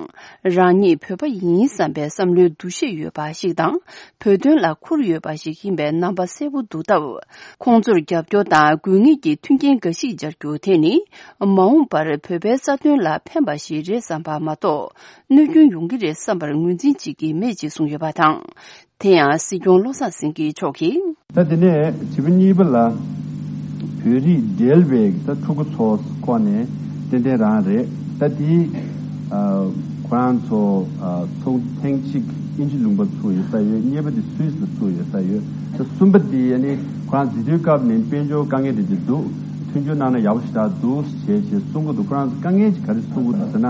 རང་ཉིད་བོད་པ་ཡིན་བསམ་པའི་བསམ་བློའི་འདུ་ཤེས་ཡོད་པ་ཞིག་དང་། བོད་དོན་ལ་ཁུར་ཡོད་པ་ཞིག་ཡིན་པའི་རྣམ་པ་གསལ་པོ་འདུག་སྟབས། ཁོང་ཚོར་རྒྱབ་སྐྱོར་དང་དགོས་ངེས་ཀྱི་མཐུན་རྐྱེན་འགའ་ཞིག་སྦྱར་རྒྱུ་དེ་ནི། མ་འོངས་པར་བོད་པའི་རྩ་དོན་ལ་ཕན་པ་ཞིག་རེད་བསམ་པ་མ་གཏོགས། གནོད་སྐྱོན་ཡོང་གི་རེད་བསམ་པར་ངོས་འཛིན་བྱེད་ཀྱི་མེད་ཅེས་གསུངས་ཡོད་པ་དང་། དེ་ཡང་སྲིད་སྐྱོང་བློ་བཟང་སེང་གེ་མཆོག་གིས། ད་དེ་ནས་བྱིས་པ་གཉིས་པ་ལ་བོད་རིགས་འབྲེལ་བའི་ད་ཕྲུ་གུ་ཚོ་ཁོ་ནས་ཏན་ཏན་རང་རེད། ད་དེ་ཨ་ཁོ་རང་ཚོ་ཨ་ཚོགས་ཐེངས་གཅིག་དབྱིན་ཇི་ལུང་པ་ཚུགས་ཡོད་ས་ཡོད། གཉིས་པ་དེ་སུད་སི་ལ་ཚུགས་ཡོད་ས་ཡོད། ད་གསུམ་པ་དེ་ཨ་ནི་ཁོ་རང་འཛིན་དུས་སྐབས་ནས་དཔལ་འབྱོར་དཀའ་ངལ་དེ་འདྲ་འདུག་མཐུན་འགྱུར་གནང་ན་ཡག་པོ་ཞེ་དྲག་འདུག་ཅེས་ཅེས་གསུང་གི་འདུག་ཁོ་རང་ཚོ་དཀའ་ངལ་ཅིག་ག་རེ་ཚོར་གི་འདུག་ཟེར་ན།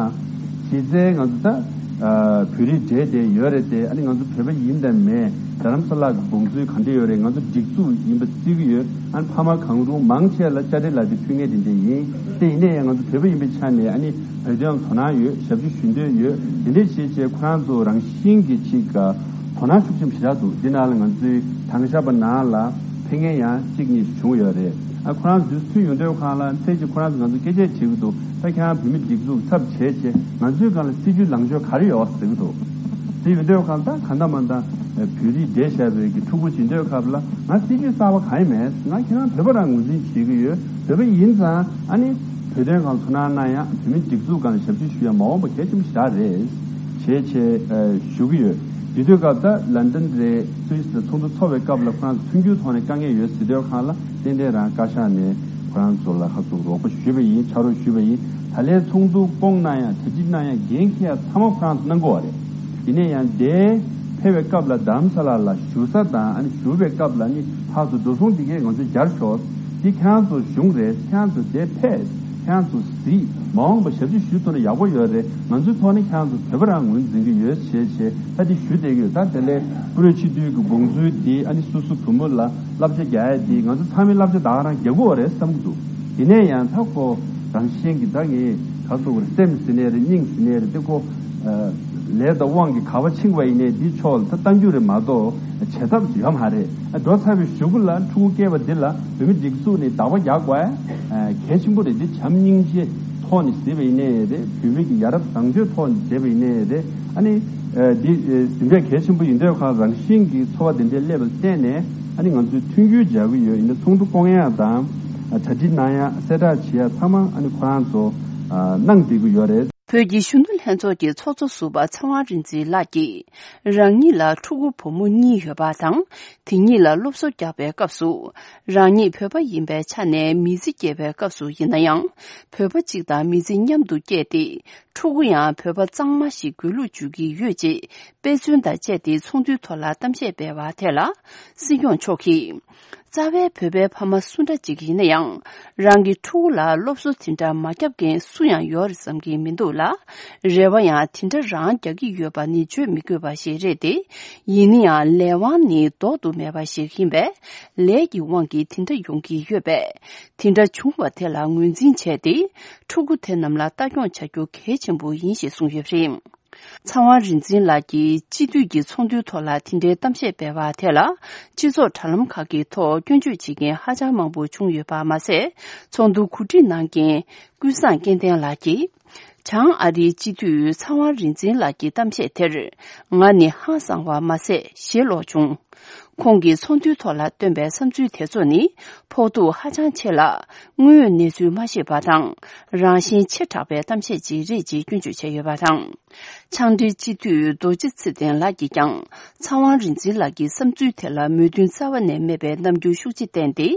གཞི་རྩའི་ང་ཚོ་ད་ཨ་བོད་རིགས་འབྲེལ་བསྡད་ཡོད་རེད་དེ། ཨ་ནི་ང་ཚོ་བོད་པ་ཡིན་དང་མེད། རྡ་རམ་ས་ལ་གི་དགོངས་ཚུལ་ག་འདྲ་ཡོད་རེད། ང་ཚོ་སྒྲིག་འཛུགས་ཡིན་པ་བརྩི་གི་ཡོད། ཨ་ནི་ཕ་མ་གང་རུང་མང་ཆེ་ལ་དཔྱ་ཁྲལ་ལག་དེབ་ཕུལ་མཁན་དེ་འདྲ་ཡིན། དེ་ཡིན་ནའི་ཡང་ང་ཚོ་བོད་པ་ཡིན་པའི་ཆ་ནས་ཨ་ནི་བོད་དོན་དོ་སྣང་ཡོད། ཞབས་ཕྱི་ཞུ་འདོད་ཡོད། དེ་འདྲ་བྱས་བྱས་ཁོ་རང་ཚོ་རང་བཞིན་གྱིས་ཅིག་དོ་སྣང་ཤུགས་ཆེན་པོ་ཞེ་དྲག་འདུག་འདི་ནང་ལ་ང་ཚོའི་དྭང་ཞབས་པ་ནང་ལ་ཕེབས་མཁན་ཡང་གཅིག་གཉིས་བྱུང་ཡོད་རེད། ཨ་ཁོ་རང་ཚོ་དུས་སུ་ཡོང་དུས་ཁོ་རང་ལ་ཚེ་གཅིག་ཁོ་རང་ཚོ་ང་ཚོ་སྐད་ཆ་བྱེད་ཀྱི་འདུག་ད་ཁྱེད་རང་བོད་མི་སྒྲིག་འཛུགས་ཚབ་བྱས་བྱས་ང་ཚོའི་སྒང་ལ་སྲིད་ཇུས་ལངས་ཕྱོགས་ག་རེ་ཡོད་ཟེར་གྱི་འདུག་དེ་ཡོང་དུས་ཁོ་རང་ད་གང་ལྟར་མ་ལྟར་བོད་རིགས་འབྲེལ་བཞག་པའི་གི་ཕྲུ་གུ་བྱེད་དུས་སྐབས་ལ་ང་སྲིད་ཇུས་གསར་པ་གང་ཡང་མེད། ང་ཁྱེད་རང་བོད་པ་རང་ངོས་འཛིན་བྱེད་ཀྱི་ཡོད། བོད་པ་ཡིན་ཙང་ཨ་ནི་བོད་དོན་སྒང་ཐུགས་སྣང་གནང་ཡ། བོད་མི་སྒྲིག་འཛུགས་སྒང་ལ་ཞབས་ཕྱི་ཞུ་ཡ་མ་འོངས་པ་གལ་ཆེན་པོ་ཞིག་རེད། བྱས་བྱས་ཨ་ཞུ་གི་ཡོད། དེ་དུས་སྐབས་ད་ལན་ཏན་རེད། སུད་སི་ལ་ཚོགས་འདུ་ཚོགས་པའི་སྐབས་ལ་ཁོ་རང་ཚོ་མཐུན་འགྱུར་ཐོག་ནས་དཀའ་ངལ་ཡོད་ཟེར་དུས་སྒང་ལ་ཏན་ཏན་རང་བཀའ་ཤག་ནས་ཁོ་རང་ཚོ་ལ་ཧ་ཚོ་རོགས་པ་ཞུས་པ་ཡིན། ཕྱག་རོགས་ཞུས་པ་ཡིན། ད་ལན་ཚོགས་འདུ་བསྐོང་གནང་ཡ། གྲ་སྒྲིག་གནང་ཡ། འགན་འཁྱེར་ཡ་ཚང་མ་ཁོ་རང་ཚོ་གནང་དགོས་པ་རེད། ཡིན་ན་ཡང་དེ་ཕེབས་པའི་སྐབས་ལ་རྡ་རམ་ས་ལ་ལ་བཞུགས་ས་དང་། ཨ་ནི་བཞུགས་པའི་སྐབས་ལ་ནི་ཕར་ཚུར་འགྲོ་སོང་འདི་གས་ང་ཚོས་སྦྱར་ཆོག་འདི་ཁྱེད་རང་ཚོ་གཞུང་རེད། ཁྱེད་རང་ཚོ་དེ་ཕེབས། ཁྱེད་རང་ཚོ་གཟིགས། མ་འོངས་པ་ཞབས་ཕྱི་ཞུ་ཐུབ་ན་ཡག་པོ་ཡོད་རེད། ང་ཚོའི་ཐོག་ནས་ཁྱེད་རང་ཚོ་བོད་པ་རང་ངོས་འཛིན་གྱི་ཡོད་ཞེས་བྱས་ད་འདི་ཞུ་བསྡད་ཀྱི་ཡོད། ད་དེ་ལས་བཀུར་འོས་སྤྱི་འཐུས་ཀྱི་དགོངས་ཚུལ་འདི་ཨ་ནི་སོ་སོ་བུ་མོ་ལ་བསླབ་བྱ་རྒྱག་ཡ་འདི་ང་ཚོ་ཚང་མའི་བསླབ་བྱ་ད་ག་རང་རྒྱག་དགོས་པ་རེད་བསམ་གྱི་འདུག་ཡིན་ན་ཡང་ད་ཁོ་རང་བཞིན་གྱིས་ད་ངས་ག་ཚོད་རེད། སེམས་ཟིན་ནའི་རེད། སྙིང་ཟིན་ནའི་རེད། དེ་ཁོ་ལས་དང་དབང་གིས་ག་པར་ཕྱིན་པ་ཡིན་ནའི་འདི་ཕྱོགས་ལ་ད་གཏང་རྒྱུ་རེད་མ་གཏོགས་བྱེད་ཐབས་ཡོད་མ་རེད། འགྲོ་ཚར་བའི་གཞུག་གུ་ལ་ཕྲུ་གུ་སྐྱེས་པ་འདི་ལ་བོད་མི་སྒྲིག་འཛུགས་ནས་བདག་པ་རྒྱག་དགོས་གལ་ཆེན་པོ་རེད། འདི་བྱམས་སྙིང་རྗེ་ཐོག་ནས་བྱས་པ་ཡིན་ནའི་རེད། བོད་མི་གི་ཡ་རབས་བཟང་སྤྱོད་ཐོག་ནས་བྱས་པ་ཡིན་ནའི་རེད། ཨ་ནི་འདི་ཟིན་པའི་གལ་ཆེན་པོ་ཡིན་དུས་ཁོ་རང་བཞིན་གྱིས་ཚོར་བ་དེ་འདྲའི་སླེབས་པ་བརྟེན་ནས་ཨ་ནི་ང་ཚོས་མཐུན་འགྱུར་སྦྱར་གྱི་ཡོད། ཡིན་ན་ཚོགས་འདུ་བསྐོང་ཡ་དང་གྲ་སྒྲིག་གནང་ཡ། གསལ་བསྒྲགས་བྱེད་ཡ་ཚང་མ་ཨ་ནི་ཁོ་རང་ཚོ་གནང་བསྡད་ཀྱི་ཡོད་རེད། བོད་ཀྱི་གཞོན་ནུ་ལྷན་ཚོགས་ཀྱི་ཚོགས་གཙོ་ཟུར་པ་ཚེ་དབང་རིག་འཛིན་ལགས་ཀྱིས། རང་ཉིད་ལ་ཕྲུ་གུ་བུ་མོ་གཉིས་ཡོད་པ་དང་། དེ་གཉིས་ལ་སློབ་གསོ་རྒྱག་པའི་སྐབས་སུ། རང་ཉིད་བོད་པ་ཡིན་པའི་ཆ་ནས་མི་ཚེ་སྐྱེལ་བའི་སྐབས་སུ་ཡིན་ན་ཡང་། བོད་པ་གཅིག་དང་མི་ཚེ་མཉམ་དུ་སྐྱེལ་ཏེ། ཕྲུ་གུ་ཡང་བོད་པ་གཙང་མ་ཞིག་དགོས་ལུགས་བརྗོད་ཀྱི་ཡོད་ཅེས་དཔེ་མཚོན་དང་བཅས་ཏེ་ཚོགས་འདུའི་ཐོག་ལ་གཏམ་བཤད་སྤེལ་བ་དེ་ལ། སྲིད་སྐྱོང་མཆོག་གིས། རྩ་བའི་བོད་པའི་ཕ་མ་སུ་འདྲ་ཅིག་ཡིན་ན་ཡང་། རང་གི་ཕྲུ་གུ་ལ་སློབ་གསོ་དེ་འདྲ་མ་བརྒྱབ་མཁན་སུ་ཡང་ཡོད་རེད་བསམ་གྱི་མི་འདུག་ལ། རེ་བ་ཡང་དེ་འདྲ་རང་རྒྱག་གི་ཡོད་པ་ནི་བརྗོད་མི་དགོས་པ་ཞིག་རེད་དེ། ཡིན་ན་ཡང་ལས་དབང་ནི་ལྡོག་ཏུ་མེད་པ་ཞིག་ཡིན་པས། ལས་ཀྱི་དབང་གིས་དེ་འདྲ་ཡོང་གི་ཡོད་པས། དེ་འདྲ་བྱུང་བ་དེ་ལ་ངོས་འཛིན་བྱས་ཏེ། ཕྲུ་གུ་དེ་རྣམས་ལ་ལྟ་སྐྱོང་བྱ་རྒྱུ་གལ་ཆེན་པོ་ཡིན་ཞེས་གསུངས་ཡོད་པ་རེད། ཚེ་དབང་རིག་འཛིན་ལགས་ཀྱིས་སྤྱི་འཐུས་ཀྱི་ཚོགས་འདུའི་ཐོག་ལ་དེ་འདྲའི་གཏམ་བཤད་སྤེལ་བ་དེ་ལ། སྤྱི་ཚོགས་དྲ་ལམ་ཁག་གི་ཐོག་སྐྱོན་བརྗོད་བྱེད་མཁན་ཧ་ཅང་མང་པོ་བྱུང་ཡོད་པ་མ་ཟད། ཚོགས་འདུར་གོ་སྒྲིག་གནང་མཁན་ཀུན་བཟང་སྐལ་ལྡན་ལགས་ཀྱིས། བྱང་ཨ་རིའི་སྤྱི་འཐུས་ཚེ་དབང་རིག་འཛིན་ལགས་ཀྱི་གཏམ་བཤད་དེར། ང་ནི་ཧང་སངས་པ་མ་ཟད་ཞེ་ལོག་བྱུང་། ཁོང་གིས་ཚོགས་འདུའི་ཐོག་ལ་བཏོན་པའི་བསམ་ཚུལ་དེ་ཚོ་ནི་ཕོག་ཐུག་ཧ་ཅང་ཆེ་ལ། དངོས་ཡོད་གནས་ཚུལ་མ་ཤེས་པ་དང་། རང་བཞིན་ཆེ་དྲགས་པའི་གཏམ་བཤད་ཅིག་རེད་ཅེས་སྐྱོན་བརྗོད་བྱས་ཡོད་པ་དང་། ཆང་འབྲེལ་སྤྱི་འཐུས་རྡོ་རྗེ་ཚེ་བརྟན་ལགས་ཀྱིས་ཀྱང་། ཚེ་དབང་རིག་འཛིན་ལགས་ཀྱི་བསམ་ཚུལ་དེ་ལ་མོས་མཐུན་རྩ་བ་ནས་མེད་པའི་རྣམ་འགྱུར་ཤུགས་ཆེ་བསྟན་ཏེ།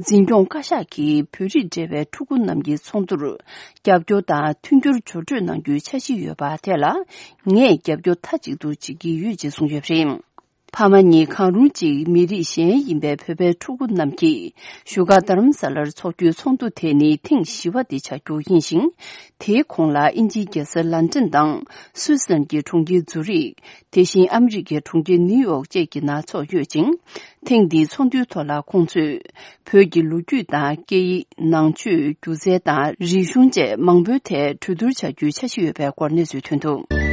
འཛིན་སྐྱོང་བཀའ་ཤག་གིས་བོད་རིགས་འབྲེལ་བའི་ཕྲུ་གུ་རྣམས་ཀྱི་ཚོགས་འདུར། རྒྱབ་སྐྱོར་དང་མཐུན་འགྱུར་སྦྱོར་སྤྲོད་གནང་རྒྱུའི་འཆར་གཞི་ཡོད་པ་དེ་ལ། ངས་རྒྱབ་སྐྱོར་མཐའ་གཅིག་ཏུ་བྱེད་ཀྱི་ཡོད་ཅེས་གསུངས་ཡོད་པ་རེད། ཕ་མ་གཉིས་གང་རུང་གཅིག་མི་རིགས་གཞན་ཡིན་པའི་བོད་པའི་ཕྲུ་གུ་རྣམས་ཀྱིས་བཞུགས་སྒར་རྡ་རམ་ས་ལར་འཚོགས་རྒྱུའི་ཚོགས་འདུ་དེ་ནི་ཐེངས་བཞི་པ་དེ་ཆགས་རྒྱུ་ཡིན་ཞིང་། དེའི་གོང་ལ་དབྱིན་ཇིའི་རྒྱལ་ས་ལན་ཀྲན་དང་སུད་སི་ལན་གྱི་གྲོང་ཁྱེར་ཛུ་རིག་དེ་བཞིན་ཨ་མི་རི་ཀའི་གྲོང་ཁྱེར་ནིའུ་ཡོག་བཅས་ཀྱི་ནང་འཚོགས་ཡོད་ཅིང་། ཐེངས་འདིའི་ཚོགས་འདུའི་ཐོག་ལ་ཁོང་ཚོས་བོད་ཀྱི་ལོ་རྒྱུས་དང་སྐད་ཡིག་ནང་ཆོས་སྒྱུ་རྩལ་དང་རིག་གཞུང་བཅས་མང་པོའི་ཐད་གྲོས་བསྡུར་བྱ་རྒྱུའི་འཆར་གཞི་ཡོད་པའི་སྐོར་གནས་ཚུལ་ཐོན་འདུག་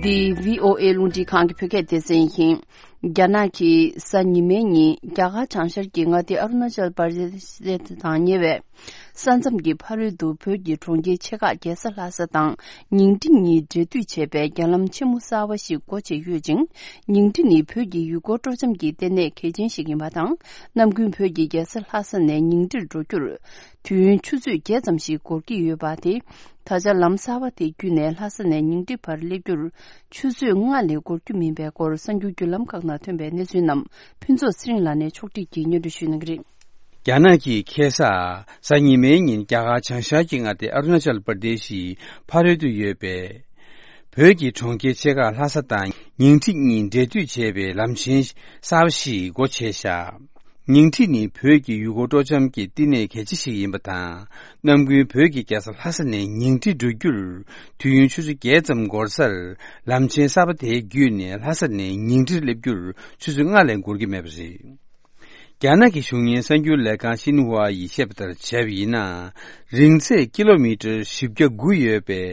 འདི་བྷི་ཨོ་ཨེ་རླུང་འཕྲིན་ཁང་གི་བོད་སྐད་སྡེ་ཚན་ཡིན། རྒྱ་ནག་གིས་གཟའ་ཉི་མའི་ཉིན་རྒྱ་གར་བྱང་ཤར་གྱི་མངའ་སྡེ་ཨ་རུ་ན་ཅལ་པར་དེ་ཤི་དང་ཉེ་བའི་ས་མཚམས་ཀྱི་ཕ་རོལ་ཏུ་བོད་ཀྱི་གྲོང་ཁྱེར་ཆེ་ཁག་རྒྱལ་ས་ལྷ་ས་དང་ཉིང་ཁྲི་གཉིས་འབྲེལ་མཐུད་བྱེད་པའི་རྒྱ་ལམ་ཆེན་མོ་གསར་བ་ཞིག་སྒོ་ཕྱེ་ཡོད་ཅིང་། ཉིང་ཁྲི་ནི་བོད་ཀྱི་ཡུལ་སྐོར་སྤྲོ་འཆམ་གྱི་ལྟེ་གནས་གལ་ཆེན་ཞིག་ཡིན་པ་དང་། ནམ་རྒྱུན་བོད་ཀྱི་རྒྱལ་ས་ལྷ་ས་ནས་ཉིང་ཁྲིར་འགྲོ་རྒྱུར། དུས་ཡུན་ཆུ་ཚོད་བརྒྱད་ཙམ་ཞིག་འགོར་གྱི་ཡོད་པ་དེ། ད་ཆ་ལམ་གསར་བ་དེ་བརྒྱུད་ནས་ལྷ་ས་ནས་ཉིང་ཁྲི་བར་སླེབས་རྒྱུར། ཆུ་ཚོད་ལྔ་ལས་འགོར་རྒྱུ་མིན་པའི་སྐོར་གསར་འགྱུར་བརྒྱུད་ལམ་ཁག་ནང་ཐོན་པའི་གནས་ཚུལ་རྣམས་ཕུན་ཚོགས་ཚེ་རིང་ལགས་ནས་ཕྱོགས་སྒྲིག་གིས་སྙན་སྒྲོན་ཞུ་གནང་གི་རེད། རྒྱ་ནག་གིས་ཁ་སང་གཟའ་ཉི་མའི་ཉིན་རྒྱ་གར་བྱང་ཤར་གྱི་མངའ་སྡེ་ཨ་རུ་ན་ཅལ་པར་དེ་ཤིའི་ཕ་རོལ་ཏུ་ཡོད་པའི་བོད་ཀྱི་གྲོང་ཁྱེར་ཆེ་ཁག་ལྷ་ས་དང་ཉིང་ཁྲི་གཉིས་འབྲེལ་མཐུད་བྱེད་པའི་ལམ་ཆེན་གསར་བ་ཞིག་སྒོ་ཕྱེ་བཞག་ཉིང་ཁྲི་ནི་བོད་ཀྱི་ཡུལ་སྐོར་སྤྲོ་འཆམ་གྱི་བསྟི་གནས་གལ་ཆེ་ཞིག་ཡིན་པ་དང་། ནམ་རྒྱུན་བོད་ཀྱི་རྒྱལ་ས་ལྷ་ས་ནས་ཉིང་ཁྲི་འགྲོ་རྒྱུར་དུས་ཡུན་ཆུ་ཚོད་བརྒྱད་ཙམ་འགོར་སར། ལམ་ཆེན་གསར་པ་དེའི་བརྒྱུད་ནས་ལྷ་ས་ནས་ཉིང་ཁྲིར་སླེབས་རྒྱུར་ཆུ་ཚོད་ལྔ་ལས་འགོར་གྱི་མེད་པ་རེད། རྒྱ་ནག་གི་གཞུང་གཉེར་གསར་འགྱུར་ལས་ཁང་ཤིན་ཧྭ་ཡིས་བཤད་པ་ལྟར་བྱས་པ་ཡིན་ན། རིང་ཚད་ཀི་ལོ་མི་ཊར་བཞི་བརྒྱ་དགུ་ཡོད་པའི་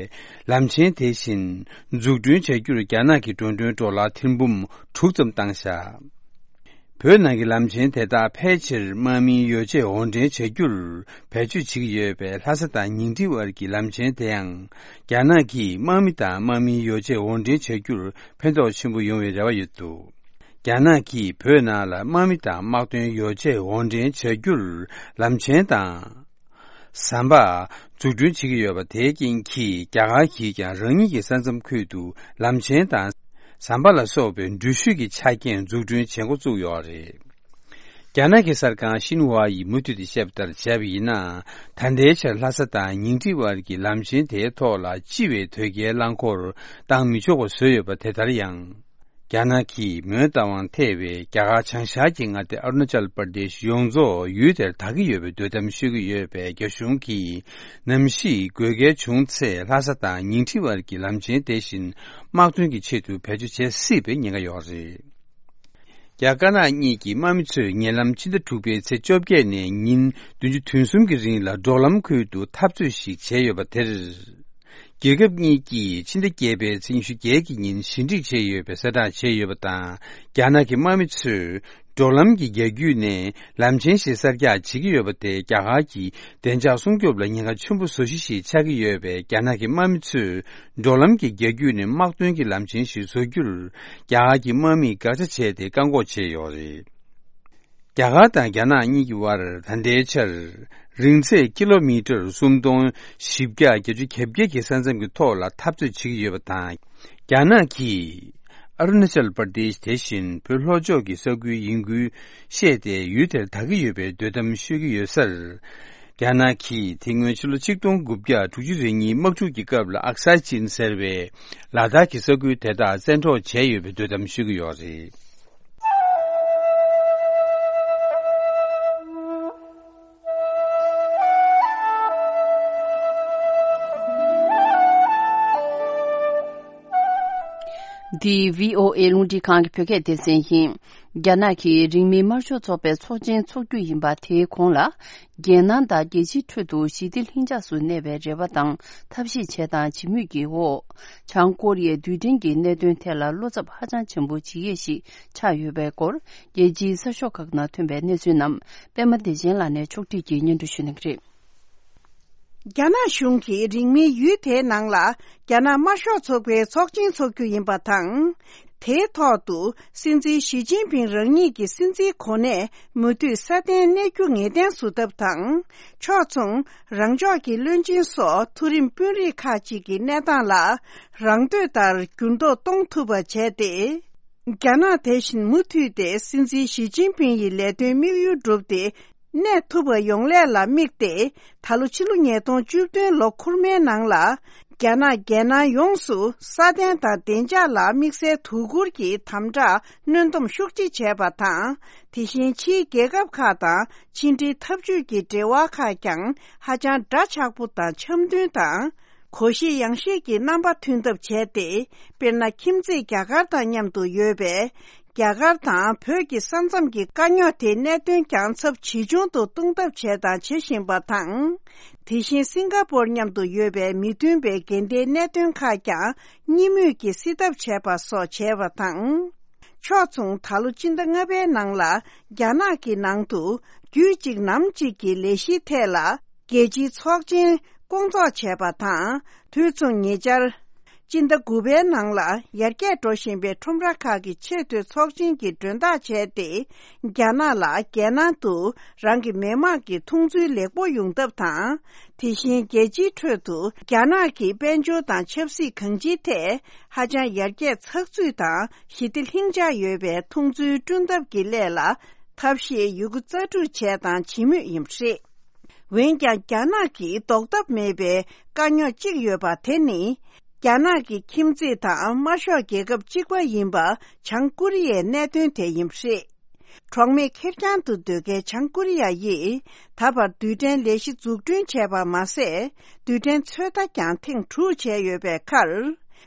ལམ་ཆེན་དེ་བཞིན་འཛུགས་སྐྲུན་བྱ་རྒྱུར་རྒྱ་ནག་གིས་འགྲོ་གྲོན་ཌོ་ལར་ཐེར་འབུམ་དྲུག་ཙམ་བཏང་བཞག་བོད་ནང་གི་ལམ་ཆེན་དེ་དག་ཕལ་ཆེར་དམག་མིའི་ཡོ་བྱད་དབོར་འདྲེན་བྱ་རྒྱུར་བེད་སྤྱོད་བྱེད་ཀྱི་ཡོད་པའི་ལྷ་ས་དང་ཉིང་ཁྲི་བར་གྱི་ལམ་ཆེན་དེ་ཡང་རྒྱ་ནག་གིས་དམག་མི་དང་དམག་མིའི་ཡོ་བྱད་དབོར་འདྲེན་བྱ་རྒྱུར་ཕན་ཐོགས་ཆེན་པོ་ཡོང་བའི་རེ་བ་ཡོད་འདུག་རྒྱ་ནག་གིས་བོད་ནང་ལ་དམག་མི་དང་དམག་དོན་ཡོ་བྱད་དབོར་འདྲེན་བྱ་རྒྱུར་ལམ་ཆེན་དང་། ཟམ་པ། འཛུགས་སྐྲུན་བྱེད་ཀྱི་ཡོད་པ་དེའི་རྐྱེན་གྱིས་རྒྱ་གར་གྱིས་ཀྱང་རང་ཉིད་ཀྱི་ས་མཚམས་ཁུལ་དུ་ལམ་ཆེན་དང་། ཟམ་པ་ལ་སོགས་པའི་འགྲུལ་བཞུད་ཀྱི་ཆ་རྐྱེན་འཛུགས་སྐྲུན་བྱེད་འགོ་བཙུགས་ཡོད་རེད། རྒྱ་ནག་གི་གསར་ཁང་ཤིན་ཧྭ་ཡིས་མུ་མཐུད་དེ་བཤད་པ་ལྟར་བྱས་པ་ཡིན་ན། ད་ལྟའི་ཆར་ལྷ་ས་དང་ཉིང་ཁྲི་བར་གྱི་ལམ་ཆེན་དེའི་ཐོག་ལ་སྤྱི་བའི་དོས་སྐྱེལ་རླངས་འཁོར་བཏང་མི་ཆོག་པ་བཟོས་ཡོད་པ་དེ་ལྟར་ཡང་། རྒྱ་ནག་གིས་མོན་རྟ་དབང་ཐེ་བའི་རྒྱ་གར་བྱང་ཤར་གྱི་མངའ་སྡེ་ཨ་རུ་ན་ཅལ་པར་དེཤ་ཡོངས་རྫོགས་ཡུལ་དེར་དར་གྱི་ཡོད་པའི་འདོད་གཏམ་ཤོད་ཀྱི་ཡོད་པས། རྒྱ་གཞུང་གིས་ནམ་ཞིག་དགོས་གལ་བྱུང་ཚེ་ལྷ་ས་དང་ཉིང་ཁྲི་བར་གྱི་ལམ་ཆེན་དེ་བཞིན་དམག་དོན་གྱི་ཆེད་དུ་བེད་སྤྱོད་བྱེད་སྲིད་པའི་ཉེན་ཁ་ཡོད་རེད། རྒྱ་དཀར་ནག་གཉིས་ཀྱི་དམག་མི་ཚོས་ཉེ་ལམ་ཕྱི་ཟླ་དྲུག་པའི་ཚེས་བཅོ་བརྒྱད་ནས་ཉིན་བདུན་ཅུ་དོན་གསུམ་གྱི་རིང་ལ་འབྲོག་ལམ་ཁུལ་དུ་འཐབ་རྩོད་ཞིག་བྱས་ཡོད་པ་དེར། རྒྱལ་ཁབ་གཉིས་ཀྱིས་ཕྱི་ཟླ་བརྒྱད་པའི་ཚེས་ཉི་ཤུ་བརྒྱད་ཀྱི་ཉིན་ཞི་འགྲིག་བྱས་ཡོད་པའི་གསལ་བསྒྲགས་བྱས་ཡོད་པ་དང་། རྒྱ་ནག་གི་དམག་མི་ཚོས་འབྲོག་ལམ་གྱི་རྒྱ་རྒྱུད་ནས་ལམ་ཆེན་ཞིག་གསར་རྒྱག་བྱེད་ཀྱི་ཡོད་པ་དེ་རྒྱ་གར་གྱི་བདེ་འཇགས་སྲུང་སྐྱོབ་ལ་ཉེན་ཁ་ཆེན་པོ་བཟོ་གཞི་ཞིག་ཆགས་ཀྱི་ཡོད་པས། རྒྱ་ནག་གི་དམག་མི་ཚོས་འབྲོག་ལམ་གྱི་རྒྱ་རྒྱུད་ནས་དམག་དོན་གྱི་ལམ་ཆེན་ཞིག་བཟོ་རྒྱུར་རྒྱ་གར་གྱི་དམག་མིས་དགག་བྱ་བྱས་ཏེ་བཀག་འགོག་བྱས་ཡོད་རེད། རྒྱ་གར་དང་རྒྱ་ནག་གཉིས་ཀྱི་དབར་ད་ལྟའི་ཆར་རིང་ཚད་ཀི་ལོ་མི་ཊར་སུམ་སྟོང་བཞི་བརྒྱ་བརྒྱད་ཅུ་གྱ་བརྒྱད་ཀྱི་ས་མཚམས་ཀྱི་ཐོག་ལ་འཐབ་རྩོད་བྱེད་ཀྱི་ཡོད་པ་དང་། རྒྱ་ནག་གིས་ཨ་རུ་ན་ཅལ་པར་དེཤ་དེ་བཞིན་བོད་ལྷོ་ཕྱོགས་ཀྱི་ས་ཁུལ་ཡིན་ཁུལ་བཤད་དེ་ཡུལ་དེར་དར་གྱི་ཡོད་པའི་འདོད་གཏམ་ཤོད་ཀྱི་ཡོད་སར། རྒྱ་ནག་གིས་དེ་སྔོན་ཕྱི་ལོ་ཆིག་སྟོང་དགུ་བརྒྱ་དྲུག་ཅུ་རེ་གཉིས་དམག་འཁྲུག་གི་སྐབས་ལ་ཨག་སའི་ཅིན་ཟེར་བའི་ལ་དྭགས་ཀྱི་ས་ཁུལ་དེ་དག་བཙན་འཕྲོག་བྱས་ཡོད་པའི་འདོད་གཏམ་ཤོད་ཀྱི་ཡོད་རེད། འདི་བྷི་ཨོ་ཨེ་རླུང་འཕྲིན་ཁང་གི་བོད་སྐད་སྡེ་ཚན་ཡིན། རྒྱ་ནག་གིས་རིང་མིན་དམར་ཤོག་ཚོགས་པའི་ཚོགས་ཆེན་འཚོགས་རྒྱུ་ཡིན་པ་དེའི་གོང་ལ། རྒྱལ་ནང་དང་རྒྱལ་སྤྱིའི་ཁྲོད་དུ་ཞི་བདེ་ལྷིང་འཇགས་སུ་གནས་པའི་རེ་བ་དང་ཐབས་ཤེས་བྱས་དང་བྱེད་མུས་ཀྱི་འོག་བྱང་ཀོ་རི་ཡའི་རྡུལ་ཕྲན་གྱི་གནད་དོན་ཐད་ལ་བློ་འཚབ་ཧ་ཅང་ཆེན་པོ་བྱེད་ཡས་ཤིག་ཆགས་ཡོད་པའི་སྐོར། རྒྱལ་སྤྱིའི་གསར་ཤོག་ཁག་ནང་ཐོན་པའི་གནས་ཚུལ་རྣམས་པད་མ་བདེ་ཆེན་ལགས་ནས་ཕྱོགས་སྒྲིག་གིས་སྙན་སྒྲོན་ཞུ་གནང་གི་རེད། རྒྱ་ནག་གཞུང་གིས་རིང་མིན་ཡུལ་དེའི་ནང་ལ་རྒྱ་ནག་དམར་ཤོག་ཚོགས་པའི་ཚོགས་ཆེན་འཚོགས་རྒྱུ་ཡིན་པ་དང་། དེའི་ཐོག་ཏུ་སྲིད་འཛིན་ཞི་ཅིན་ཕིང་རང་ཉིད་ཀྱི་སྲིད་འཛིན་གོ་གནས་མུ་མཐུད་སྲ་བརྟན་གནས་རྒྱུ་ངེས་གཏན་བཟོ་ཐབས་དང་། ཕྱོགས་མཚུངས་རང་ཕྱོགས་ཀྱི་བློན་ཆེན་སོགས་མཐོ་རིམ་དཔོན་རིགས་ཁག་ཅིག་གི་གནས་སྟངས་ལ་རང་འདོད་ལྟར་འགྱུར་ལྡོག་གཏོང་ཐུབ་པ་བྱས་ཏེ། རྒྱ་ནག་དེ་བཞིན་མུ་མཐུད་དེ་སྲིད་འཛིན་ཞི་ཅིན་ཕིང་ཡི་ལས་དོན་དམིགས་ཡུལ་བསྒྲུབས་ཏེ། གནས་ཐུབ་པ་ཡོང་སླད་ལ་དམིགས་ཏེ། ད་ལོ་ཕྱི་ལོ་ཉིས་སྟོང་བཅུ་བདུན་ལོ་འཁོར་མའི་ནང་ལ། རྒྱ་ནག་རྒྱལ་ནང་ཡོངས་སུ་ས་གདན་དང་བདེ་འཇགས་ལ་དམིགས་བསལ་དོ་ཁུར་གྱི་དམ་དྲག་གནོན་སྡོམ་ཤུགས་ཆེ་བྱས་པ་དང་། དེ་བཞིན་ཕྱིའི་རྒྱལ་ཁབ་ཁག་དང་ཕྱི་འབྲེལ་འཐབ་ཇུས་ཀྱི་འབྲེལ་བ་ཁག་ཀྱང་ཧ་ཅང་འདྲ་ཆགས་པོ་དང་འཆམ་མཐུན་དང་། གོ་ཤེས་ཡང་ཤེས་ཀྱི་རྣམ་པ་མཐུན་ཐབས་བྱས་ཏེ། དཔེར་ན། ཁྱིམ་མཚེས་རྒྱ་གར་དང་མཉམ་དུ་ཡོད་པའི་རྒྱ་གར་དང་བོད་ཀྱི་ས་མཚམས་ཀྱི་དཀའ་རྙོག་དེའི་གནད་དོན་ཀྱང་ཚབས་ཇེ་ཆུང་དུ་གཏོང་ཐབས་བྱས་དང་བྱེད་བཞིན་པ་དང་། དེ་བཞིན་སིང་ག་པོར་མཉམ་དུ་ཡོད་པའི་མི་མཐུན་པའི་འགལ་ཟླའི་གནད་དོན་ཁག་ཀྱང་གཉིས་མོས་ཀྱིས་སེལ་ཐབས་བྱས་པ་སོགས་བྱས་པ་དང་། ཕྱོགས་མཚུངས། ད་ལོ་སྤྱི་ཟླ་ལྔ་པའི་ནང་ལ་རྒྱ་ནག་གི་ནང་དུ་རྒྱུད་གཅིག་ནམ་གཅིག་གི་ལས་གཞིའི་ཐད་ལ། རྒྱལ་སྤྱིའི་ཚོགས་ཆེན་སྐོང་ཚོགས་བྱས་པ་དང་། དུས་མཚུངས་ཉེ་ཆར། སྤྱི་ཟླ་དགུ་པའི་ནང་ལ་ཡར་རྒྱས་འགྲོ་བཞིན་པའི་ཁྲོམ་ར་ཁག་གི་ཆེས་མཐོའི་ཚོགས་ཆེན་གྱི་མགྲོན་བདག་བྱས་ཏེ། རྒྱ་ནག་ལ་རྒྱལ་ནང་དུ་རང་གི་མི་དམངས་ཀྱི་མཐོང་ཚུལ་ལེགས་པོ་ཡོང་ཐབས་དང་། དེ་བཞིན་རྒྱལ་སྤྱིའི་ཁྲོད་དུ་རྒྱ་ནག་གི་དཔལ་འབྱོར་དང་ཆབ་སྲིད་གང་ཅིའི་ཐད་ཧ་ཅང་ཡར་རྒྱས་ཚགས་ཚུད་དང་ཞི་བདེ་ལྷིང་འཇགས་ཡོད་པའི་མཐོང་ཚུལ་བསྐྲུན་ཐབས་ཀྱི་སླད་ལ། ཐབས་ཤེས་ཡོད་རྒུ་རྩལ་སྤྲུགས་བྱས་དང་བྱེད་མུས་ཡིན་པ་རེད། འོན་ཀྱང་། རྒྱ་ནག་གིས་ཟློག་ཐབས་མེད་པའི་དཀའ་རྙོག་ཅིག་ཡོད་པ་དེ་ནི། རྒྱ་ནག་གི་ཁྱིམ་མཚེས་དང་དམར་ཤོག་རྒྱལ་ཁབ་གཅིག་པ་ཡིན་པ་བྱང་ཀོ་རི་ཡའི་གནད་དོན་དེ་ཡིན་པ་རེད། གྲོགས་མེད་ཁེར་རྐྱང་དུ་སྡོད་མཁན་བྱང་ཀོ་རི་ཡ་ཡིས་ད་བར་རྡུལ་ཕྲན་ལས་གཞི་འཛུགས་སྐྲུན་བྱས་པ་མ་ཟད། རྡུལ་ཕྲན་ཚོད་ལྟ་ཀྱང་ཐེངས་དྲུག་བྱས་ཡོད་པའི་ཁར།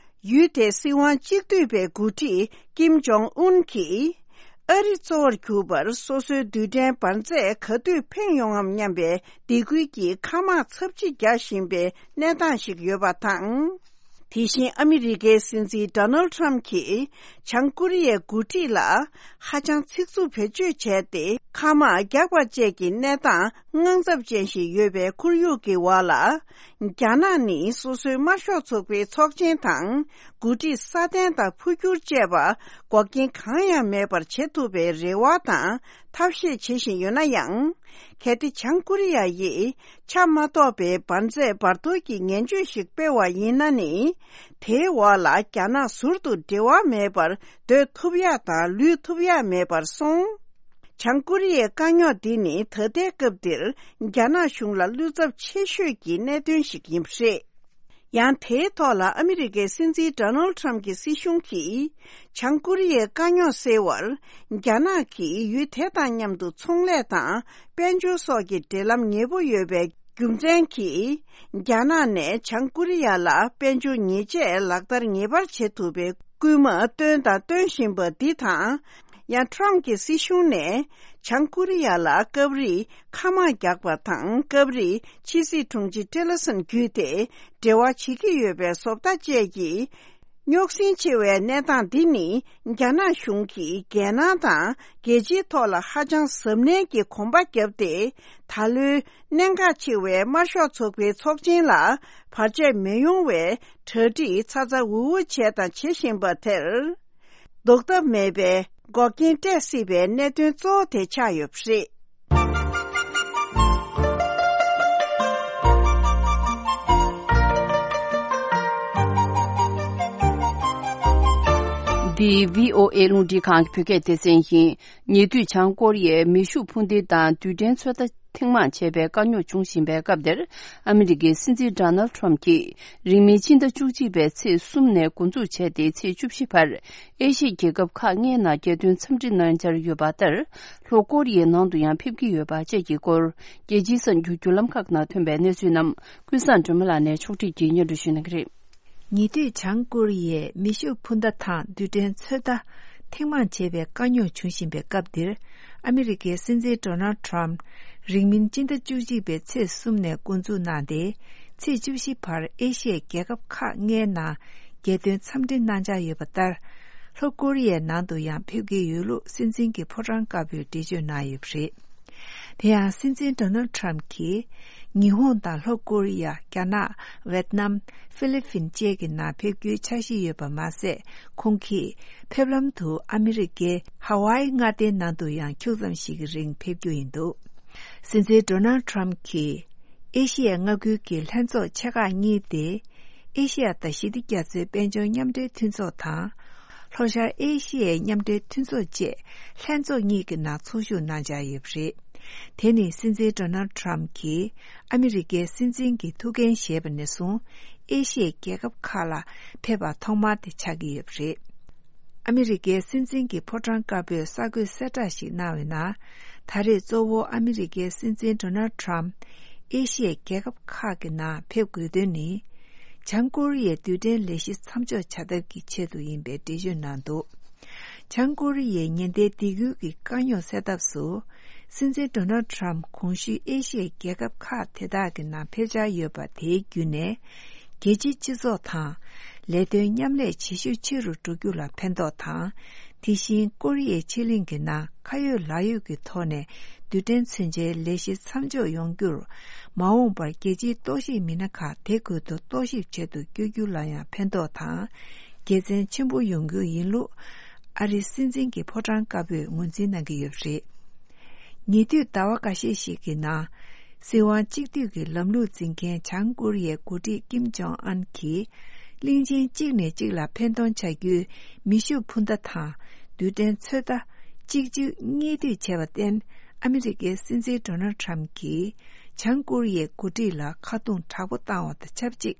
ཡུལ་དེའི་སྲིད་དབང་གཅིག་སྡུད་པའི་འགོ་ཁྲིད་ཀིམ་ཇོང་ཨུན་གྱིས། ཨ་རི་གཙོ་བོར་གྱུར་པར་སོ་སོའི་རྡུལ་ཕྲན་འབར་རྫས་ག་དུས་འཕེན་ཡོང་ངམ་སྙམ་པའི་སྡིགས་སྐུལ་གྱིས་མཁའ་དམག་ཚབས་ཆེ་རྒྱག་བཞིན་པའི་གནས་སྟངས་ཤིག་ཡོད་པ་དང་། དེ་བཞིན་ཨ་མི་རི་ཀའི་སྲིད་འཛིན་ཌོ་ནལ་ཊམ་གྱིས་བྱང་ཀོ་རི་ཡའི་འགོ་ཁྲིད་ལ་ཧ་ཅང་ཚིག་རྩུབ་བེད་སྤྱོད་བྱས་ཏེ། མཁའ་དམག་རྒྱག་པ་བཅས་ཀྱི་གནས་སྟངས་དངངས་འཚབ་ཅན་ཞིག་ཡོད་པའི་ཁོར་ཡུག་གི་འོག་ལ། རྒྱ་ནག་ནི་སོ་སོའི་དམར་ཤོག་ཚོགས་པའི་ཚོགས་ཆེན་དང་། འགོ་ཁྲིད་སྲ་བརྟན་དང་འཕོ་འགྱུར་བཅས་པ་འགོག་རྐྱེན་གང་ཡང་མེད་པར་བྱེད་ཐུབ་པའི་རེ་བ་དང་ཐབས་ཤེས་བྱེད་བཞིན་ཡོད་ན་ཡང་། གལ་ཏེ་བྱང་ཀོ་རི་ཡ་ཡིས་ཆ་མ་གཏོགས་པའི་འབར་རྫས་འབར་གཏོར་གྱི་ངན་བྱུས་ཤིག་སྤེལ་བ་ཡིན་ན་ནི། དེའི་འོག་ལ་རྒྱ་ནག་ཟུར་དུ་འབྲེལ་བ་མེད་པར་སྡོད་ཐུབ་ཡག་དང་ལུས་ཐུབ་ཡག་མེད་པར་སོང་། བྱང་ཀོ་རི་ཡའི་དཀའ་རྙོག་འདི་ནི་ད་ལྟའི་སྐབས་འདིར་རྒྱ་ནག་གཞུང་ལ་བློ་འཚབ་ཆེ་ཤོས་ཀྱི་གནད་དོན་ཞིག་ཡིན་པ་རེད། ཡང་དེའི་ཐོག་ལ་ཨ་མི་རི་ཀའི་སྲིད་འཛིན་ཌོ་ནལ་ཊམ་གྱི་སྲིད་གཞུང་གིས། བྱང་ཀོ་རི་ཡའི་དཀའ་རྙོག་སེལ་བར། རྒྱ་ནག་གིས་ཡུལ་དེ་དང་མཉམ་དུ་ཚོང་ལས་དང་དཔལ་འབྱོར་སོགས་ཀྱི་འབྲེལ་ལམ་ཉེ་པོ་ཡོད་པའི་རྒྱུ་མཚན་གྱིས། རྒྱ་ནག་ནས་བྱང་ཀོ་རི་ཡ་ལ་དཔལ་འབྱོར་ཉེས་ཆད་ལག་བསྟར་ངེས་པར་བྱེད་ཐུབ་པའི་སྐུལ་མ་བཏོན་དང་སྟོན་བཞིན་པ་འདི་དང་། ཡང་ཊམ་གྱི་སྲིད་གཞུང་ནས་བྱང་ཀོ་རི་ཡ་ལ་སྐབས་རེ་མཁའ་དམག་རྒྱག་པ་དང་། སྐབས་རེ་ཕྱི་སྲིད་དྲུང་ཆེ་ཊི་ལར་སན་བརྒྱུད་དེ་འབྲེལ་བ་བྱེད་ཀྱི་ཡོད་པའི་བཟོ་ལྟ་བཅས་ཀྱིས། རྙོག་ཟིང་ཆེ་བའི་གནས་སྟངས་འདི་ནི་རྒྱ་ནག་གཞུང་གིས་རྒྱལ་ནང་དང་རྒྱལ་སྤྱིའི་ཐོག་ལ་ཧ་ཅང་གཟབ་ནན་གྱི་གོམ་པ་བརྒྱབ་སྟེ། ད་ལོའི་གནད་འགག་ཆེ་བའི་དམར་ཤོག་ཚོགས་པའི་ཚོགས་ཆེན་ལ་བར་ཆད་མི་ཡོང་བའི་གྲ་སྒྲིག་ཚ་ཚ་འུར་འུར་བྱས་དང་བྱེད་བཞིན་པ་དེར། ཟློག་ཐབས་མེད་པའི་འགོག་རྐྱེན་སྤྲད་སྲིད་པའི་གནད་དོན་གཙོ་བོ་དེ་ཆགས་ཡོད་པ་རེད། འདི་བྷི་ཨོ་ཨེ་རླུང་འཕྲིན་ཁང་གི་བོད་སྐད་སྡེ་ཚན་ཡིན། ཉེ་དུས་བྱང་ཀོ་རི་ཡའི་མེ་ཤུགས་འཕུར་མདེལ་དང་རྡུལ་ཕྲན་ཚོད་ལྟ་ཐེངས་མང་བྱས་པའི་དཀའ་རྙོག་འབྱུང་བཞིན་པའི་སྐབས་འདིར། ཨ་མི་རི་ཀའི་སྲིད་འཛིན་ཌོ་ནལ་ཊམ་གྱིས་རིང་མིན་སྤྱི་ཟླ་བཅུ་གཅིག་པའི་ཚེས་གསུམ་ནས་འགོ་འཛུགས་བྱས་ཏེ། ཚེས་བཅུ་བཞི་བར་ཨེ་ཤི་ཡའི་རྒྱལ་ཁབ་ཁག་ལྔའི་ནང་རྒྱལ་དོན་འཚམས་འདྲི་གནང་འཆར་ཡོད་པ་ལྟར། ལྷོ་ཀོ་རི་ཡའི་ནང་དུ་ཡང་ཕེབས་ཀྱི་ཡོད་པ་བཅས་ཀྱི་སྐོར། རྒྱལ་སྤྱིའི་གསར་འགྱུར་བརྒྱུད་ལམ་ཁག་ནང་ཐོན་པའི་གནས་ཚུལ་རྣམས། ཀུན་བཟང་སྒྲོལ་མ་ལགས་ནས་ཕྱོགས་སྒྲིག་གིས་སྙན་སྒྲོན་ཞུ་གནང་གི་རེད། ཉེ་དུས་བྱང་ཀོ་རི་ཡས་མེ་ཤུགས་འཕུར་མདའ་དང་རྡུལ་ཕྲན་ཚོད་ལྟ་ཐེངས་མང་བྱས་པའི་དཀའ་རྙོག་འབྱུང་བཞིན་པའི་སྐབས་འདིར། ཨ་མི་རི་ཀའི་སྲིད་འཛིན་ཌོ་ནལ་ཊམ་རིང་མིན་སྤྱི་ཟླ་བཅུ་གཅིག་པའི་ཚེས་གསུམ་ནས་འགོ་འཛུགས་གནང་སྟེ། ཚེས་བཅུ་བཞི་བར་ཨེ་ཤི་ཡའི་རྒྱལ་ཁབ་ཁག་ལྔའི་ནང་རྒྱལ་དོན་འཚམས་འདྲི་གནང་འཆར་ཡོད་པ་ལྟར། ལྷོ་ཀོ་རི་ཡའི་ནང་དུ་ཡང་ཕེབས་ཀྱི་ཡོད་ལུགས་སྲིད་འཛིན་གྱི་ཕོ་བྲང་དཀར་པོས་འགྲེལ་བརྗོད་གནང་ཡོད་པ་རེད། དེ་ཡང་སྲིད་འཛིན་ཌོ་ནལ་ཊམ་གྱིས་ཉི་ཧོང་དང་ལྷོ་ཀོ་རི་ཡ། རྒྱ་ནག་ཝེད་ནམ། ཧྥི་ལི་ཕིན་བཅས་ཀྱི་ནང་ཕེབས་རྒྱུའི་འཆར་གཞི་ཡོད་པ་མ་ཟད། ཁོང་གིས་ཕེབས་ལམ་དུ་ཨ་མི་རི་ཀའི་ཧ་ཝའི་མངའ་སྡེའི་ནང་དུ་ཡང་ཁྱུག་ཙམ་ཞིག་གི་རིང་ཕེབས་རྒྱུ་ཡིན་འདུག་སྲིད་འཛིན་ཌོ་ནལ་ཊམ་གྱིས་ཨེ་ཤི་ཡའི་མངའ་ཁུལ་གྱི་ལྷན་ཚོགས་ཆེ་ཁག་གཉིས་ཏེ། ཨེ་ཤི་ཡ་དང་ཞི་བདེ་རྒྱ་མཚོའི་དཔལ་འབྱོར་མཉམ་འབྲེལ་མཐུན་ཚོགས་དང་། ལྷོ་ཤར་ཨེ་ཤི་ཡའི་མཉམ་འབྲེལ་མཐུན་ཚོགས་བཅས་ལྷན་ཚོགས་གཉིས་ཀྱི་ནང་ཚོགས་ཞུགས་གནང་འཆར་ཡོད་པ་རེད། དེ་ནི་སྲིད་འཛིན་ཌོ་ནལ་ཌི་ཊརམ་ཕི་གྱིས་ཨ་མི་རི་ཀའི་སྲིད་འཛིན་གྱི་ཐུགས་འགན་བཞེས་པ་ནས་བཟུང་ཨེ་ཤི་ཡའི་རྒྱལ་ཁབ་ཁག་ལ་ཕེབས་པ་ཐོག་མ་དེ་ཆགས་ཀྱི་ཡོད་པ་རེད། ཨ་མི་རི་ཀའི་སྲིད་འཛིན་གྱི་ཕོ་བྲང་དཀར་པོས་གསར་འགོད་གསལ་བསྒྲགས་ཤིག་གནང་བའི་ནང་། ད་རེས་གཙོ་བོ་ཨ་མི་རི་ཀའི་སྲིད་འཛིན་ཌོ་ནལ་ཌི་ཊརམ་ཕི་ཨེ་ཤི་ཡའི་རྒྱལ་ཁབ་ཁག་གི་ནང་ཕེབས་དགོས་དོན་ནི། བྱང་ཀོ་རི་ཡའི་རྡུལ་ཕྲན་ལས་གཞི་མཚམས་འཇོག་བྱ་ཐབས་ཀྱི་ཆེད་དུ་ཡིན་པའི་འགྲེལ་བརྗོད་གནང་འདུག། བྱང་ཀོ་རི་ཡའི་ཉེན་བརྡའི་སྡིགས་སྐུལ་གྱི་དཀའ་རྙོག་སེལ་ཐབས་སུ། སྲིད་འཛིན་ཌོ་ནལ་ཌི་ཊརམ་ཕི་གོང་ཞུས་ཨེ་ཤི་ཡའི་རྒྱལ་ཁབ་ཁག་དེ་དག་གི་ནང་ཕེབས་འཆར་ཡོད་པ་དེའི་བརྒྱུད་ནས། རྒྱལ་སྤྱིའི་སྤྱི་ཚོགས་དང་ལས་དོན་མཉམ་ལས་བྱེད་ཤུགས་ཆེ་རུ་འགྲོ་རྒྱུ་ལ་ཕན་ཐོགས་དང་། དེ་བཞིན་ཀོ་རི་ཡའི་ཕྱེད་གླིང་གི་ནང་ཁ་ཡོད་ལག་ཡོད་ཀྱི་ཐོག་ནས་རྡུལ་ཕྲན་མཚོན་ཆའི་ལས་གཞི་མཚམས་འཇོག་ཡོང་རྒྱུར། མ་འོངས་པར་རྒྱལ་སྤྱིའི་རྟོག་ཞིབ་མི་སྣ་ཁག་དེ་ཁུལ་དུ་རྟོག་ཞིབ་བྱེད་དུ་བསྐྱོད་རྒྱུ་ལ་ཡང་ཕན་ཐོགས་དང་། དགེ་མཚན་ཆེན་པོ་ཡོང་རྒྱུ་ཡིན་ལུགས། ཨ་རིའི་སྲིད་འཛིན་གྱི་ཕོ་བྲང་དཀར་པོས་ངོས་འཛིན་གནང་གི་ཡོད་པ་རེད། ཉེ་དུས་ཟླ་བ་འགའ་ཤས་ཤིག་གི་ནང་། སྲིད་དབང་གཅིག་སྡུད་ཀྱི་ལམ་ལུགས་འཛིན་མཁན་བྱང་ཀོ་རི་ཡའི་འགོ་ཁྲིད་ཀིམ་ཇོང་ཨན་གྱིས། གླིང་ཆེན་གཅིག་ནས་གཅིག་ལ་འཕེན་གཏོང་བྱ་རྒྱུའི་མེ་ཤུགས་འཕུར་མདའ་དང་། རྡུལ་ཕྲན་ཚོད་ལྟ་གཅིག་གྱུར་གཉིས་སྡུད་བྱས་པར་བརྟེན། ཨ་མི་རི་ཀའི་སྲིད་འཛིན་ཌོ་ནལ་ཌི་ཊརམ་ཕི་གྱིས། བྱང་ཀོ་རི་ཡའི་འགོ་ཁྲིད་ལ་ཁ་རྡུང་དྲག་པོ་བཏང་བ་དང་ཆབས་ཅིག།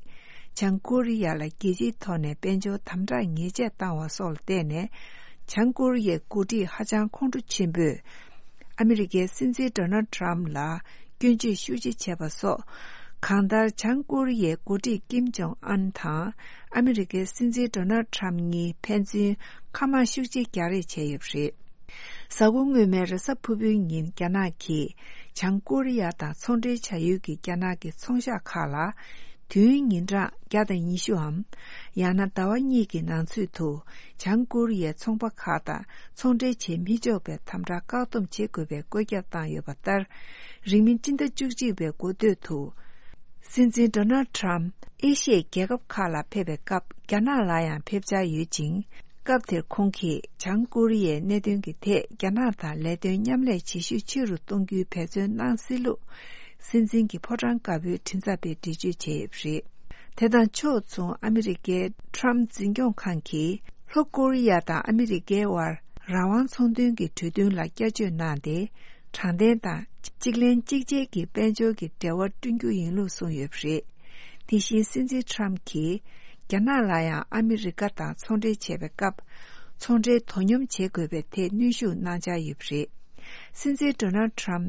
བྱང་ཀོ་རི་ཡ་ལ་རྒྱལ་སྤྱིའི་ཐོག་ནས་དཔལ་འབྱོར་དམ་དྲག་ཉེས་ཆད་བཏང་བ་སོགས་ལ་བརྟེན་ནས། བྱང་ཀོ་རི་ཡའི་འགོ་ཁྲིད་ཧ་ཅང་ཁོང་ཁྲོ་ཆེན་པོས། ཨ་མི་རི་ཀའི་སྲིད་འཛིན་ཌོ་ནལ་ཌི་ཊརམ་ཕི་ལ་སྐྱོན་བརྗོད་ཤུགས་ཆེ་བྱས་པ་སོགས། གང་ལྟར་བྱང་ཀོ་རི་ཡའི་འགོ་ཁྲིད་ཀིམ་ཇོང་ཨན་དང་ཨ་མི་རི་ཀའི་སྲིད་འཛིན་ཌོ་ནལ་ཌི་ཊརམ་ཕི་གཉིས་ཕན་ཚུན་མཁའ་དམག་ཤུགས་ཆེ་རྒྱག་རེས་བྱས་ཡོད་པ་རེད། གཟའ་འཁོར་སྔོན་མའི་རེས་གཟའ་ཕུར་བུའི་ཉིན་རྒྱ་ནག་གིས་བྱང་ཀོ་རི་ཡ་དང་ཚོང་འབྲེལ་བྱ་ཡུལ་གྱི་རྒྱ་ནག་གི་ཚོང་ཤག་ཁག་ལ། དུས་ཡུན་ཉིན་གྲངས་བརྒྱ་དང་ཉི་ཤུའམ། ཡང་ན་ཟླ་བ་གཉིས་ཀྱི་ནང་ཚུད་དུ། བྱང་ཀོ་རི་ཡའི་ཚོང་པ་ཁག་དང་ཚོང་འབྲེལ་བྱེད་མི་ཆོག་པའི་དམ་དྲག་བཀག་སྡོམ་བྱེད་དགོས་པའི་བཀོད་ཁྱབ་བཏང་ཡོད་པ་ལྟར། རིང་མིན་སྤྱི་ཟླ་བཅུ་གཅིག་པའི་འགོ་སྟོད་དུ། སྲིད་འཛིན་ཌོ་ནལ་ཌི་ཊརམ་ཕི་ཨེ་ཤི་ཡའི་རྒྱལ་ཁབ་ཁག་ལ་ཕེབས་པའི་སྐབས་རྒྱ་ནག་ལ་ཡང་ཕེབས་འཆར་ཡོད་ཅིང་། སྐབས་དེར་ཁོང་གིས་བྱང་ཀོ་རི་ཡའི་གནད་དོན་གྱི་ཐད་རྒྱ་ནག་དང་ལས་དོན་མཉམ་ལས་བྱེད་ཤུགས་ཆེ་རུ་གཏོང་རྒྱུའི་འབད་བརྩོན་གནང་སྲིད་ལུགས། སྲིད་འཛིན་གྱི་ཕོ་བྲང་དཀར་པོའི་མགྲིན་ཚབ་པས་འགྲེལ་བརྗོད་བྱས་ཡོད་པ་རེད། དེ་དང་ཕྱོགས་མཚུངས་ཨ་མི་རི་ཀའི་ཊམ་འཛིན་སྐྱོང་ཁང་གིས་ལྷོ་ཀོ་རི་ཡ་དང་ཨ་མི་རི་ཀའི་དབར་རང་དབང་ཚོང་དོན་གྱི་གྲོས་མཐུན་ལ་བསྐྱར་བཅོས་གནང་སྟེ། དྲང་བདེན་དང་གཅིག་ལེན་གཅིག་བྱེད་ཀྱི་དཔལ་འབྱོར་གྱི་འབྲེལ་བ་བསྐྲུན་རྒྱུ་ཡིན་ལུགས་གསུངས་ཡོད་པ་རེད། དེ་བཞིན་སྲིད་འཛིན་ཊམ་གྱིས་རྒྱ་ནག་ལ་ཡང་ཨ་མི་རི་ཀ་དང་ཚོང་འབྲེལ་བྱེད་པའི་སྐབས་ཚོང་འབྲེལ་དོ་སྙོམས་བྱེད་དགོས་པའི་ཐད་གནོན་ཤུགས་གནང་འཆར་ཡོད་པ་རེད། སྲིད་འཛིན་ཌོ་ནལ་ཊམ་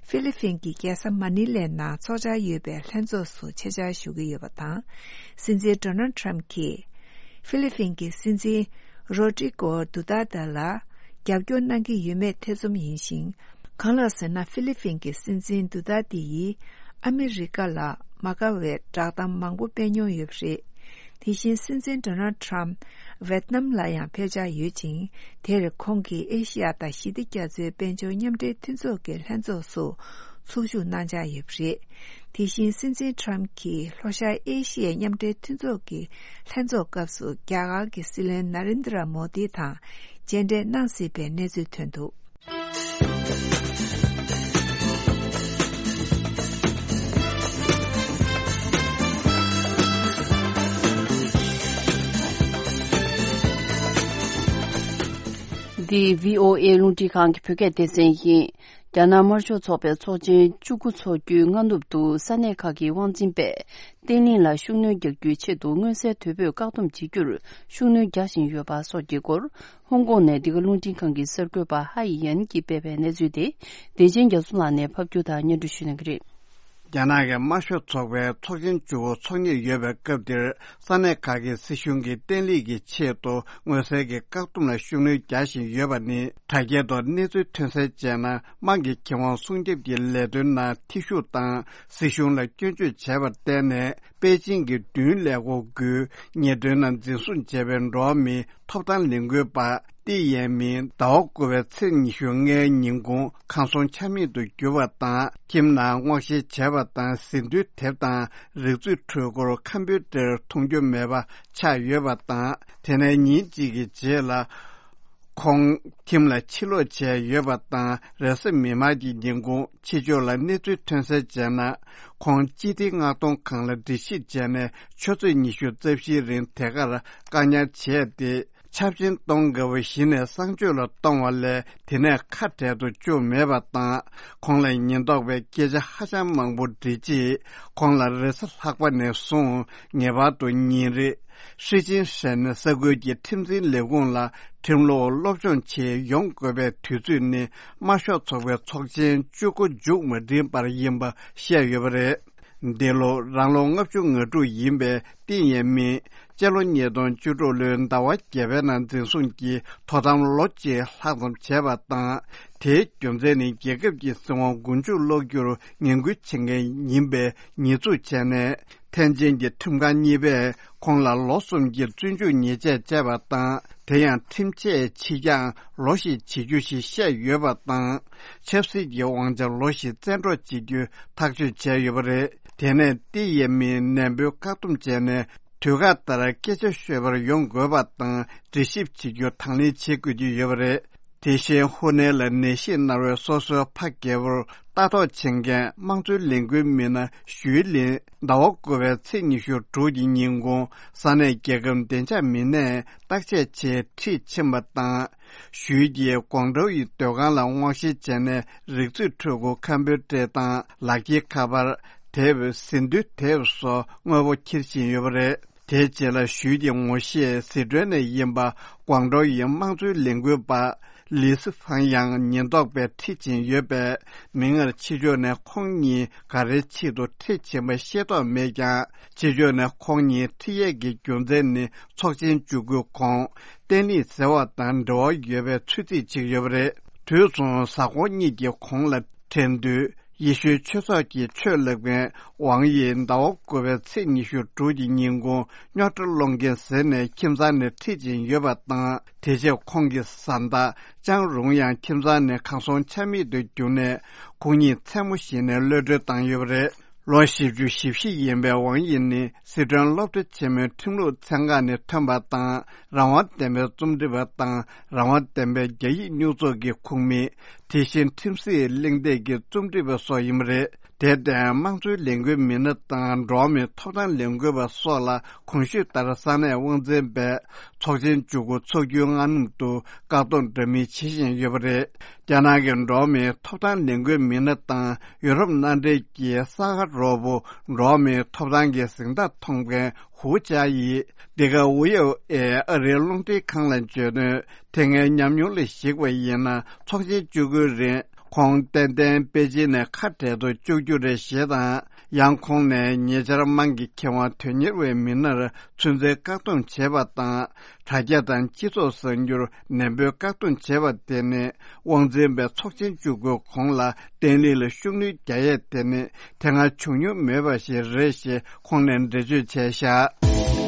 ཧྥི་ལི་ཕིན་གྱི་རྒྱལ་ས་མ་ནི་ལའི་ནང་འཚོགས་འཆར་ཡོད་པའི་ལྷན་ཚོགས་སུ་ཆེད་བཅར་ཞུ་གི་ཡོད་པ་དང་། སྲིད་འཛིན་ཌོ་ནལ་ཊམ་གྱིས་ཧྥི་ལི་ཕིན་གྱི་སྲིད་འཛིན་རོ་ཏྲི་ཀོ་དུ་ཏར་ཏེ་ལ་རྒྱབ་སྐྱོར་གནང་གི་ཡོད་མེད་ཐེ་ཚོམ་ཡིན་ཞིང་། གང་ལགས་ཟེར་ན། ཧྥི་ལི་ཕིན་གྱི་སྲིད་འཛིན་དུ་ཏར་ཏེ་ཡིས་ཨ་མི་རི་ཀ་ལ་མ་དགའ་བའི་བསྒྲགས་གཏམ་མང་པོ་སྤེལ་མྱོང་ཡོད་པ་རེད། དེ་བཞིན་སྲིད་འཛིན་ཌོ་ནལ་ཊམ་ཝེད་ནམ་ལ་ཡང་ཕེབས་འཆར་ཡོད་ཅིང་། དེར་ཁོང་གིས་ཨེ་ཤི་ཡ་དང་ཞི་བདེ་རྒྱ་མཚོའི་དཔལ་འབྱོར་མཉམ་འབྲེལ་མཐུན་ཚོགས་ཀྱི་ལྷན་ཚོགས་སུ་ཚོགས་ཞུགས་གནང་འཆར་ཡོད་པ་རེད། དེ་བཞིན་སྲིད་འཛིན་ཊམ་གྱིས་ལྷོ་ཤར་ཨེ་ཤི་ཡའི་མཉམ་འབྲེལ་མཐུན་ཚོགས་ཀྱི་ལྷན་ཚོགས་སྐབས་སུ་རྒྱ་གར་གྱི་སྲིད་བློན་ན་རེན་དྲ་མོ་དི་དང་མཇལ་འཕྲད་གནང་སྲིད་པའི་གནས་ཚུལ་ཐོན་འདུག། འདི་བྷི་ཨོ་ཨེ་རླུང་འཕྲིན་ཁང་གི་བོད་སྐད་སྡེ་ཚན་ཡིན། རྒྱ་ནག་དམར་ཤོག་ཚོགས་པའི་ཚོགས་ཆེན་བཅུ་དགུ་འཚོགས་རྒྱུའི་སྔ་ནུབ་ཏུ་ས་གནས་ཁག་གི་དབང་འཛིན་པས་བརྟན་ལྷིང་ལ་ཤུགས་སྣོན་རྒྱག་རྒྱུའི་ཆེད་དུ་མངོན་གསལ་དོད་པོས་བཀག་སྡོམ་བྱེད་རྒྱུར་ཤུགས་སྣོན་རྒྱག་བཞིན་ཡོད་པ་སོགས་ཀྱི་སྐོར། ཧོང་ཀོང་ནས་འདི་ག་རླུང་འཕྲིན་ཁང་གི་གསར་འགོད་པ་ཧ་ཡི་ཡན་གྱིས་སྤེལ་བའི་གནས་ཚུལ་དེ། བདེ་ཆེན་རྒྱ་མཚོ་ལགས་ནས་ཕབ་སྒྱུར་དང་སྙན་སྒྲོན་ཞུ་གནང་གི་རེད། རྒྱ་ནག་གི་དམར་ཤོག་ཚོགས་པའི་ཚོགས་ཆེན་བཅུ་དགུ་འཚོགས་ཉེར་ཡོད་པའི་སྐབས་འདིར། ས་གནས་ཁག་གི་སྲིད་གཞུང་གིས་བརྟན་ལྷིང་གི་ཆེད་དུ་མངོན་གསལ་གྱི་བཀག་སྡོམ་ལ་ཤུགས་སྣོན་རྒྱག་བཞིན་ཡོད་པ་ནི། དྲ་རྒྱའི་ཐོག་གནས་ཚུལ་ཐོན་གསལ་བྱས་ན། དམངས་ཀྱི་ཁེ་དབང་སྲུང་སྐྱོབ་ཀྱི་ལས་དོན་ནང་ཐེ་ཞུགས་དང་། སྲིད་གཞུང་ལ་སྐྱོན་བརྗོད་བྱས་པར་བརྟེན་ནས། པེ་ཅིང་གི་མདུན་ལས་ཁུངས་ཀྱིས་ཉེས་དོན་ནང་འཛིན་བཟུང་བྱས་པའི་འགྲོ་བ་མིའི་ཐོབ་ཐང་ལས་འགུལ་པ་ཏི་ཡན་མིན། ཟླ་བ་དགུ་པའི་ཚེས་ཉི་ཤུ་ལྔའི་ཉིན་གུང་ཁམས་གསུམ་ཆ་མེད་དུ་གྱུར་པ་དང་། ཁྱིམ་ནང་སྔོག་བཤེར་བྱས་པ་དང་། ཟིན་ཐོའི་དེབ་དང་རིག་མཛོད་འཕྲུལ་འཁོར་ཁམ་པུ་ཊར་མཐོང་རྒྱུ་མེད་པ་ཆགས་ཡོད་པ་དང་། དེ་ནས་ཉིན་གཅིག་གི་རྗེས་ལ། ཁོང་ཁྱིམ་ལ་ཕྱིར་ལོག་བྱས་ཡོད་པ་དང་། རེས་གཟའ་མིག་དམར་གྱི་ཉིན་གུང་ཕྱི་ཕྱོགས་ལ་གནས་ཚུལ་ཐོན་གསལ་བྱས་ན། ཁོང་སྤྱི་བདེ་མངགས་གཏོང་ཁང་ལ་འགྲེལ་བཤད་བྱས་ནས་ཆུ་ཚོད་ཉི་ཤུ་རྩ་བཞིའི་རིང་དེ་གར་བཀག་ཉར་བྱས་ཏེ། ཆབ་ཆེན་གཏོང་དགོས་པ་གཞི་ནས་གསང་སྤྱོད་ལ་གཏོང་བ་ལས་དེ་ནས་ཁ་བྲལ་དུ་བཅུག་མེད་པ་དང་། ཁོང་ལ་ཉེན་རྟོག་པས་སྐད་ཆ་ཧ་ཅང་མང་པོ་འདྲི་རྗེས། ཁོང་ལ་རེས་གཟའ་ལྷག་པ་ནས་བཟུང་ངེས་པར་དུ་ཉིན་རེ་ཧྲི་ཅིན་ཧྲན་ས་ཁུལ་གྱི་ཁྲིམས་འཛིན་ལས་ཁུངས་ལ་ཁྲིམས་ལུགས་སློབ་སྦྱོང་ཆེད་ཡོང་དགོས་པའི་དུས་ཚོད་ནི་དམར་ཤོག་ཚོགས་པའི་ཚོགས་ཆེན་བཅུ་དགུ་མཇུག་མ་སྒྲིལ་བར་ཡིན་པ་བཤད་ཡོད་པ་རེད། འདི་ལོ་རང་ལོ་ལྔ་བཅུ་ང་དྲུག་ཡིན་པའི་ཏིན་ཡན་མིན། སྤྱི་ལོ་ཉིས་སྟོང་བཅུ་དྲུག་ལོའི་ཟླ་བ་བརྒྱད་པའི་ནང་འཛིན་བཟུང་གིས་དོ་དམ་ལོ་གཅིག་ལྷག་ཙམ་བྱས་པ་དང་། དེའི་རྒྱུ་མཚན་ནི་རྒྱལ་ཁབ་ཀྱི་སྲིད་དབང་མགོ་མཇུག་སློག་རྒྱུར་ངན་སྐུལ་བྱེད་མཁན་ཡིན་པའི་ཉེས་འཛུགས་བྱས་ནས། ཐེན་ཅིན་གྱི་ཁྲིམས་ཁང་གཉིས་པས་ཁོང་ལ་ལོ་གསུམ་གྱི་བཙོན་འཇུག་ཉེས་ཆད་བཅད་པ་དང་། དེ་ཡང་ཁྲིམས་ཆད་ཕྱིས་ཀྱང་ལོ་ཞིག་བྱེད་རྒྱུ་ཞིག་བཤད་ཡོད་པ་དང་། ཆབ་སྲིད་ཀྱི་དབང་ཆ་ལོ་ཞིག་བཙན་འཕྲོག་བྱེད་རྒྱུ་ཐག་གཅོད་བྱས་ཡོད་པ་རེད། དེ་ནས་ཏི་ཡེ་མིན་ནན་པོས་བཀག་སྡོམ་བྱས་ནས། དུས་བཀག་ལྟར་སྐད་ཆ་ཤོད་པར་ཡོང་དགོས་པ་དང་། འདྲི་ཞིབ་བྱེད་རྒྱུ་དང་ལེན་བྱེད་དགོས་ཀྱི་ཡོད་པ་རེད། དེ་བཞིན་ཧུ་ནན་ལ་ནད་གཞིས་མནར་བའི་སོ་སོའི་ཕ་རྒན་པོར་ལྟ་རྟོག་བྱེད་མཁན་དམངས་གཙོའི་ལས་འགུལ་མི་སྣ་ཞུའི་ལིན། ཟླ་བ་དགུ་པའི་ཚེས་ཉི་ཤུ་དྲུག་གི་ཉིན་གུང་ས་གནས་རྒྱལ་ཁབ་བདེ་འཇགས་མི་སྣས་བརྟག་དཔྱད་ཆེད་ཁྲིད་ཕྱིན་པ་དང་། ཞུའི་གྱིས་ཀོང་ཀྲོའུ་ཡི་སྡོད་ཁང་ལ་སྔོག་བཤེར་བྱས་ནས། རིག་མཛོད་ཕྲུ་གུ་ཁམ་པུ་ཊར་དང་ལག་འཁྱེར་ཁ་པར། དེབ། ཟིན་བྲིས་དེབ་སོགས་དངོས་པོ་འཁྱེར་ཕྱིན་ཡོད་པ་རེད། དེའི་རྗེས་ལ་ཞུའི་གྱི་ངོ་ཤེས་ཟི་ཁྲོན་ནས་ཡིན་པ་ཀོང་ཀྲོའུ་ཡི་དམངས་གཙོའི་ལས་འགུལ་པ་ལི་སི་ཧྥང་ཡང་ཉེན་རྟོག་པས་ཁྲིད་ཕྱིན་ཡོད་པས། མིག་སྔར་ཕྱི་ཕྱོགས་ནས་ཁོང་གཉིས་ག་རེའི་ཆེད་དུ་ཁྲིད་ཕྱིན་པ་ཤེས་རྟོགས་མེད་ཀྱང་། ཕྱི་ཕྱོགས་ནས་ཁོང་གཉིས་ཁྲིད་ཡས་ཀྱི་རྒྱུ་མཚན་ནི་ཚོགས་ཆེན་བཅུ་དགུའི་གོང་བསྟན་ལྷིང་ཟེར་བ་དང་འབྲེལ་བ་ཡོད་པའི་ཚོད་རྩིས་བྱེད་ཀྱི་ཡོད་པ་རེད། དུས་མཚུངས་གཟའ་འཁོར་གཉིས་ཀྱི་གོང་ལ་དྲན་དུས། ཡེ་ཤུའི་ཆོས་ཚོགས་ཀྱི་ཆོས་བསླབ་མཁན་ཝང་དབྱི་ཟླ་བ་དགུ་པའི་ཚེས་ཉི་ཤུ་དྲུག་གི་ཉིན་གུང་རྙོག་དྲ་སློང་མཁན་ཟེར་ནས་ཁྱིམ་ཚང་ནས་ཁྲིད་ཕྱིན་ཡོད་པ་དང་། དེ་རྗེས་ཁོང་གི་བཟའ་ཟླ་ཅང་རུང་ཡང་ཁྱིམ་ཚང་ནས་གར་སོང་ཆ་མེད་དུ་གྱུར་ནས། ཁོང་ཉིད་མཚན་མོ་ཞིག་ནས་གློད་གྲོལ་བཏང་ཡོད་པ་རེད། ལོ་བཞི་བཅུ་ཞེ་བཞི་ཡིན་པའི་ཝང་དབྱི་ནི་སི་ཁྲོན་སློབ་གྲྭ་ཆེན་མོའི་ཁྲིམས་ལུགས་ཚན་ཁག་ནས་ཐོན་པ་དང་། རང་དབང་ལྡན་པའི་རྩོམ་སྒྲིག་པ་དང་། རང་དབང་ལྡན་པའི་རྒྱ་ཡིག་སྨྱུག་ཚོགས་ཀྱི་ཁོངས་མི། དེ་བཞིན་ཁྲིམས་སྲིད་གླེང་སྟེགས་ཀྱི་རྩོམ་སྒྲིག་པ་སོགས་ཡིན་པ་རེད། དེར་བརྟེན་དམངས་གཙོའི་ལས་འགུལ་མི་སྣ་དང་འགྲོ་བ་མིའི་ཐོབ་ཐང་ལས་འགུལ་བ་སོགས་ལ་གོང་ཞུས་ལྟར་ས་གནས་དབང་འཛིན་པས་ཚོགས་ཆེན་བཅུ་དགུ་འཚོགས་རྒྱུའི་སྔ་ནུབ་ཏུ་བཀག་སྡོམ་འདྲ་མིན་བྱེད་བཞིན་ཡོད་པ་རེད། རྒྱ་ནག་གི་འགྲོ་བ་མིའི་ཐོབ་ཐང་ལས་འགུལ་མི་སྣ་དང་ཡུ་རོབ་མནའ་འབྲེལ་གྱི་ས་ག་རོགས་པོ་འགྲོ་བ་མིའི་ཐོབ་ཐང་གི་གཟེངས་རྟགས་མཐོང་མཁན་ཧུའུ་ཅཱ་ཡིས། འདི་ག་ཝི་ཨོ་ཨེ་ཨ་རིའི་རླུང་འཕྲིན་ཁང་ལ་བརྗོད་དོན། དེ་སྔའི་ཉམས་མྱོང་ལ་གཞིགས་པ་ཡིན་ན། ཚོགས་ཆེན་བཅུ་དགུའི་རིང་ཁོང་ཏན་ཏན་པེ་ཅིན་ནས་ཁ་བྲལ་དུ་བཅུག་རྒྱུ་རེད་ཞེས་དང་། ཡང་ཁོང་ནས་ཉེ་ཆར་དམངས་ཀྱི་ཁེ་དབང་དོན་གཉེར་བའི་མི་སྣར་ཚུན་ཚོད་བཀག་སྡོམ་བྱས་པ་དང་། དྲ་རྒྱ་དང་སྤྱི་ཚོགས་གསར་འགྱུར་ནན་པོས་བཀག་སྡོམ་བྱས་པ་དེ་ནི། དབང་འཛིན་པས་ཚོགས་ཆེན་བཅུ་དགུའི་གོང་ལ་བརྟན་ལྷིང་ལ་ཤུགས་སྣོན་རྒྱག་ཡས་དེ་ནི་དེ་སྔ་བྱུང་མྱོང་མེད་པ་ཞིག་རེད་ཞེས་ཁོང་ནས་འགྲེལ་བརྗོད་བྱས་བཞག་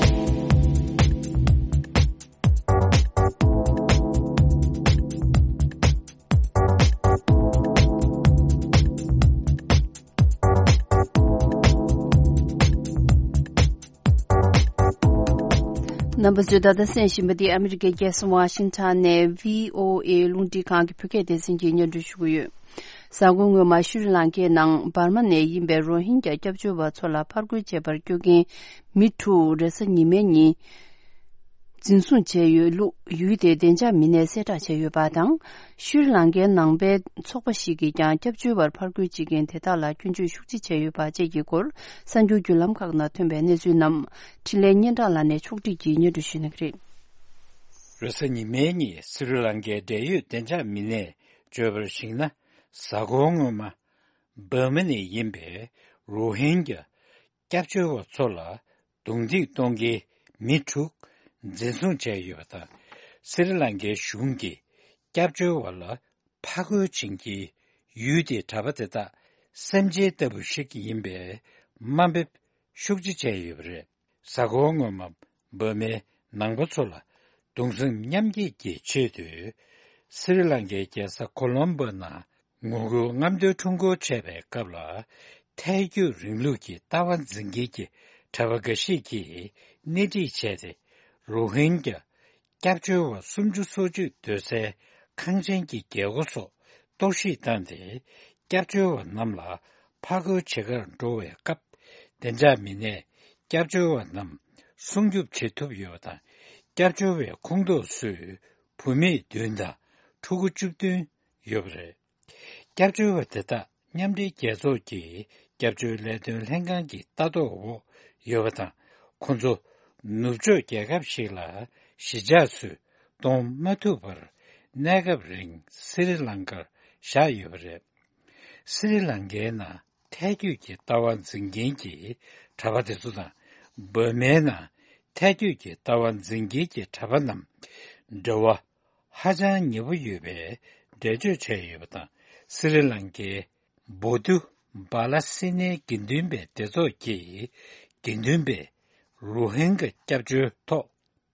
རྣམ་པ་ཚོས་ད་ལྟ་གསན་བཞིན་པ་འདི་ཨ་མི་རི་ཀའི་རྒྱལ་ས་ཝ་ཤིང་ཊོན་ནས་བྷི་ཨོ་ཨེ་རླུང་འཕྲིན་ཁང་གི་བོད་སྐད་སྡེ་ཚན་གྱིས་སྙན་སྒྲོན་ཞུ་གི་ཡོད། གཟའ་འཁོར་སྔོན་མ་ཤྲི་ལང་ཀའི་ནང་འབར་མ་ནས་ཡིན་པའི་རོ་ཧིན་གྱ་སྐྱབས་བཅོལ་བ་ཚོ་ལ་ཕར་རྒོལ་བྱེད་པར་སྐྱོད་མཁན་མི་དྲུག་རེས་གཟའ་ཉི་མའི་ཉིན་འཛིན་བཟུང་བྱས་ཡོད་ལུགས་ཡུལ་དེའི་བདེ་འཇགས་མི་སྣས་གསལ་བསྒྲགས་བྱས་ཡོད་པ་དང་། ཤྲི་ལང་ཀའི་ནང་པའི་ཚོགས་པ་ཞིག་གིས་ཀྱང་སྐྱབས་བཅོལ་བར་ཕར་རྒོལ་བྱེད་མཁན་དེ་དག་ལ་སྐྱོན་བརྗོད་ཤུགས་ཆེ་བྱས་ཡོད་པ་བཅས་ཀྱི་སྐོར་གསར་འགྱུར་བརྒྱུད་ལམ་ཁག་ནང་ཐོན་པའི་གནས་ཚུལ་རྣམས་འཕྲིན་ལས་སྙན་གྲགས་ལགས་ནས་ཕྱོགས་བསྒྲིགས་ཀྱིས་སྙན་སྒྲོན་ཞུ་གནང་གི་རེད། རེས་གཟའ་ཉི་མའི་ཉིན་སི་རི་ལང་ཀའི་འབྲེལ་ཡོད་བདེ་འཇགས་མི་སྣས་བརྗོད་པར་གཞིགས་ན། གཟའ་འཁོར་སྔོན་མ་འབར་མ་ནས་ཡིན་པའི་རོ་ཧིན་གྱ་སྐྱབས་བཅོལ་བ་ཚོ་ལ་རྡུང་རྡེག་གཏོང་མཁན་མི་དྲུག་འཛིན་བཟུང་བྱས་ཡོད་པ་དང་། སི་རི་ལང་ཀའི་གཞུང་གིས་སྐྱབས་བཅོལ་བ་ལ་ཕར་རྒོལ་བྱེད་མཁན་ཡུལ་དེའི་གྲྭ་པ་དེ་དག་སེམས་ཅན་ལྟ་བུ་ཞིག་ཡིན་པའི་དམའ་འབེབས་ཤུགས་ཆེ་བྱས་ཡོད་པ་རེད། གཟའ་འཁོར་སྔོན་མ་འབར་མའི་ནང་པ་ཚོ་ལ་གདུང་སེམས་མཉམ་སྐྱེད་ཀྱི་ཆེད་དུ། སི་རི་ལང་ཀའི་རྒྱལ་ས་ཀོ་ལོམ་པོ་ནང་ངོ་རྒོལ་རྔམ་སྟོན་ཁྲོམ་སྐོར་བྱས་པའི་སྐབས་ལ། ཐལ་འགྱུར་རིང་ལུགས་ཀྱི་ལྟ་བ་འཛིན་མཁན་གྱི་གྲྭ་པ་འགའ་ཞིག་གིས་སྣེ་ཁྲིད་བྱས་ཏེ། རོ་ཧིན་གྱ་སྐྱབས་བཅོལ་བ་སུམ་ཅུ་སོ་གཅིག་སྡོད་སའི་ཁང་ཆེན་གྱི་རྒྱལ་སྒོ་སོགས་གཏོར་བཤིག་བཏང་སྟེ། སྐྱབས་བཅོལ་བ་རྣམས་ལ་ཕར་རྒོལ་བྱེད་གར་འགྲོ་བའི་སྐབས། བདེ་འཇགས་མི་སྣས་སྐྱབས་བཅོལ་བ་རྣམས་སྲུང་སྐྱོབ་བྱེད་ཐུབ་ཡོད་པ་དང་། སྐྱབས་བཅོལ་བའི་ཁོངས་གཏོགས་སུ་བུད་མེད་བདུན་དང་ཕྲུ་གུ་བཅུ་བདུན་ཡོད་པ་རེད། སྐྱབས་བཅོལ་བ་དེ་དག་མཉམ་འབྲེལ་རྒྱལ་ཚོགས་ཀྱི་སྐྱབས་བཅོལ་ལས་དོན་ལྷན་ཁང་གི་ལྟ་རྟོག་འོག་ཡོད་པ་དང་། ཁོང་ཚོ་ནུབ་ཕྱོགས་རྒྱལ་ཁབ་ཞིག་ལ་གཞིས་ཆགས་སུ་གཏོང་མ་ཐུབ་པར། གནས་སྐབས་རིང་སི་རི་ལང་ཀར་བཞག་ཡོད་པ་རེད། སི་རི་ལང་ཀའི་ནང་ཐལ་སྐྱོད་ཀྱི་ལྟ་བ་འཛིན་མཁན་གྱི་གྲྭ་པ་དེ་ཚོ་དང་། འབར་མའི་ནང་ཐལ་སྐྱོད་ཀྱི་ལྟ་བ་འཛིན་མཁན་གྱི་གྲྭ་པ་རྣམས་འབྲེལ་བ་ཧ་ཅང་ཉེ་པོ་ཡོད་པའི་འགྲེལ་བརྗོད་བྱས་ཡོད་པ་དང་། སི་རི་ལང་ཀའི་བོ་དུ་བ་ལ་སི་ནའི་དགེ་འདུན་པའི་སྡེ་ཚོགས་ཀྱིས་དགེ་འདུན་པའི་རུ་ཧིན་ག་སྐྱབས་བཅོལ་ཐོག་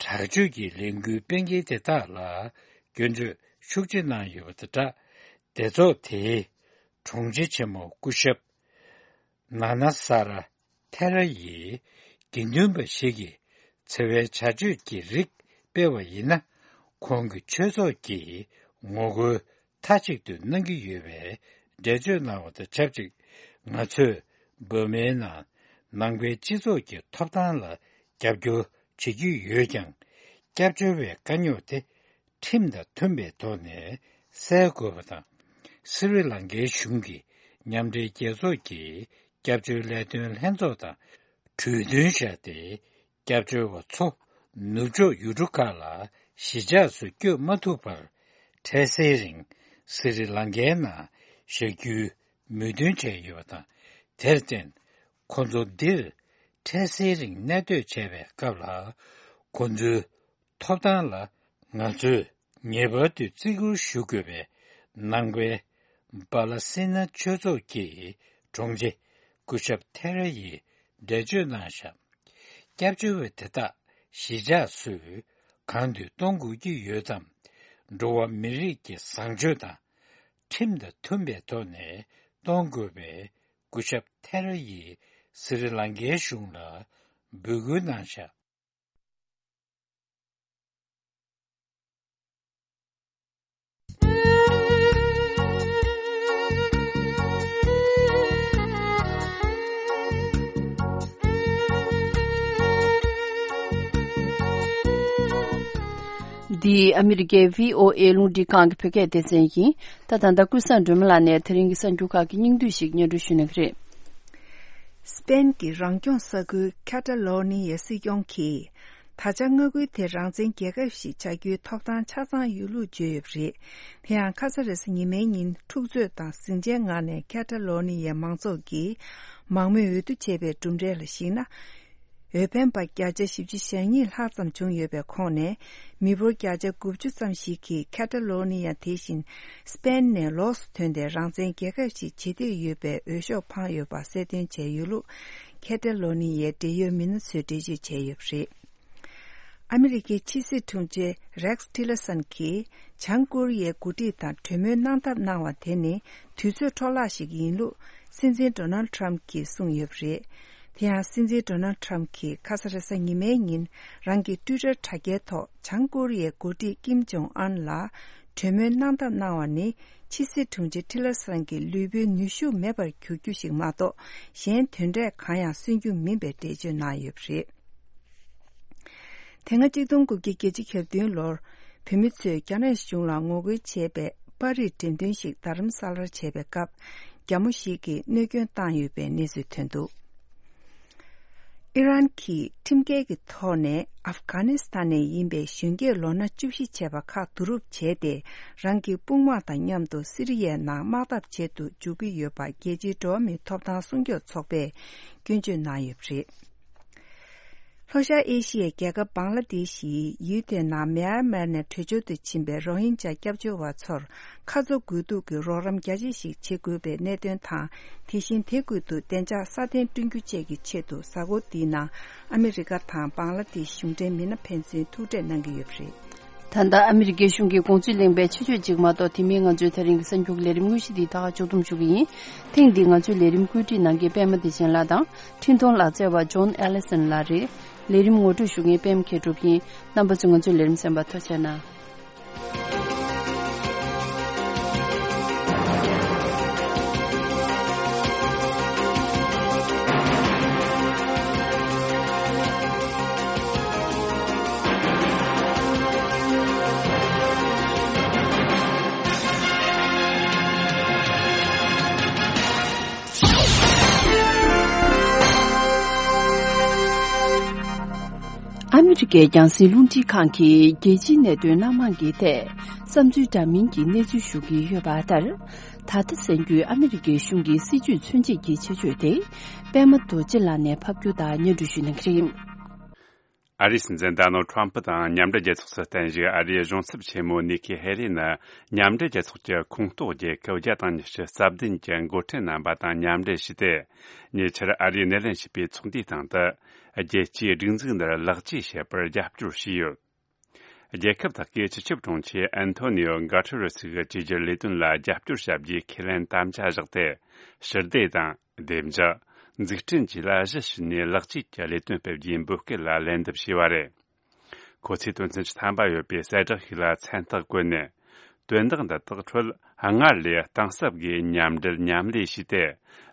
དྲག་སྤྱོད་ཀྱི་ལས་འགུལ་སྤེལ་མཁན་དེ་དག་ལ་སྐྱོན་བརྗོད་ཤུགས་ཆེ་གནང་ཡོད་པ་དང་སྦྲགས། སྡེ་ཚོགས་དེའི་དྲུང་ཆེ་ཆེན་མོ་སྐུ་ཞབས་ན་ན་ས་ར་ཐེ་ར་ཡིས་དགེ་འདུན་པ་ཞིག་གིས་འཚེ་བའི་བྱ་སྤྱོད་ཀྱི་རིགས་སྤེལ་བ་ཡིན་ན། ཁོང་གི་ཆོས་ཚོགས་ཀྱིས་ངོ་རྒོལ་མཐའ་གཅིག་ཏུ་གནང་གི་ཡོད་པའི་འགྲེལ་བརྗོད་གནང་བ་དང་ཆབས་ཅིག། ང་ཚོས་འབར་མའི་ནང་ནང་པའི་སྤྱི་ཚོགས་ཀྱི་ཐོབ་ཐང་ལ་རྒྱབ་སྐྱོར་བྱེད་ཀྱི་ཡོད་ཀྱང་། སྐྱབས་བཅོལ་བའི་དཀའ་རྙོག་དེ་ཁྲིམས་དང་མཐུན་པའི་ཐོག་ནས་སེལ་དགོས་པ་དང་། སི་རི་ལང་ཀའི་གཞུང་གིས་མཉམ་འབྲེལ་རྒྱལ་ཚོགས་ཀྱི་སྐྱབས་བཅོལ་ལས་དོན་ལྷན་ཚོགས་དང་གྲོས་མཐུན་བཞག་སྟེ། སྐྱབས་བཅོལ་བ་ཚོ་ནུབ་ཕྱོགས་ཡུལ་གྲུ་ཁག་ལ་གཞིས་ཆགས་སུ་བསྐྱོད་མ་ཐུབ་པར། འཕྲལ་སེལ་རིང་སི་རི་ལང་ཀའི་ནང་བཞག་རྒྱུའི་མོས་མཐུན་བྱས་ཡོད་པ་དང་། དེར་བརྟེན། ཁོ་ཚོ་འདིར་འཕྲལ་སེལ་རིང་གནས་སྡོད་བྱས་པའི་སྐབས་ལ། ཁོ་ཚོའི་ཐོབ་ཐང་ལ་ང་ཚོས་ངེས་པར་དུ་བརྩི་བཀུར་ཞུ་དགོས་པའི་ནང་པའི་པ་ལ་སི་ན་ཆོས་ཚོགས་ཀྱི་དྲུང་ཆེ་སྐུ་ཞབས་ཐེ་ར་ཡིས་འགྲེལ་བརྗོད་གནང་བཞག། སྐྱབས་བཅོལ་བ་དེ་དག་གཞིས་ཆགས་སུ་གང་དུ་གཏོང་དགོས་ཀྱི་ཡོད་དམ། འགྲོ་བ་མི་རིགས་ཀྱི་བཟང་སྤྱོད་དང་ཁྲིམས་དང་མཐུན་པའི་ཐོག་ནས་གཏོང་དགོས་པའི་སྐུ་ཞབས་ཐེ་ར་ཡིས་སི་རི་ལང་ཀའི་གཞུང་ལ་འབོད་སྐུལ་གནང་བཞག། འདི་ཨ་མི་རི་ཀའི་བྷི་ཨོ་ཨེ་རླུང་འཕྲིན་ཁང་གི་བོད་སྐད་སྡེ་ཚན་ཡིན། ད་ད་ལྟ་ཀུན་བཟང་སྒྲོལ་མ་ལགས་ནས་དེ་རིང་གི་གསར་འགྱུར་ཁག་གི་སྙིང་བསྡུས་ཤིག་སྙན་སྒྲོན་ཞུ་གནང་གི་རེད། སི་པེན་གྱི་རང་སྐྱོང་ས་ཁུལ་ཁེ་ཊ་ལོ་ནི་ཡའི་སྲིད་སྐྱོང་གིས། ད་ཆ་མངའ་ཁུལ་དེ་རང་བཙན་རྒྱལ་ཁབ་ཞིག་ཆགས་རྒྱུའི་ཐོབ་ཐང་ཆ་ཚང་ཡོད་ལུགས་བརྗོད་ཡོད་པ་རེད། དེ་ཡང་ཁ་ས་རེ་ས་ཉི་མའི་ཉིན་འཁྲུག་རྩོད་དང་ཟིང་ཆའི་ངང་ནས་ཁེ་ཊ་ལོ་ནི་ཡའི་མང་ཚོགས་ཀྱིས་མང་མོས་འོས་བསྡུ་བྱས་པའི་གྲུབ་འབྲས་ལ་གཞིགས་ན། འོས་འཕེན་པ་བརྒྱ་ཆ་བཞི་བཅུ་ཞེ་གཉིས་ལྷག་ཙམ་བྱུང་ཡོད་པའི་ཁོངས་ནས། མི་འབོར་བརྒྱ་ཆ་དགུ་བཅུ་ཙམ་ཞིག་གིས་ཁེ་ཊ་ལོ་ནི་ཡ་དེ་བཞིན་སི་པེན་ནས་ལོགས་སུ་ཐོན་ཏེ་རང་བཙན་རྒྱལ་ཁབ་ཞིག་བྱེད་འདོད་ཡོད་པའི་འོས་ཤོག་འཕངས་ཡོད་པ་གསལ་སྟོན་བྱས་ཡོད་ལུགས་ཁེ་ཊ་ལོ་ནི་ཡའི་འབྲེལ་ཡོད་མི་སྣ་ཚོས་འགྲེལ་བརྗོད་བྱས་ཡོད་པ་རེད། ཨ་མི་རི་ཀའི་ཕྱི་སྲིད་དྲུང་ཆེ་རེག་ཊི་ལར་སན་གྱིས་བྱང་ཀོ་རི་ཡའི་འགོ་ཁྲིད་དང་གྲོས་མོལ་གནང་ཐབས་གནང་བ་དེ་ནི་དུས་ཚོད་འཕྲོ་བརླག་ཞིག་ཡིན་ལུགས་སྲིད་འཛིན་ཌོ་ནལ་ཌི་ཊརམ་ཕི་གྱིས་གསུངས་ཡོད་པ་རེད། དེ་ཡང་སྲིད་འཛིན་ཌོ་ནལ་ཌི་ཊརམ་ཕི་གྱིས་ཁ་ས་རེས་གཟའ་ཉི་མའི་ཉིན་རང་གི་ཊུའི་ཊར་དྲ་རྒྱའི་ཐོག་བྱང་ཀོ་རི་ཡའི་འགོ་ཁྲིད་ཀིམ་ཇོང་ཨན་ལ་གྲོས་མོལ་གནང་ཐབས་གནང་བ་ནི་ཕྱི་སྲིད་དྲུང་ཆེ་ཊི་ལར་སན་གྱི་ལུས་པོའི་ནུས་ཤུགས་མེད་པར་གྱུར་རྒྱུ་ཞིག་མ་གཏོགས་གཞན་དོན་འབྲས་གང་ཡང་སོན་རྒྱུ་མིན་པའི་འགྲེལ་བརྗོད་གནང་ཡོད་པ་རེད། དེ་སྔ་གཅིག་སྟོང་དགུ་བརྒྱ་བརྒྱད་ཅུ་གྱ་བདུན་ལོར་བོད་མི་ཚོས་རྒྱ་ནག་གཞུང་ལ་ངོ་རྒོལ་བྱས་པའི་པར་རིས་འགྲེམས་སྟོན་ཞིག་རྡ་རམ་ས་ལར་བྱས་པའི་སྐབས་རྒྱ་མོ་ཞིག་གིས་གནོད་སྐྱོན་བཏང་ཡོད་པའི་གནས་ཚུལ་ཐོན་འདུག་ཨི་རན་གྱིས་ཁྲིམས་འགལ་གྱི་ཐོག་ནས་ཨབ་གྷ་ནི་སི་ཐན་ནས་ཡིན་པའི་གཞོན་སྐྱེས་ལོ་ན་བཅུ་བཞི་བྱས་པ་ཁག་བསྡུ་རུབ་བྱས་ཏེ་རང་གི་དཔུང་དམག་དང་མཉམ་དུ་སི་རི་ཡའི་ནང་དམག་འཐབ་བྱེད་དུ་འཇུག་གི་ཡོད་པ་རྒྱལ་སྤྱིའི་འགྲོ་བ་མིའི་ཐོབ་ཐང་སྲུང་སྐྱོབ་ཚོགས་པས་སྐྱོན་བརྗོད་གནང་ཡོད་པ་རེད། ལྷོ་ཤར་ཨེ་ཤི་ཡའི་རྒྱལ་ཁབ་བང་ལ་དེ་ཤི་ཡི་ཡུལ་དེའི་ནང་མེ་ཡར་མར་ནས་བྲོས་བྱོལ་དུ་ཕྱིན་པའི་རོ་ཧིན་ཇཱ་སྐྱབས་བཅོལ་བ་ཚོར་ཁ་མཚོ་དགོས་གཏུགས་ཀྱི་རོགས་རམ་རྒྱ་ཆེ་ཞིག་བྱེད་དགོས་པའི་གནད་དོན་དང་། དེ་བཞིན་དེ་ཁུལ་དུ་བདེ་འཇགས་སྲ་བརྟན་བསྐྲུན་རྒྱུ་བཅས་ཀྱི་ཆེད་དུ་གཟའ་འཁོར་འདིའི་ནང་ཨ་མི་རི་ཀ་དང་བང་ལ་དེ་ཤི་གཞུང་འབྲེལ་མི་སྣ་ཕན་ཚུན་ཐུག་འཕྲད་གནང་གི་ཡོད་པ་རེད། ད་ལྟ་ཨ་མི་རི་ཀའི་གཞུང་གི་དགོངས་ཚུལ་གླེང་པའི་ཆེད་བརྗོད་ཅིག་མ་གཏོགས། དེ་མིན་ང་ཚོའི་དེ་རིང་གི་གསར་འགྱུར་ལས་རིམ་དངོས་གཞི་འདི་ད་ག་ཕྱོགས་བསྡོམས་ཞུ་གི་ཡིན། ཐེངས་འདིའི་ང་ཚོའི་ལས་རིམ་བཀོད་སྒྲིག་གནང་མཁན་པད་མ་བདེ་ཆེན་ལགས་དང་། འཕྲིན་གཏོང་ལག་རྩལ་བ་ཇོན་ཨེ་ལི་སན་ལགས་རེད། ལས་རིམ་ངོ་སྤྲོད་ཞུ་མཁན་པད་མ་མཁས་གྲུབ་ཡིན། རྣམ་པ་ཚོས་ང་ཚོའི་ལས་རིམ་གསན་པར་ཐུགས་རྗེ་གནང་། ཨ་མི་རི་ཀའི་རྒྱང་སྲིང་རླུང་འཕྲིན་ཁང་གིས་རྒྱལ་སྤྱིའི་གནད་དོན་སྣ་མང་གི་ཐད་བསམ་ཚུལ་འདྲ་མིན་གྱི་གནས་ཚུལ་ཞུ་གི་ཡོད་པ་ལྟར། ད་ལྟ་གསན་རྒྱུའི་ཨ་མི་རི་ཀའི་གཞུང་གི་སྲིད་ཇུས་མཚོན་བྱེད་ཀྱི་ཆེད་བརྗོད་དེ། པད་མ་རྡོ་རྗེ་ལགས་ནས་ཕབ་སྒྱུར་དང་སྙན་སྒྲོན་ཞུ་གནང་གི་རེད། ཨ་རིའི་སྲིད་འཛིན་ཌོ་ནལ་ཌི་ཊརམ་ཕུ་དང་མཉམ་འབྲེལ་རྒྱལ་ཚོགས་སུ་བརྟེན་བཞུགས་ཨ་རིའི་གཞུང་ཚབ་ཆེན་མོ་ནི་ཁི་ཧེ་ལི་ནི་མཉམ་འབྲེལ་རྒྱལ་ཚོགས་ཀྱི་ཁོངས་གཏོགས་རྒྱལ་ཁབ་བརྒྱ་དང་ཉི་ཤུ་རྩ་བདུན་གྱི་འགོ་ཁྲིད་རྣམ་པ་དང་མཉམ་འབྲེལ་བྱས་ཏེ། ཉེ་ཆར་ཨ་རིའི་སྣེ་ལེན་བྱས་པའི་ཚོགས་འདུའི་སྟེང་དུ། རྒྱལ་སྤྱིའི་སྒྲིག་འཛུགས་འདིར་ལེགས་བཅོས་བྱེད་པར་རྒྱབ་སྐྱོར་བྱས་ཡོད། རྒྱལ་ཁབ་དག་གིས་སྤྱི་ཁྱབ་དྲུང་ཆེ་ཨན་ཐོ་ནི་ཡོ་གྷ་ཏེ་རེ་སི་གི་བཅོས་བསྒྱུར་ལས་དོན་ལ་རྒྱབ་སྐྱོར་བྱ་རྒྱུའི་ཁས་ལེན་དམ་བཅའ་བཞག་སྟེ། ཞི་བདེ་དང་། བདེ་འཇགས། འཛུགས་སྐྲུན་བཅས་ལ་གཞི་བཞག་ནས་ལེགས་བཅོས་ཀྱི་ལས་དོན་སྤེལ་རྒྱུའི་འབོད་སྐུལ་ལ་ལན་འདེབས་བྱས་པ་རེད། ཁོ་ཚོས་དོན་ཚན་བཅུ་ཐམ་པ་ཡོད་པའི་གསལ་བསྒྲགས་ཤིག་ལ་མཚན་རྟགས་བཀོད་ནས། དོན་དག་འདི་དག་ཁྲོད་སྔར་ལས་གཏིང་ཟབ་སྒོས་མཉམ་འབྲེལ་མཉམ་ལས་བྱས་ཏེ།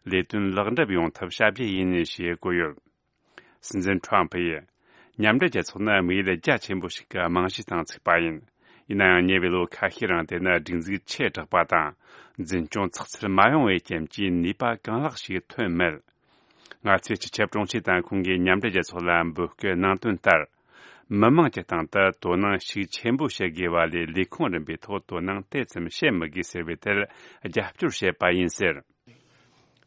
ལས་དོན་ལེགས་འགྲུབ་ཡོང་ཐབས་བྱ་རྒྱུ་ཡིན་ཞེས་བཀོད་ཡོད། སྲིད་འཛིན་ཁྲོམ་ཕུ་ཡིས། མཉམ་འབྲེལ་རྒྱལ་ཚོགས་ནི་དམིགས་ཡུལ་རྒྱ་ཆེན་པོ་ཞིག་གི་རྨང་གཞིའི་སྟེང་བཙུགས་པ་ཡིན། ཡིན་ནའང་ཉེ་བའི་ལོ་ཁ་ཤས་རིང་དེ་ནི་སྒྲིག་འཛུགས་ཆེ་དྲགས་པ་དང་། འཛིན་སྐྱོང་ཚགས་ཚུད་མ་ཡོང་བའི་རྐྱེན་གྱིས་ནུས་པ་གང་ལེགས་ཤིག་ཐོན་མེད། ང་ཚོས་སྤྱི་ཁྱབ་དྲུང་ཆེ་དང་ཁོང་གིས་མཉམ་འབྲེལ་རྒྱལ་ཚོགས་ལ་འབོད་སྐུལ་གནང་དོན་ལྟར། མི་དམངས་ཀྱི་སྟེང་དུ་དོ་སྣང་ཤུགས་ཆེན་པོ་བྱེད་དགོས་པ་ལས་ལས་ཁུངས་རིམ་པའི་ཐོག་དོ་སྣང་དེ་ཙམ་བྱེད་མི་དགོས་ཟེར་བའི་ཐད་རྒྱབ་སྐྱོར་བྱེད་པ་ཡིན་ཟེར།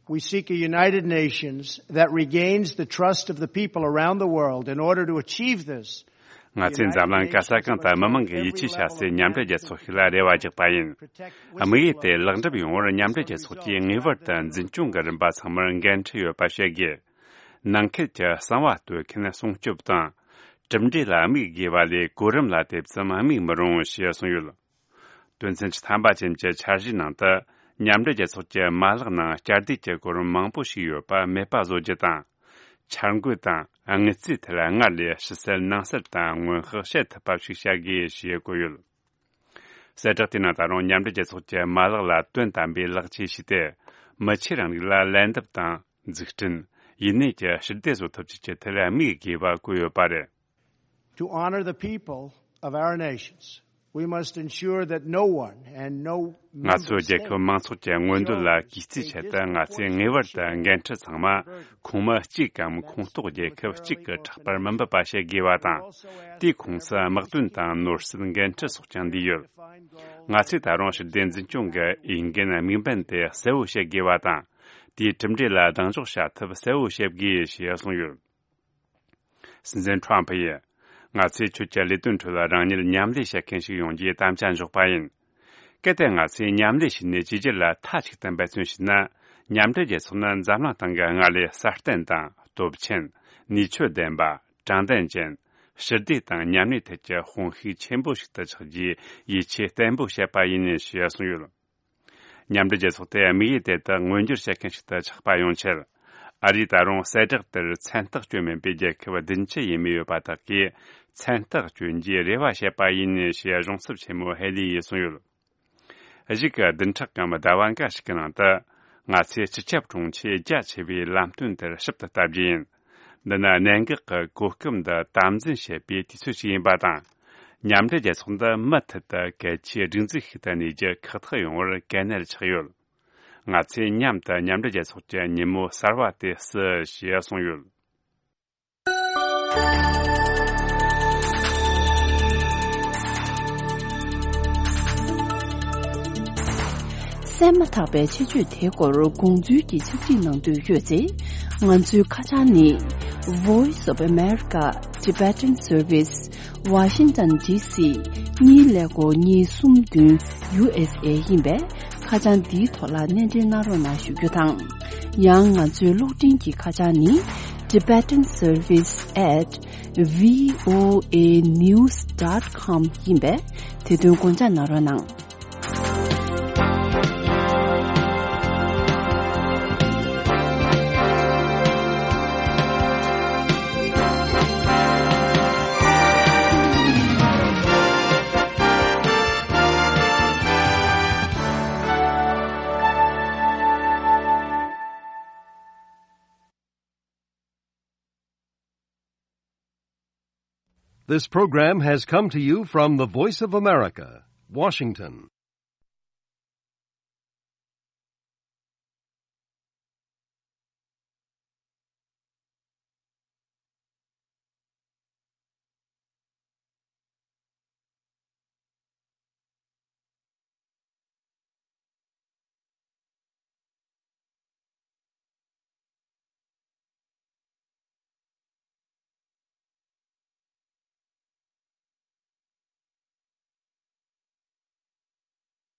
We seek a United Nations that regains the trust of the people around the world. In order to achieve this, ང་ཚོས་འཛམ་གླིང་ག་ས་གང་དུ་མི་མང་གི་ཡིད་ཆེས་བྱ་སའི་མཉམ་འབྲེལ་རྒྱལ་ཚོགས་ཤིག་ལ་རེ་བ་རྒྱག་པ་ཡིན། དམིགས་ཡུལ་དེ་ལེགས་འགྲུབ་ཡོང་བར་མཉམ་འབྲེལ་རྒྱལ་ཚོགས་ཀྱིས་ངེས་པར་དུ་འཛིན་སྐྱོང་གི་རིམ་པ་ཚང་མར་འགན་འཁྲི་ཡོད་པ་བཤད་དགོས། ནང་ཁུལ་གྱི་གསང་བ་གཏོད་མཁན་སྲུང་སྐྱོབ་དང་། གྲུབ་འབྲས་ལ་དམིགས་དགོས་པ་ལས་གོ་རིམ་ལ་དེ་ཙམ་དམིགས་མི་རུང་ཞེས་གསུངས་ཡོད། དོན་ཚན་བཅུ་ཐམ་པ་ཅན་གྱི་འཆར་གཞིའི་ནང་དུ། མཉམ་འབྲེལ་རྒྱལ་ཚོགས་ཀྱི་མ་ལག་ནང་བསྐྱར་ཟློས་ཀྱི་གོ་རིམ་མང་པོ་ཞིག་ཡོད་པ་མེད་པ་བཟོ་རྒྱུ་དང་། འཆར་འགོད་དང་དངུལ་རྩིས་ཐད་སྔར་ལས་ཕྱི་གསལ་ནང་གསལ་དང་སྔོན་དཔག་བྱེད་ཐུབ་པ་ཞིག་བྱ་དགོས་ཞེས་བཀོད་ཡོད། གསལ་བསྒྲགས་དེའི་ནང་ད་རུང་མཉམ་འབྲེལ་རྒྱལ་ཚོགས་ཀྱི་མ་ལག་ལ་དོན་དམ་པའི་ལེགས་བཅོས་བྱས་ཏེ། མི་ཆོས་རིང་ལུགས་ལ་ལན་འདེབས་དང་འཛུགས་སྐྲུན། ཡུན་གནས་ཀྱི་ཞི་བདེ་བཟོ་ཐབས་བཅས་ཀྱི་ཐད་དམིགས་དགོས་པ་བཀོད་ཡོད་པ་རེད། To honor the people of our nations, we must ensure that no one and no ང་ཚོའི་རྒྱལ་ཁབ་མང་ཚོགས་ཀྱི་མངོན་འདོད་ལ་གུས་བརྩིའི་ཆེད་དུ། ང་ཚོས་ངེས་པར་དུ་འགན་འཁྲི་ཚང་མ་ཁོངས་མི་གཅིག་གམ་ཁོངས་གཏོགས་རྒྱལ་ཁབ་གཅིག་གི་ཕྲག་པར་མི་འབུད་པ་བྱེད་དགོས་པ་དང་། དེའི་ཁོངས་སུ་དམག་དོན་དང་ནོར་སྲིད་འགན་འཁྲི་སོགས་ཀྱང་འདུས་ཡོད། ང་ཚོས་ད་རུང་ཞི་བདེ་འཛིན་སྐྱོང་གི་འོས་འགན་དམིགས་འབེན་དེ་གསལ་བོ་བྱེད་དགོས་པ་དང་། དེའི་གྲུབ་འབྲས་ལ་གདེང་འཇོག་བྱ་ཐབས་གསལ་བོ་བྱེད་དགོས་ཞེས་གསུངས་ཡོད། སྲིད་འཛིན་ཁྲོམ་ཕུ་ཡིས། ང་ཚོས་ཁྱོད་ཀྱི་ལས་དོན་ཁྲོད་རང་ཉིད་མཉམ་ལས་བྱེད་མཁན་ཞིག་ཡོང་རྒྱུའི་དམ་བཅའ་འཇོག་པ་ཡིན། གལ་ཏེ་ང་ཚོས་མཉམ་ལས་བྱས་ནས་བཅོས་བསྒྱུར་ལ་མཐའ་གཅིག་ཏུ་འབད་བརྩོན་བྱས་ན། མཉམ་འབྲེལ་རྒྱལ་ཚོགས་ནི་འཛམ་གླིང་སྟེང་གི་སྔར་ལས་སྲ་བརྟན་དང་སྟོབས་ཆེན། ནུས་ཆོད་ལྡན་པ། དྲང་བདེན་ཅན། ཞི་བདེ་དང་མཉམ་གནས་ཐད་ཀྱི་དཔུང་ཤུགས་ཆེན་པོ་ཞིག་ཏུ་ཆགས་རྒྱུའི་ཡིད་ཆེས་བརྟན་པོ་བྱེད་པ་ཡིན་ཞེས་གསུངས་ཡོད། མཉམ་འབྲེལ་རྒྱལ་ཚོགས་དེ་དམིགས་ཡུལ་དེ་དག་མངོན་འགྱུར་བྱེད་མཁན་ཞིག་ཏུ་ཆགས་པ་ཡོང་ཆེད། ཨ་རིས་ད་རུང་གསལ་བསྒྲགས་དེར་མཚན་རྟགས་བསྐྱོན་མིན་པའི་རྒྱལ་ཁབ་བདུན་ཅུ་ཡས་མས་ཡོད་པ་དག་གིས་མཚན་རྟགས་བསྐྱོན་རྒྱུའི་རེ་བ་བྱེད་པ་ཡིན་ཞེས་གཞུང་ཚབ་ཆེན་མོ་ཧེ་ལི་ཡིས་གསུངས་ཡོད། གཞུག་གི་བདུན་ཕྲག་གམ་ཟླ་བ་འགའ་ཞིག་གི་ནང་དུ། ང་ཚོས་སྤྱི་ཁྱབ་དྲུང་ཆེའི་རྒྱ་ཆེ་བའི་ལམ་སྟོན་དེར་ཞིབ་ཏུ་ལྟ་རྒྱུ་ཡིན། འདི་ནི་གནད་འགག་གི་གོ་སྐབས་འདི་དམ་འཛིན་བྱེད་པའི་དུས་ཚོད་ཅིག་ཡིན་པ་དང་། མཉམ་འབྲེལ་རྒྱལ་ཚོགས་འདི་མུ་མཐུད་དུ་གལ་ཆེའི་སྒྲིག་འཛུགས་ཤིག་ཏུ་གནས་རྒྱུ་ཁག་ཐེག་ཡོང་བར་གལ་གནད་ཆགས་ཡོད། ང་ཚོས་མཉམ་དུ་མཉམ་འབྲེལ་རྒྱལ་ཚོགས་ཀྱི་ཉིན་མོ་གསར་བ་དེ་བརྩི་ཞེས་གསུངས་ཡོད། གསན་མ་ཐག་པའི་ཆེད་བརྗོད་དེའི་སྐོར་དགོངས་ཚུལ་གྱི་ཕྱག་བྲིས་གནང་འདོད་ཡོད་ཚེ། ང་ཚོའི་ཁ་བྱང་ནི། Voice of America Tibetan Service, Washington D C གཉིས་ཀླད་ཀོར་གཉིས་གསུམ་བདུན་U S A ཡིན་པས། ཁ་བྱང་འདིའི་ཐོག་ལ་སྣེ་འདྲེན་གནང་རོགས་གནང་ཞུ་རྒྱུ་དང་། ཡང་ང་ཚོའི་གློག་འཕྲིན་གྱི་ཁ་བྱང་ནི། Tibetan Service at V O A news dot com ཡིན་པས། དེ་དོན་དགོངས་འཇགས་གནང་རོགས་གནང་། This program has come to you from the Voice of America, Washington.